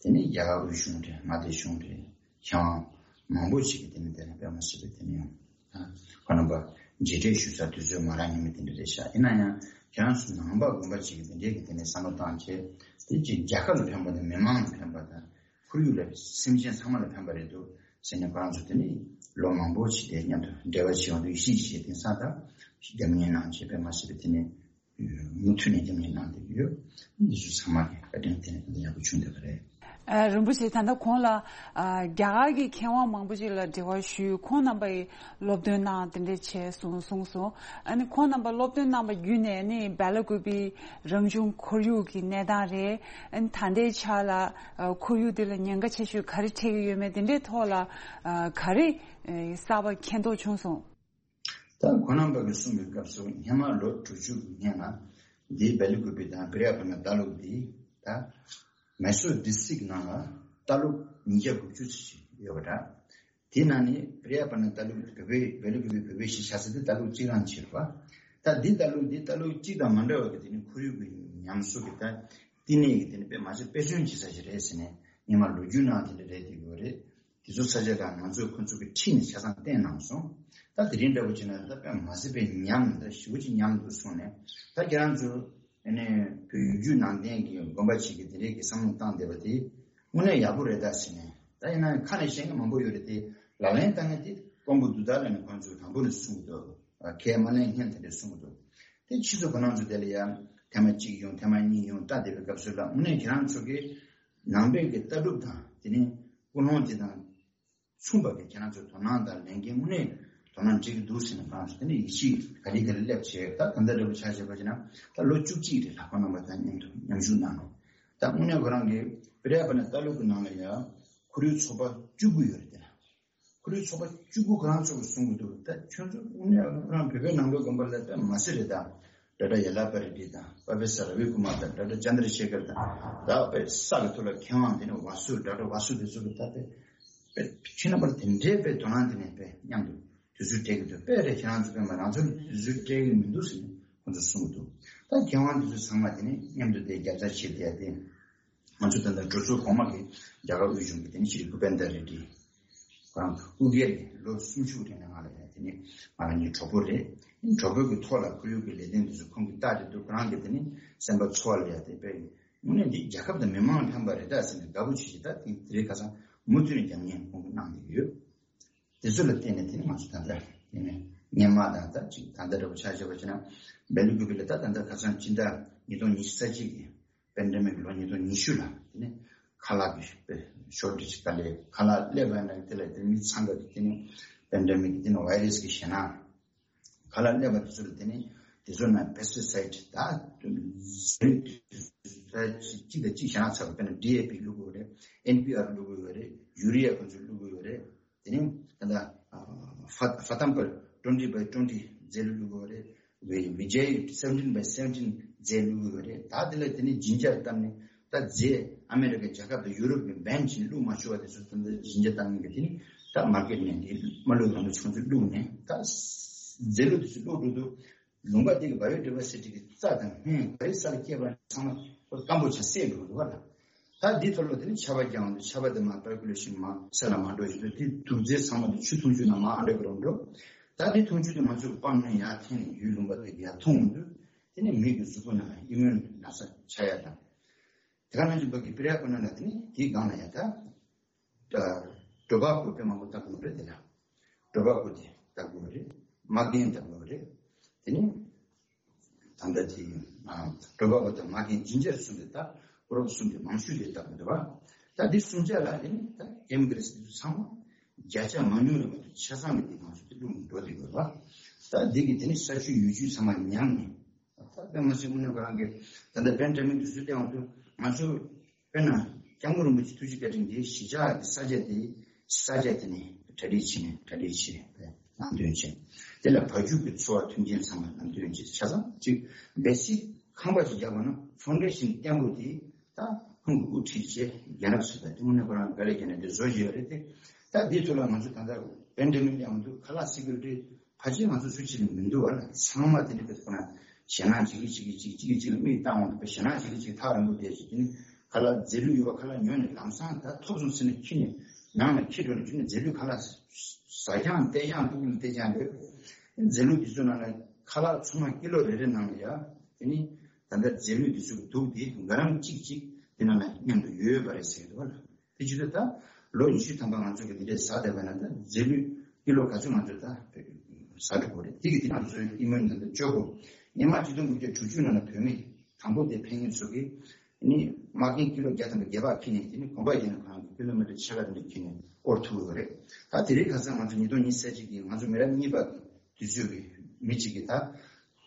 དེ་ནས་རྒྱ་གར་དབུས་གཞུང་རེད། མངའ་སྡེ་གཞུང་རེད། མཁས་དབང་མང་པོ་ཞིག་གིས་དེ་ནས་དེ་ལ་དཔེ་མ་སྲིད་པའི་དེ་ནས་ཡང་ཁོ་རྣམ་པ་མཇལ་འཕྲད་ཞུ་ས་དུས་ཚོད་མ་རག་ཉིན་མོ་དེ་འདྲ་རེད་ཤག་ཡིན་ན་ཡང་ཁྱེད་རང་ཚོ་ནང་པ་དགོན་པ་ཅིག་གིས་དེ་འདྲའི་གི་དེ་ནས་བསམ་བློ་བཏང་བྱས་དེ་ཅིག་རྒྱལ་ཁབ་ལ་ཕན་པ་དང་མི་མང་ལ་ཕན་པ་དང་ཁོར་ཡུག་ལ་སེམས་ཅན་ཚང་མ་ལ་ཕན་པ་རེད་འདུག་ཟེར་ནས་ཁོ་རང་ཚོ་དེ་ནས་ལོ་མང་པོ་ཞིག་དེ་མཉམ་དུ་འབྲེལ་བ་བྱེད་ཡོང་དུས་ཤིག་ཅིག་བྱས་དེང་སང་ད་རྒྱབ་གཉེར་གནང་བྱས་དཔེ་མ་སྲིད་པའི་དེ་ནས་མུ་མཐུད་ནས་རྒྱབ་གཉེར་གནང་བསྡད་ཀྱི་ཡོད། འདི་ཚོ་ཚང་མ་གི་བཀའ་དྲིན་དེ་ནས་ཡག་པོ་བྱུང་བསྡད་པ་རེད། ཨ། རིན་པོ་ཆེ། ད་ལྟ་གོང་ལ། ཨ། རྒྱ་གར་གྱི་མཁས་དབང་མང་པོ་ཅིག་ལ་འབྲེལ་བ་ཞུས། ཁོང་རྣམ་པ་ཡིས་སློབ་སྟོན་གནང་། དེ་འདྲས་བྱས་སོང་གསུངས་སོང་། ཨ་ནི་ཁོང་རྣམ་པ་སློབ་སྟོན་གནང་བ་བརྒྱུད་ནས། ཨ་ནི་སྦེ་ལ་ཀུ་པེའི་རང་བྱུང་ཁོར་ཡུག་གི་གནས་སྟངས་རེད། ཨ་ནི་ད་ལྟའི་ཆ་ལ། ཨ། ཁོར་ཡུག་དེ་ལ་ཉེན་ཁ་ཆེ་ཤོས་ག་རེ་འཕྲད་ཀྱི་ཡོད་མེད། དེ་འདྲའི་ཐོག་ལ། ཨ། ག་རེ། ཨ། གསར་པ་མཁྱེན་རྟོགས་བྱུང་སོང་། ད་ཁོང་རྣམ་པ་གིས་གསུངས་པའི་སྐབས་སུ། སྔོན་མ་ལོ་དྲུག་ཅུ་གི་སྔོན་ལ་འདིའི་སྦེ་ལ་ཀུ་པེ་དང་པྲི་ཡ་པ་ན་ལྟ་ལུགས་འདི་ད་མེ་སོར་ཌིས་ཊིག་ནང་ལ་ལྟ་ལུགས་ཉིས་བརྒྱ་དགུ་བཅུ་ཙམ་ཞིག་ཡོད་པ་འདྲ། དེའི་ནང་ནས་པྲི་ཡ་པ་ན་ལྟ་ལུགས། བོད་པའི་སྦེ་ལ་ཀུ་པེ་བོད་པའི་གཞིས་ཆགས་ས་དེ་ལྟ་ལུགས་གཅིག་རང་བྱས་པ། ད་འདི་ལྟ་ལུགས་འདི་ལྟ་ལུགས་གཅིག་དང་མ་འདྲ་བ་གི། དེ་ནི་ཁོར་ཡུག་གི་ཉམས་གསོ་གི་ད་བསྟི་གནས་ཀྱི་དེ་ནི་དཔེ་མ་ཚད་དཔེ་མཚོན་བྱེད་ས་ཞིག་རེད་ཟེར་ནས། སྔོན་མ་ལོ་རྒྱུས་ནང་དེ་འདྲ་རེད། དེ་ཡོད་རེད། དེ་ཚོ་ས་ཆ་ལ་ང་ཚོས་ཁོ་ཚོ་གི་ཁྲིད་ནས་ཆ་ཚང་བསྟན་གནང་སོང་། ད་དེ་རིང་འདྲ་པོ་བྱས་ན་ད་དཔེ་མ་སྲིད་པའི་ཉམས། ད་ཞེ་པོ་ཅིག་ཉམས་འདུག་གསུངས་ནས། ད་ཁྱེད་རང་ཚོ་ཨ་ནི་བོད་བརྒྱུད་ནང་བསྟན་གྱི་དགོན་པ་ཞིག་གི་དེ་འདྲའི་གི་བསམ་བློ་བཏང་བསྡད་པ་དེ། དངོས་གནས་ཡག་པོ་རེད་ད་ཟེར་ནས། ད་ཡིན་ན་ཁ་ནས་བཤད་མཁན་མང་པོ་ཡོད་རེད་དེ། ལག་ལེན་བསྟར་མཁན་དེ་དཀོན་པོ་འདུག་ད་ལབ་ནས་ཁོང་ཚོས་དང་པོ་ནས་གསུང་གི་འདུག་ཁས་མ་ལེན་མཁན་དེ་འདྲས་གསུང་གི་འདུག་དེ་ཕྱིས་སུ་ཁོ་རང་ཚོ་དེ་ལ་ཡང་ཐེངས་མ་གཅིག་ཡོང་། ཐེངས་མ་གཉིས་ཡོང་། ལྟ་བསྡད་པའི་སྐབས་སུ་ལ། དངོས་གནས་ཁྱེད་རང་ཚོ་གི་ནང་པའི་གི་ལྟ་གྲུབ་དང་། དེ་ནས་ཀུན་སློང་དེ་དང་མཚུངས་པ་གི་ཁྱེད་རང་ཚོ་དོ་སྣང་དང་ལེན་མཁན་དངོས་གནས་དོ་སྣང་བྱེད་ཀྱི་འདུག་ཟེར་ནས། ཁོ་རང་ཚོ་དེ་ནས་ཡིད་ཆེས་ག་ལེ་ག་ལེ་སླེབས་བྱས། ད་ད་ལྟ་འདྲ་པོ་ཆ་བཞག་པ་བྱས་ན་ད་ལོ་བཅུ་གཅིག་རེད་ལ། ཁོང་རྣམ་པ་དང་མཉམ་དུ་མཉམ་ཞུགས་གནང་ནས། ད་དངོས་གནས་ཁོ་རང་གི་པྲི་ཡ་པ་ན་ལྟ་ལུགས་ཀྱི་ནང་ལ་ཡང་ཁོར་ཡུག་ཚོགས་པ་བཅུ་དགུ་ཡོད་རེད་དེ་ལ། ཁོར་ཡུག་ཚོགས་པ་བཅུ་དགུ་ཁོ་རང་ཚོ་གིས་གསུང་གི་འདུག་ད་ཁྱོད་ཚོ་དངོས་གནས་ཁོ་རང་བོད་པའི་ནང་པའི་དགོན་པ་ལ་ད་མ་ཟེར་རེད། ད་ཌཱ་ཊར་ཡ་ལ་པ་རེ་ཌི་དང་། པྲོ་ཕེ་སར་ར་བི་ཀུ་མར་དང་། ཌཱ་ཊར་ཅན་དྲ་ཤེ་ཁར་དང་། ད་དཔེ་ས་གི་ཐོག་ལ་མཁས་དབང་དེ་ནས་ཝ་སུ། ཌཱ་ཊར་ཝ་སུ་དེ་ཚོ་གིས་ད་དཔེ་དཔེ་ཁྱེད་རྣམ་པར་དེ་འདྲའི་དཔེ་དོ་སྣང་དེ་ནས་དཔེ་མཉམ་དུ་དུས་ཚོད་སྤྲད་ཀྱི་འདུག་དཔེ་རེད། ཁྱེད་རང་ཚོ་དཔེ་མ། རང་ཚོར་དུས་ཚོད་སྤྲད་ཀྱི་མི་འདུག་ཟེར་ནས་ཁོང་ཚོས་གསུང་གི་འདུག་ད་མཁས་དབང་དེ་ཚོ་ཚང་མ་དེ་ནས་མཉམ་དུ་དེ་རྒྱབ་རྩ་བྱེད་བསྡད་དེ། ང་ཚོ་ད་ལྟ་གྲོས་ཚོགས་གོང་མ་གི་རྒྱ་གར་དབུས་གཞུང་གི་དེ་ནི་ཤྲི་བྷུ་པེན་དྲ་རེ་ཌི། ཁོ་རང་ཨུ་གེ་རེད། ལོ་སུམ་ཅུ་རིང་ལ་ང་ལ་ཡ། དེ་ནི་ང་རང་གཉིས་གྲོགས་པོ་རེད། གྲོགས་པོ་གི་ཐོག་ལ་ཁོར་ཡུག་གི་ལས་དོན་དེ་ཚོ་ཁོང་གིས་བལྟས་ཏེ་འདུག་ཁོ་རང་གི་དེ་ནི་སེམས་པ་ཚོར་བ་ལ་ཡ། དེ་དཔེ་དངོས་གནས་འདི་རྒྱལ་ཁབ་དང་མི་མང་ཕན་པ་རེད་ད་ཟེར་ནས་དགའ་པོ་བྱེད་ཀྱི། ད་དེ་དེ་རིང་ཁ་སང་མུ་མཐུད་ནས་རྒྱབ་གཉེར་ཁོང་གིས་གནང་བསྡད་ཀྱི་ཡོད། དེ་ཚོ་ལ་བརྟེན་ནས་དེ་ནི་ང་ཚོ་ད་ལྟ་དེ་ནི་སྔོན་མ་དང་ད་ཅིག་ད་ལྟ་འདྲ་པོ་ཆ་བཞག་པ་བྱས་ན། སྦེ་ལ་ཀུ་པེ་ལ་ད་ད་ལྟ་ཁ་སང་སྤྱི་ཟླ་ཉིས་སྟོང་ཉི་ཤུ་རྩ་གཅིག་གི་པེན་ཌེ་མིག་ལོ་ཉིས་སྟོང་ཉི་ཤུ་ལ། དེ་ནི་ཁ་ལག་གི་ཤོར་ཊེཇ་ག་ལེ། ཁ་ལག་སླེབས་པ་ན་དེ་ལ་དེ་མི་ཚང་ག་དེ་ནི་པེན་ཌེ་མིག་དེ་ནི་ཝའི་རས་ཀྱི་ཞེད་སྣང་། ཁ་ལག་སླེབས་པ་དེ་ཚོ་ལ་དེ་ནི་དེ་ཚོ་ནང་པེ་སི་ཊི་སའིཌ་ད་གཅིག་དང་གཅིག་བཞག་ཚར་བ། དཔེར་ན་ཌི་ཨེ་པི་བླུག་གི་ཡོད་རེད། ཨེན་པི་ཨར་བླུག་གི་ཡོད་རེད། ཡུ་རི་ཡ་ཁོ་ཚོ་བླུག་གི་ཡོད་རེད། དེ་ནི་ད་ལྟ་ཧྥ་ཧྥ་ཏམ་པར་ཊུ་ཝེན་ཊི་བྷའི་ཊུ་ཝེན་ཊི་རྫས་བླུག་གི་ཡོད་རེད། ཝི་ཝི་ཇེ་སེ་བེན་ཊིན་བྷའི་སེ་བེན་ཊིན་རྫས་བླུག་གི་ཡོད་རེད། ད་དེ་ལ་དེ་ནི་ཇི་འཇར་བཏབ་ནས། ད་རྫས་ཨ་མེ་རི་ཀ་རྒྱལ་ཁབ་དང་ཡུ་རོབ་ཀྱིས་བྷན་བྱས་ནས་བླུག་མ་ཆོག་པ་དེ་ཚོ་ད་ལྟ་ཇི་འཇར་བཏབ་མཁན་གྱི་དེ་ནི་ད་མར་ཀེཊ་ནས་དེ་མ་བླུག་རང་ལ་ཆུང་ཆུང་བླུག་ནས། ད་རྫས་བླུག་དེ་ཚོ་བླུག་འགྲོ་དུས། ལུང་པ་དེ་གི་བ་ཡོ་ཌི་ཝར་སི་ཊི་གི་རྩྭ་དང་སྨན་ག་རེ་ས་ལ་སྐྱེས་པ་ཚང་མ་སྐམ་པོ་ཆགས་བསད་འགྲོ་འདུག་བ་ལ། ད་འདིའི་ཐོག་ལ་དེ་ནི་ཆར་པ་བརྒྱབ་འོང་དུས། ཆར་པ་དེ་མར་པར་ཀུ་ལེ་ཤིན་མར་ས་ལ་མར་འགྲོ་བཞིན་དུ། དེ་དུག་རྫས་ཚང་མ་དེ་ཆུ་འཐུང་ཆུ་ནང་མར་ཨ་འདྲ་གི་རུ་འགྲོ། ད་དེ་འཐུང་ཆུ་དེ་ང་ཚོས་སྤང་ནས་ཡར་འཐེན་ནས་ཡུལ་ལུང་པ་དེ་གི་ཡར་འཐུང་འོང་དུས། དེ་ནི་མི་གི་གཟུགས་པོ་ནང་ལ་ཨི་མུན་ན་ཚ་ཆགས་ཡ་དང་། དེ་ག་ནང་བཞིན་པ་གི་པྲི་ཡ་པ་ན་ལ་དེ་ནི་དེའི་སྒང་ལ་ཡ་ད། ཊོ་བྷ་ཀོ་དཔེ་མང་པོ་བཏབ་དགོས་རེད། དེ་ལ་ཊོ་བྷ་ཀོ་དེ་བཏབ་དགོས་རེད། མ་རྒན་བཏབ་དགོས་རེད། དེ་ནི་ད་ལྟ་དེ་ཊོ་བྷ་ཀོ་དང་མ་རྒན་ཇིན་ཇར་གསུམ་དེ། ད་ཀོ་རོབ་གསུམ་དེ་མང་ཤོས་དེ་བཏབ་དགོས་རེད་བ། ད་འདི་གསུམ་ཆ་ལ་དེ་ནི་ད་ཀེ་མི་ཀལ་དེ་ཚོ་ཚང་མ་བརྒྱ་ཆ་མང་ཉུང་རེད་མ་གཏོགས་ཆ་ཚང་གི་དེ་ང་ཚོ་དེ་བླུགས་ནས་འགྲོ་བསྡད་དགོས་རེད་བ། ད་འདི་གི་དེ་ནི་ས་ཆུ་ཡུལ་ཆུ་ཚང་མ་ཉམས་ནས། ད་དཔེ་མ་སྲིད་དངོས་གནས་ཁོ་རང་གིས་ད་ལྟ་པེན་ཌེ་མིག་དེ་ཚོ་སླེབས་ཡོང་དུས། ང་ཚོ་དཔེར་ན་སྐྱབས་མགོན་རིན་པོ་ཆེ་ཐུགས་རྗེ་བཀའ་དྲིན་གྱིས་གཞིས་ཆགས་ཀྱི་ས་ཆ་དེ། ས་ཆ་དེ་ནས་གྲ་སྒྲིག་བྱས་ནས། གྲ་སྒྲིག་བྱས་ནས་ལམ་སྟོན་བྱས། དེ་ལ་བ་ཕྱུགས་ཀྱི་འཚོ་བ་མཐུན་རྐྱེན་ཚང་མ་ལམ་སྟོན་བྱས། ཆ་ཚང་གཅིག་བེ་སིག་ཁང་པ་ཅིག་རྒྱག་པ་ན་ཕའུན་ཌེ་ཤིན་བརྟན་པོ་དེ་ད་ཁོང་གིས་དབུ་ཁྲིད་བྱས། རྒན་རབས་ཚོ་དང་དེ་དངོས་གནས་ཁོ་རང་དཀའ་ལས་བརྒྱབ་ནས་དེ་བཟོ་བཞིན་ཡོད་རེད་དེ། ད་འདིའི་ཐོག་ལ་ང་ཚོ་ད་ལྟ་པེན་ཌེ་མིག་སླེབས་ཡོང་དུས་ཁ་ལག་སི་ཀུ་རི་ཊི་ཕལ་ཆེར་ང་ཚོ་སུ་གཅིག་ལ་མི་འདུག་བ་ལ། ཚང་མ་དེ་འདྲ་དཔེ་ཁོ་ན་ཞེད་སྣང་གཅིག་གིས་གཅིག་གིས་གཅིག་གཅིག་གིས་གཅིག་ལ་མིག་བཏང་འོང་དུས། དཔེ་ཞེད་སྣང་གཅིག་གིས་གཅིག་ཐག་རིང་པོ་བསྡད་བྱས། དེ་ནི་ཁ་ལག་རྫས་ལུད་ཡོད་པ་ཁ་ལག་ཉོས་ནས་ལམ་སང་ད་ཐོབ་སོང་ཟེར་ནས་ཁྱེར་ནས་ནང་ལ་འཁྱེར་འགྲོ་ནས། ཁྱེར་ནས་རྫས་ལུད་ཁ་ལག་ཟ་རྐྱང་བལྟས་རྐྱང་། སྤུ་གུ་ལ་བལྟས་རྐྱང་རེད། རྫས་ལུད་དེ་ཚོ་ནང་ལ་ཁ་ལག་ཚང་མ་ཀི་ལོ་རེ་རེ་ནང་ལ་ཡ། དེ་ནི་ད་ལྟ་རྫས་ལུད་དེ་ཚོ་གི་དུག་དེ་འགའ་རམ་གཅིག་གཅིག་དེ་ནང་ལ་མཉམ་དུ་ཡོད་པ་རེད་ཟེར་གི་འདུག་བ་ལ། དེ་བྱེད་དུས་ད་ལོ་ཉི་ཤུ་ཐམ་པ་ང་ཚོ་གི་དེ་འདྲའི་ཟ་བསྡད་པ་ན། ད་རྫས་ལུད་ཀི་ལོ་ག་ཚོད་ང་ཚོས་ད་ཟ་འགྲོ་གི་རེད། དེ་གི་དེ་ང་ཚོའི་ཨི་མུན་ད་ལྟ་བཅོས་དགོས། སྔོན་མ་ཆིག་སྟོང་དགུ་བརྒྱ་དྲུག་ཅུ་ནང་ལ་བོད་མི་དང་པོ་དེ་ཕེབས་མཁན་ཚོ་གིས་ ནི་མ་རྒན་ཀི་ལོ་བརྒྱ་ཐམ་པ་བརྒྱད་པ་ཁྱེར་ནས་དེ་ནི་གོམ་པ་བརྒྱབ་ནས་ཁོ་རང་གི་ཀི་ལོ་མི་ཊར་ཕྱེད་ཀ་དེ་འདྲ་ཁྱེར་ནས་སྐོར་ཐུབ་ཡོད་རེད། ད་དེ་རིང་ཁ་སང་ང་ཚོ་ཉིས་སྟོང་ཉི་ཤུ་རྩ་གཅིག་གི་ང་ཚོ་མི་རབས་གཉིས་པ་དུས་ཚོད་ཀྱི་མི་གཅིག་གིས་ད་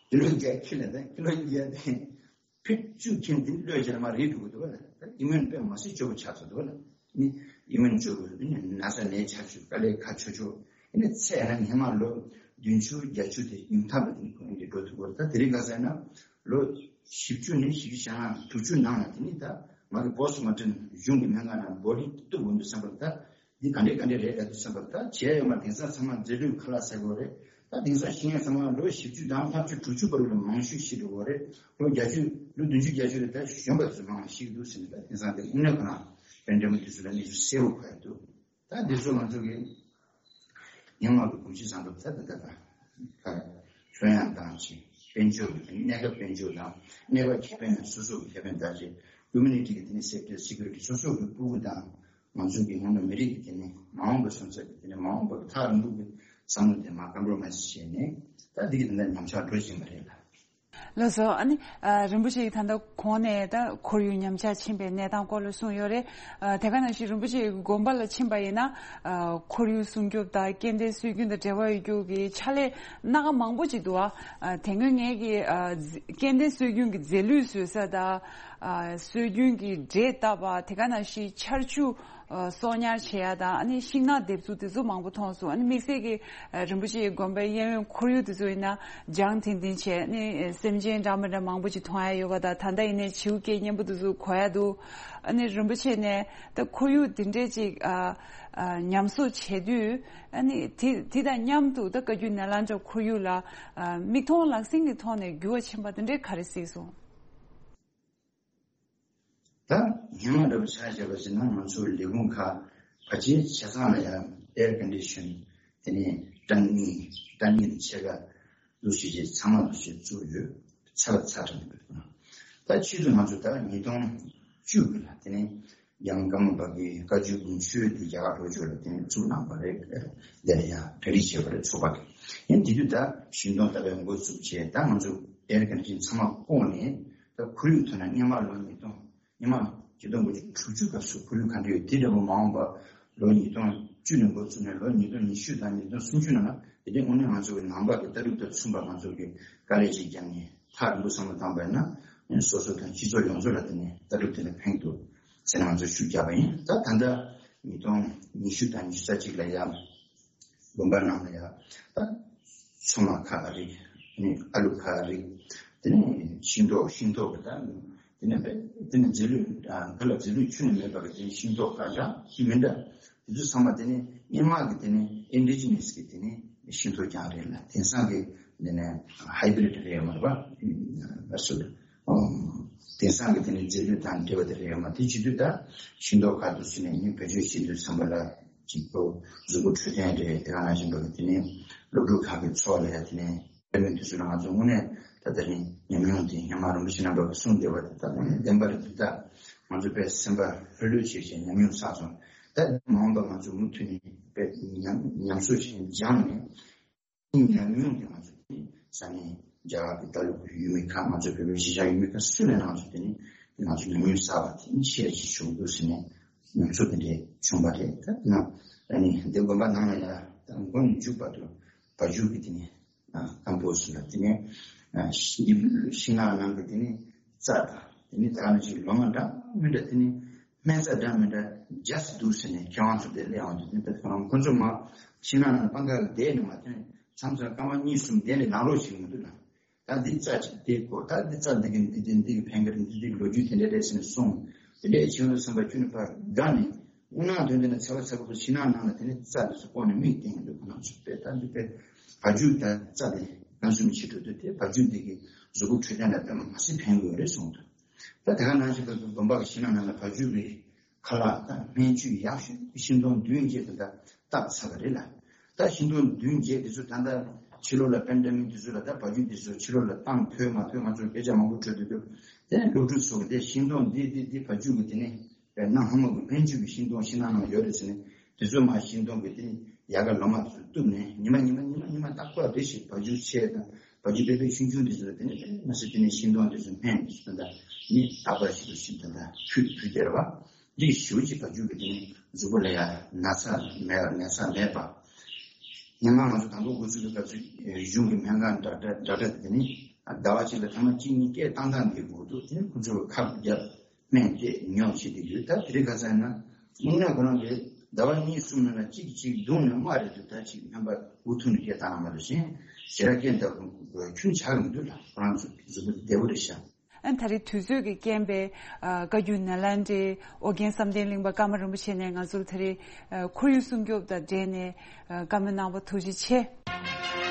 ཀི་ལོ་བརྒྱ་ཁྱེར་ནས་ད་ཀི་ལོ་བརྒྱ་དེ། ཕིཊ་བཅུ་ཁྱེར་དེ་གློད་བྱས་ན་མར་རེད་འགྲོ་གི་འདུག་བ་ལ། ད་ཨི་མུན་དཔེ་མ་སྲིད་སྐྱོ་པོ་ཆགས་ཚར་འདུག་བ་ལ། ནི་ཨི་མུན་སྐྱོ་པོ་ནི་ན་ཚ་ནད་ཆགས་ཆོག་དཀའ་ལས་ཁག་ཆོག་ཆོག་ཨ་ནི་ཚེ་ཡང་ན་སྔན་མ་ལོ་བདུན་ཅུ་བརྒྱད་ཅུ་དེ་ཡུན་ཐག་པ་དེ་ནི་ཁོ་རང་གིས་འགྲོ་ཐུབ་ཀྱི་རེད། ད་དེ་རིང་ཁ་སང་ན་ལོ་བཞི་བཅུ་ནས་བཞི་བཅུ་ཞེ་ལྔ་དྲུག་ཅུ་ནང་ལ་དེ་ནི་ད་ང་གི་བོ་སི་མོ་ཊོན་གཞུང་གི་སྨན་ཁང་ནང་བོ་ལི་གཏུབ་འོང་དུས་བསམ་པར་ད། འདི་ག་འདྲས་ག་འདྲས་རེད་ད་དུ་བསམ་པར་ད་བྱས་ཡོད་མ་དེང་སང་ཚང་མ་རྫས་ལུད་ཁ་ལག་ཟ་དགོས་རེད། ད་དེང་སང་ཤི་མཁན་ཚང་མ་ལོ་བཞི་བཅུ་དང་ལྔ་བཅུ་དྲུག་ཅུ་བར་ལ་མང་ཤོས་ཤི་འགྲོ་གི་རེད། ལོ་བརྒྱད་ཅུ་ལོ་བདུན་ཅུ་བརྒྱད་ཅུ་རེད། ད་གཞོན་པ་ཚོ་མང་ཤི་གི་འདུག་ཟེར་ནས་ད་དེང་སང་དེ་དངོས་གནས་ཁོ་རང་པན་ཌེ་མིག་དེ་ཚོ་ལ་གནས་ཚུལ་གསལ་པོ་གོ་ཡ་འདུག་ད་འདི་ཚོ་ང་ཚོ་གི་སྙན་ངག་གི་གོམས་གཤིས་བཟང་པོ་ད་ད་ད་ད་ཁ་ཁྱོན་ཡང་དང་ཅིག་དཔལ་འབྱོར་གྱི་གནས་སྐབས་དཔལ་འབྱོར་དང་གནས་སྐབས་ཁེ་ཕན་དང་སོ་སོ་གི་ཁེ་ཕན་དང་ཅིག་ཀུ་མུ་ནི་ཊི་གི་དེ་ནི་སེབ་ཊི་སི་ཀུ་རི་ཊི་སོ་སོ་གི་ཕྲུ་གུ་དང་། ང་ཚོ་གི་སྔོན་ལ་མི་རིགས་ཀྱི་དེ་ནི་མ་འོངས་པ་སོན་རྩ་གི་དེ་ནི་མ་འོངས་པ་གི་ཐག་རིང་པོ་གི་བསམ་བློ་དེ་མ་ཀམ་པོ་མའི་ཛི་བྱས་ནས་ད་འདི་གི་དེ་འདྲ་ཉམས་ཆག་འགྲོ་བཞིན་པ་རེད་ལ། ལགས་སོ། ཨ་ནི་ཨ་རིན་པོ་ཆེ་ཡིས་ད་ལྟ་གོང་ནས་ད་ཁོར་ཡུག་ཉམས་ཆག་ཕྱིན་པའི་གནས་སྟངས་སྐོར་ལ་གསུངས་ཡོད་རེད། ཨ་དེ་ག་ནང་བཞིན་རིན་པོ་ཆེ་ཡི་དགོན་པ་ལ་ཕྱིན་པ་ཡིན་ན་ཨ་ཁོར་ཡུག་སྲུང་སྐྱོབ་དང་སྐྱེ་ལྡན་སྲོལ་རྒྱུན་དང་འབྲེལ་བ་ཡོད་རྒྱུ་གི་ཕྱག་ལས་སྣ་ཁ་མང་པོ་ཅིག་འདུག་ཨ་དེ་སྔོན་ངས་ཀྱི་ཨ་རྫ་སྐྱེ་ལྡན་སྲོལ་རྒྱུན་གྱི་རྫས་ལུད་བཟོ་ས་དང་ཨ་སྲོལ་རྒྱུན་གྱི་འབྲས་བཏབ་པ་དེ་ག་ནང་བཞིན་ཆར་ཆུ་ཨ་གསོག་ཉར་བྱེད་ཡ་དང་ཨ་ནི་ཤིང་ནགས་འདེབས་ཚུལ་དེ་ཚོ་མང་པོ་མཐོང་སོང་། ཨ་ནི་དམིགས་བསལ་གྱི་ཨ་རིན་པོ་ཆེའི་དགོན་པའི་གཡས་གཡོན་ཁོར་ཡུག་དེ་ཚོ་ཡིན་ན་ལྗང་ཐིང་ཐིང་བྱས་ནི་སེམས་ཅན་འདྲ་མི་འདྲ་མང་པོ་ཅིག་མཐོང་ཡ་ཡོད་པ་དང་། ད་ལྟ་ཡིན་ནའི་བྱིའུ་སྐད་སྙན་པོ་དེ་ཚོ་གོ་ཡ་འདུག་ཨ་ནི་རིན་པོ་ཆེ་ནས་ད་ཁོར་ཡུག་དེ་འདྲས་ཅིག་ཨ་ཨ་ཉམས་གསོ་བྱེད་དུས་ཨ་ནི་དེ་དེ་དང་མཉམ་དུ་ད་བཀའ་བརྒྱུད་ནཱ་ལེནྡྲ་ཁོར་ཡུག་ལ་ཨ་མིག་མཐོང་ལག་ཟིན་གྱི་ཐོག་ནས་འགྱུར་བ་ཕྱིན་པ་དེ་འདྲས་ག་རེ་གཟིགས་སོང་། ད་སྔོན་མ་འདྲ་པོ་ཆ་བཞག་པ་ཞིག་ན་ང་ཚོ་ལས་ཁུངས་ཁག་ཕལ་ཆེར་ཆ་ཚང་ལ་ཡང་ཨེར་ཀོན་ཌི་ཤན་དེ་ནས་གྲང་ཉིན་གྲང་ཉིན་ཕྱེད་ཀ་ལུགས་ཤིག་ཅིག་ཚང་མ་ལུགས་ཤིག་བཙུགས་ཡོད། ཚ་བ་ཚ་དྲགས་ནས་ད་ཆེད་དུ་ང་ཚོ་ད་ཉིས་སྟོང་བཅུ་དགུ་ལ་དེ་ནས་ཡང་ཀརྨ་པ་གི་བཀའ་བརྒྱུད་དགོངས་ཆོས་དེ་རྒྱ་གར་ལྷོ་ཕྱོགས་ལ་དེ་ནས་བཙུགས་གནང་བ་རེད། དེ་ལ་ཡང་གྲ་སྒྲིག་བྱས་པ་རེད་ཚོགས་པ་གི། ཡིན་དེ་དུས་ད་ཤིང་སྡོང་བཏབ་པའི་འགོ་བཙུགས་བྱས་ད་ང་ཚོ་ཨེར་ཀོན་ཌི་ཤན་ཚང་མ་བཀོག་ནས། ད་ཁོར་ཡུག་ཐོག་ན་སྔོན་མ་ལོ་ཉིས་སྟོང་སྔོན་མ་ཆིག་སྟོང་དགུ་བརྒྱ་དྲུག་ཅུ་སྐབས་སུ་ཁོར་ཡུག་ག་འདྲ་ཡོད་དེ་འདྲ་པོ་མ་འོངས་པ་ལོ་ཉིས་སྟོང་བཅུ་ནས་འགོ་བཙུགས་ནས་ལོ་ཉིས་སྟོང་ཉི་ཤུ་དང་ཉིས་སྟོང་སུམ་ཅུ་ནང་ལ་དེ་དུས་དངོས་གནས་ང་ཚོ་གི་ནང་པ་གི་ལྟ་གྲུབ་དང་མཚུངས་པ་ང་ཚོ་གི་དཀའ་ལས་ཤིག་བརྒྱབ་ནས་ཐག་རིང་པོ་བསམ་བློ་བཏང་པ་ཡིན་ན་སོ་སོ་དང་སྤྱི་ཚོགས་ཡོངས་རྫོགས་ལ་དེ་ནས་ལྟ་གྲུབ་དེ་ལ་ཕན་འདུག་ཟེར་ནས་ང་ཚོ་ཤུགས་བརྒྱབ་པ་ཡིན། ད་ད་ལྟ་ཉིས་སྟོང་ཉི་ཤུ་དང་ཉི་ཤུ་རྩ་གཅིག་ལ་ཡང་། དགོན་པ་ནང་ལ་ཡ། ད། ཚོད་མ་ཁ་རིགས། ཨ་ལུ་ཁ་རིགས། དེ་ནས་ཤིང་ཏོག་ཤིང་ཏོག་གི་ད། དེ་ནས་པས། དེ་ནས་རྫས་ལུད། ཁ་ལ་རྫས་ལུད་ཁྱོན་ནས་མེད་པ་གི་དེ་ནས་ཤིང་ཏོག་ཁ་འདྲ་མི་འདྲ། དེ་ཚོ་ཚང་མ་དེ་ནས་སྔོན་མ་གི་དེ་ནས་ཨིན་ཌི་ཇི་ནས་གི་དེ་ནས་ཤིང་ཏོག་རྐྱང་རེད་ལ། དེང་སང་གི་དེ་ནས་ཧའི་བྷི་རིཌ་རེད་མ་རེད་པ། ཨ་སུ། དེང་སང་གི་དེ་ནས་རྫས་ལུད་དང་འབྲེལ་བ་དེ་རེད་མ། དེ་བྱེད་དུས་ད་ཤིང་ཏོག་ཁ་དུ་སུ་ནས་ནི་བེད་སྤྱོད་བྱེད་དུས་ཚང་པ་ལ་གཅིག་པོ་གཟུགས་པོ་འཕྲོད་བསྟེན་རེད། དེ་ག་ནང་བཞིན་པ་གི་དེ་ནས་སློབ་ཕྲུག་ཁག་གི་ཚོགས་ལ་ཡ་དེ་ནས་དེ་མིན་དུས་སུ་ལ་ང་ཚོ་དངོས་གནས་ད་དེ་རིང་ཉམས་མྱོང་དེ་སྔོན་མ་རིན་པོ་ཆེ་རྣམ་པ་གི་གསུངས་བསྡད་པ་དེ་ད་དེ་ནས་བདེན་པ་རེད། འདི་ད་ང་ཚོ་དཔེ་སེམས་པ་ལྷོད་ལྷོད་བྱེད་བྱེད་ཉམས་མྱོང་བསགས་སོང་། ད་མ་འོངས་པ་ང་ཚོ་མུ་མཐུད་ནས་དཔེ་ཉམས་ཉམས་གསོ་བྱེད་སྦྱངས་ནས། ཉམས་མྱོང་དེ་ང་ཚོ་དེ་ས་གནས་རྒྱ་གར་གྱི་ལྟ་ལུགས་ཀྱི་ཡུལ་མི་ཁག་ང་ཚོ་བོད་པའི་གཞིས་ཆགས་ཡུལ་མི་ཁག་སུ་ལ་ང་ཚོ་དེ་ནི་ང་ཚོ་ཉམས་མྱོང་གསར་བ་དེ་ནི་ཤེར་ཅིག་བྱུང་འདུག་ཟེར་ནས་ཉམས་ཚོད་དེ་འདྲས་བྱུང་བ་རེད། ད་ན་ཨ་ནི་འདི་དགོན་པ་ནང་ལ་ཡ་ད་མགོ་ནས་མཇུག་བར་དུ་བ་ཕྱུགས་ཀྱི་དེ་ནི་ཀམ་པོ་སི་ལ་དེ་ནི་ཤིང་ནགས་ནང་གི་དེ་ནི་རྩྭ་དང་དེ་ནི་ད་ནི་ཅིག་ལོ་ང་འདྲ་མི་འདྲ་དེ་ནི། སྨན་རྩྭ་འདྲ་མི་འདྲ་རྒྱས་སུ་འདུག་ཟེར་ནས་མཁས་དབང་ཚོ་དེ་སླེབས་ཡོང་དུས་དེ་ཁོ་རང་ཁོ་ཚོ་མ་ཤིང་ནགས་ནང་སྤང་ཁ་ལ་བསྡད་ནས་མ་ཐོན། མཚམས་མཚམས་སྐར་མ་གཉིས་གསུམ་བསྡད་ནས་ལངས་རོགས་བྱེད་ཀྱི་མི་འདུག་ལ། ད་འདི་རྩྭ་ཅིག་དེ་གོ་ད་འདི་རྩྭ་འདི་གི་འདི་དེ་འདི་གི་ཕན་ཁེ་རེད། འདི་འདི་གི་ལོ་རྒྱུས་དེ་འདྲ་རེད་ཟེར་ནས་གསུངས། དེ་འདྲའི་བྱུང་དུས་ཙམ་པ་ཁྱོད་ནི་ཕར་དགའ་ནས་དངོས་གནས་དོན་དེ་ནི་ཚ་བ་ཚ་པོ་ཤིང་ནགས་ནང་ལ་དེ་ནི་རྩྭ་འདི་ཚོ་བཀོག་ནས་མིག་བསྟན་གྱི་འདུག་ཁོ་རང་ཚོ་དཔེ་ད་འདི་དཔེ་བ་ཕྱུགས་དང་རྩྭ་དེ་ཕན་སེམས་ཆེ་འགྲོ་དུས་དེ་བ་ཕྱུགས་འདི་གི་གཟུགས་པོ་འཕྲོད་བསྟེན་ལ་དཔེ་མ་སྲིད་ཕན་གྱི་ཡོད་རེད་གསུངས་འདུག་ད་དེ་ག་ནང་བཞིན་དུ་དགོན་པ་གི་ཕྱི་ནང་ནང་ལ་བ་ཕྱུགས་ཀྱི་ཁ་ལག་དང་སྨན་བཅུད་ཡག་ཤོས་ཤིང་སྡོང་བདུན་བརྒྱད་དེ་དག་བཏབ་ཚར་བ་རེད་ལ། ད་ཤིང་སྡོང་བདུན་བརྒྱད་དེ་ཚོ་ད་ལྟ་ཕྱི་ལོགས་ལ་པན་ཌ་མིག་དེ་ཚོ་ལ་ད་བ་ཕྱུགས་དེ་ཚོ་ཕྱི་ལོགས་ལ་བཏང་ཐོས་མ་ཐོས་ང་ཚོར་སྐད་ཆ་མང་པོ་འཕྲོད་དུ་འདུག་དེ་ནས་སློབ་ཕྲུག་ཚོ་གི་དེ་ཤིང་སྡོང་འདི་འདི་འདི་བ་ཕྱུགས་ཀྱི་དེ་ནས་དཔེར་ན་ཧ་མ་གི་སྨན་བཅུད་ཀྱི་ཤིང་སྡོང་ཕྱི་ནང་ནང་ཡོད་རེད་ཟེར་ནས་དེ་ཚོ་མ་ཤིང་སྡོང་གི་དེ་ནས་ཡལ་ག་ལོ་མ་ཚོ་གཏུབ་ནས་ཉི་མ་ཉི་མ་ཉི་མ་ཉི་མ་ད་ཁོ་རེ་ཞིག་བ་ཕྱུགས་ཆེ་དང་། བ་རྒྱུད་པའི་ཆུང་ཆུང་དེ་ཚོ་ལ་དེ་ནས་དེ་ནས་མ་ཟད་དེ་ནས་ཤིང་སྡོང་དེ་ཚོ་སྨན་དེ་ཚོ་ད་ནི་དག་པ་ཞིག་ཏུ་ཤིང་དེ་འདྲ་ཕུད་ཕུད་དེ་རེད་བ། འདི་ཞུ་ཅིག་བ་རྒྱུད་པའི་དེ་ནས་གཟུགས་པོ་ལ་ཡང་ན་ཚ་མེད་ན་ཚ་མེད་པ། སྙན་ངག་ང་ཚོ་དང་པོ་འགོ་ཚུགས་པའི་སྐབས་སུ་གཞུང་གི་སྨན་ཁང་འདྲ་འདྲ་འདྲ་འདྲ་དེ་ནི་ཟླ་བ་གཅིག་ལ་ཐེངས་མ་གཅིག་གཉིས་སྐད་བཏང་བཏང་འདི་དགོས་འདུག་དེ་ནི་ཁོ་ཚོས་ཁབ་བརྒྱབ་སྨན་དེ་ཉོ་བྱེད་དེ་ཡོད། ད་དེ་རིང་ཁ་སང་ན་དངོས་གནས་ཁོ་རང་གིས་ཟླ་བ་གཉིས་གསུམ་ནང་ན་གཅིག་གཅིག་བརྡུངས་ནས་མ་རེད་འདུག་ད་ཅིག་སྨན་པ་འུ་ཐུག་ནས་སྐད་བཏང་མ་རེད་ཞེས་ཞེ་དྲག་སྐད་འདར་ཁྱོན་ཆགས་མི་འདུག་ལ་ཁོ་རང་ཚོ་གཟུགས་པོ་བདེ་པོ་རེད་ཤག་ཨ་ནི་ད་རེས་དུས་ཚོད་ཀྱི་རྐྱེན་པས་ཨ་བཀའ་བརྒྱུད་ནཱ་ལེནྡྲའི་ཨོ་རྒྱན་བསམ་གཏན་གླིང་པ་ཀརྨ་རིན་པོ་ཆེ་ནས་ང་ཚོར་ད་རེས་ཨ་ཁོར་ཡུག་སྲུང་སྐྱོབ་དང་འབྲེལ་ནས་ཨ་བཀའ་མོལ་གནང་བ་ཐུགས་རྗེ་ཆེ།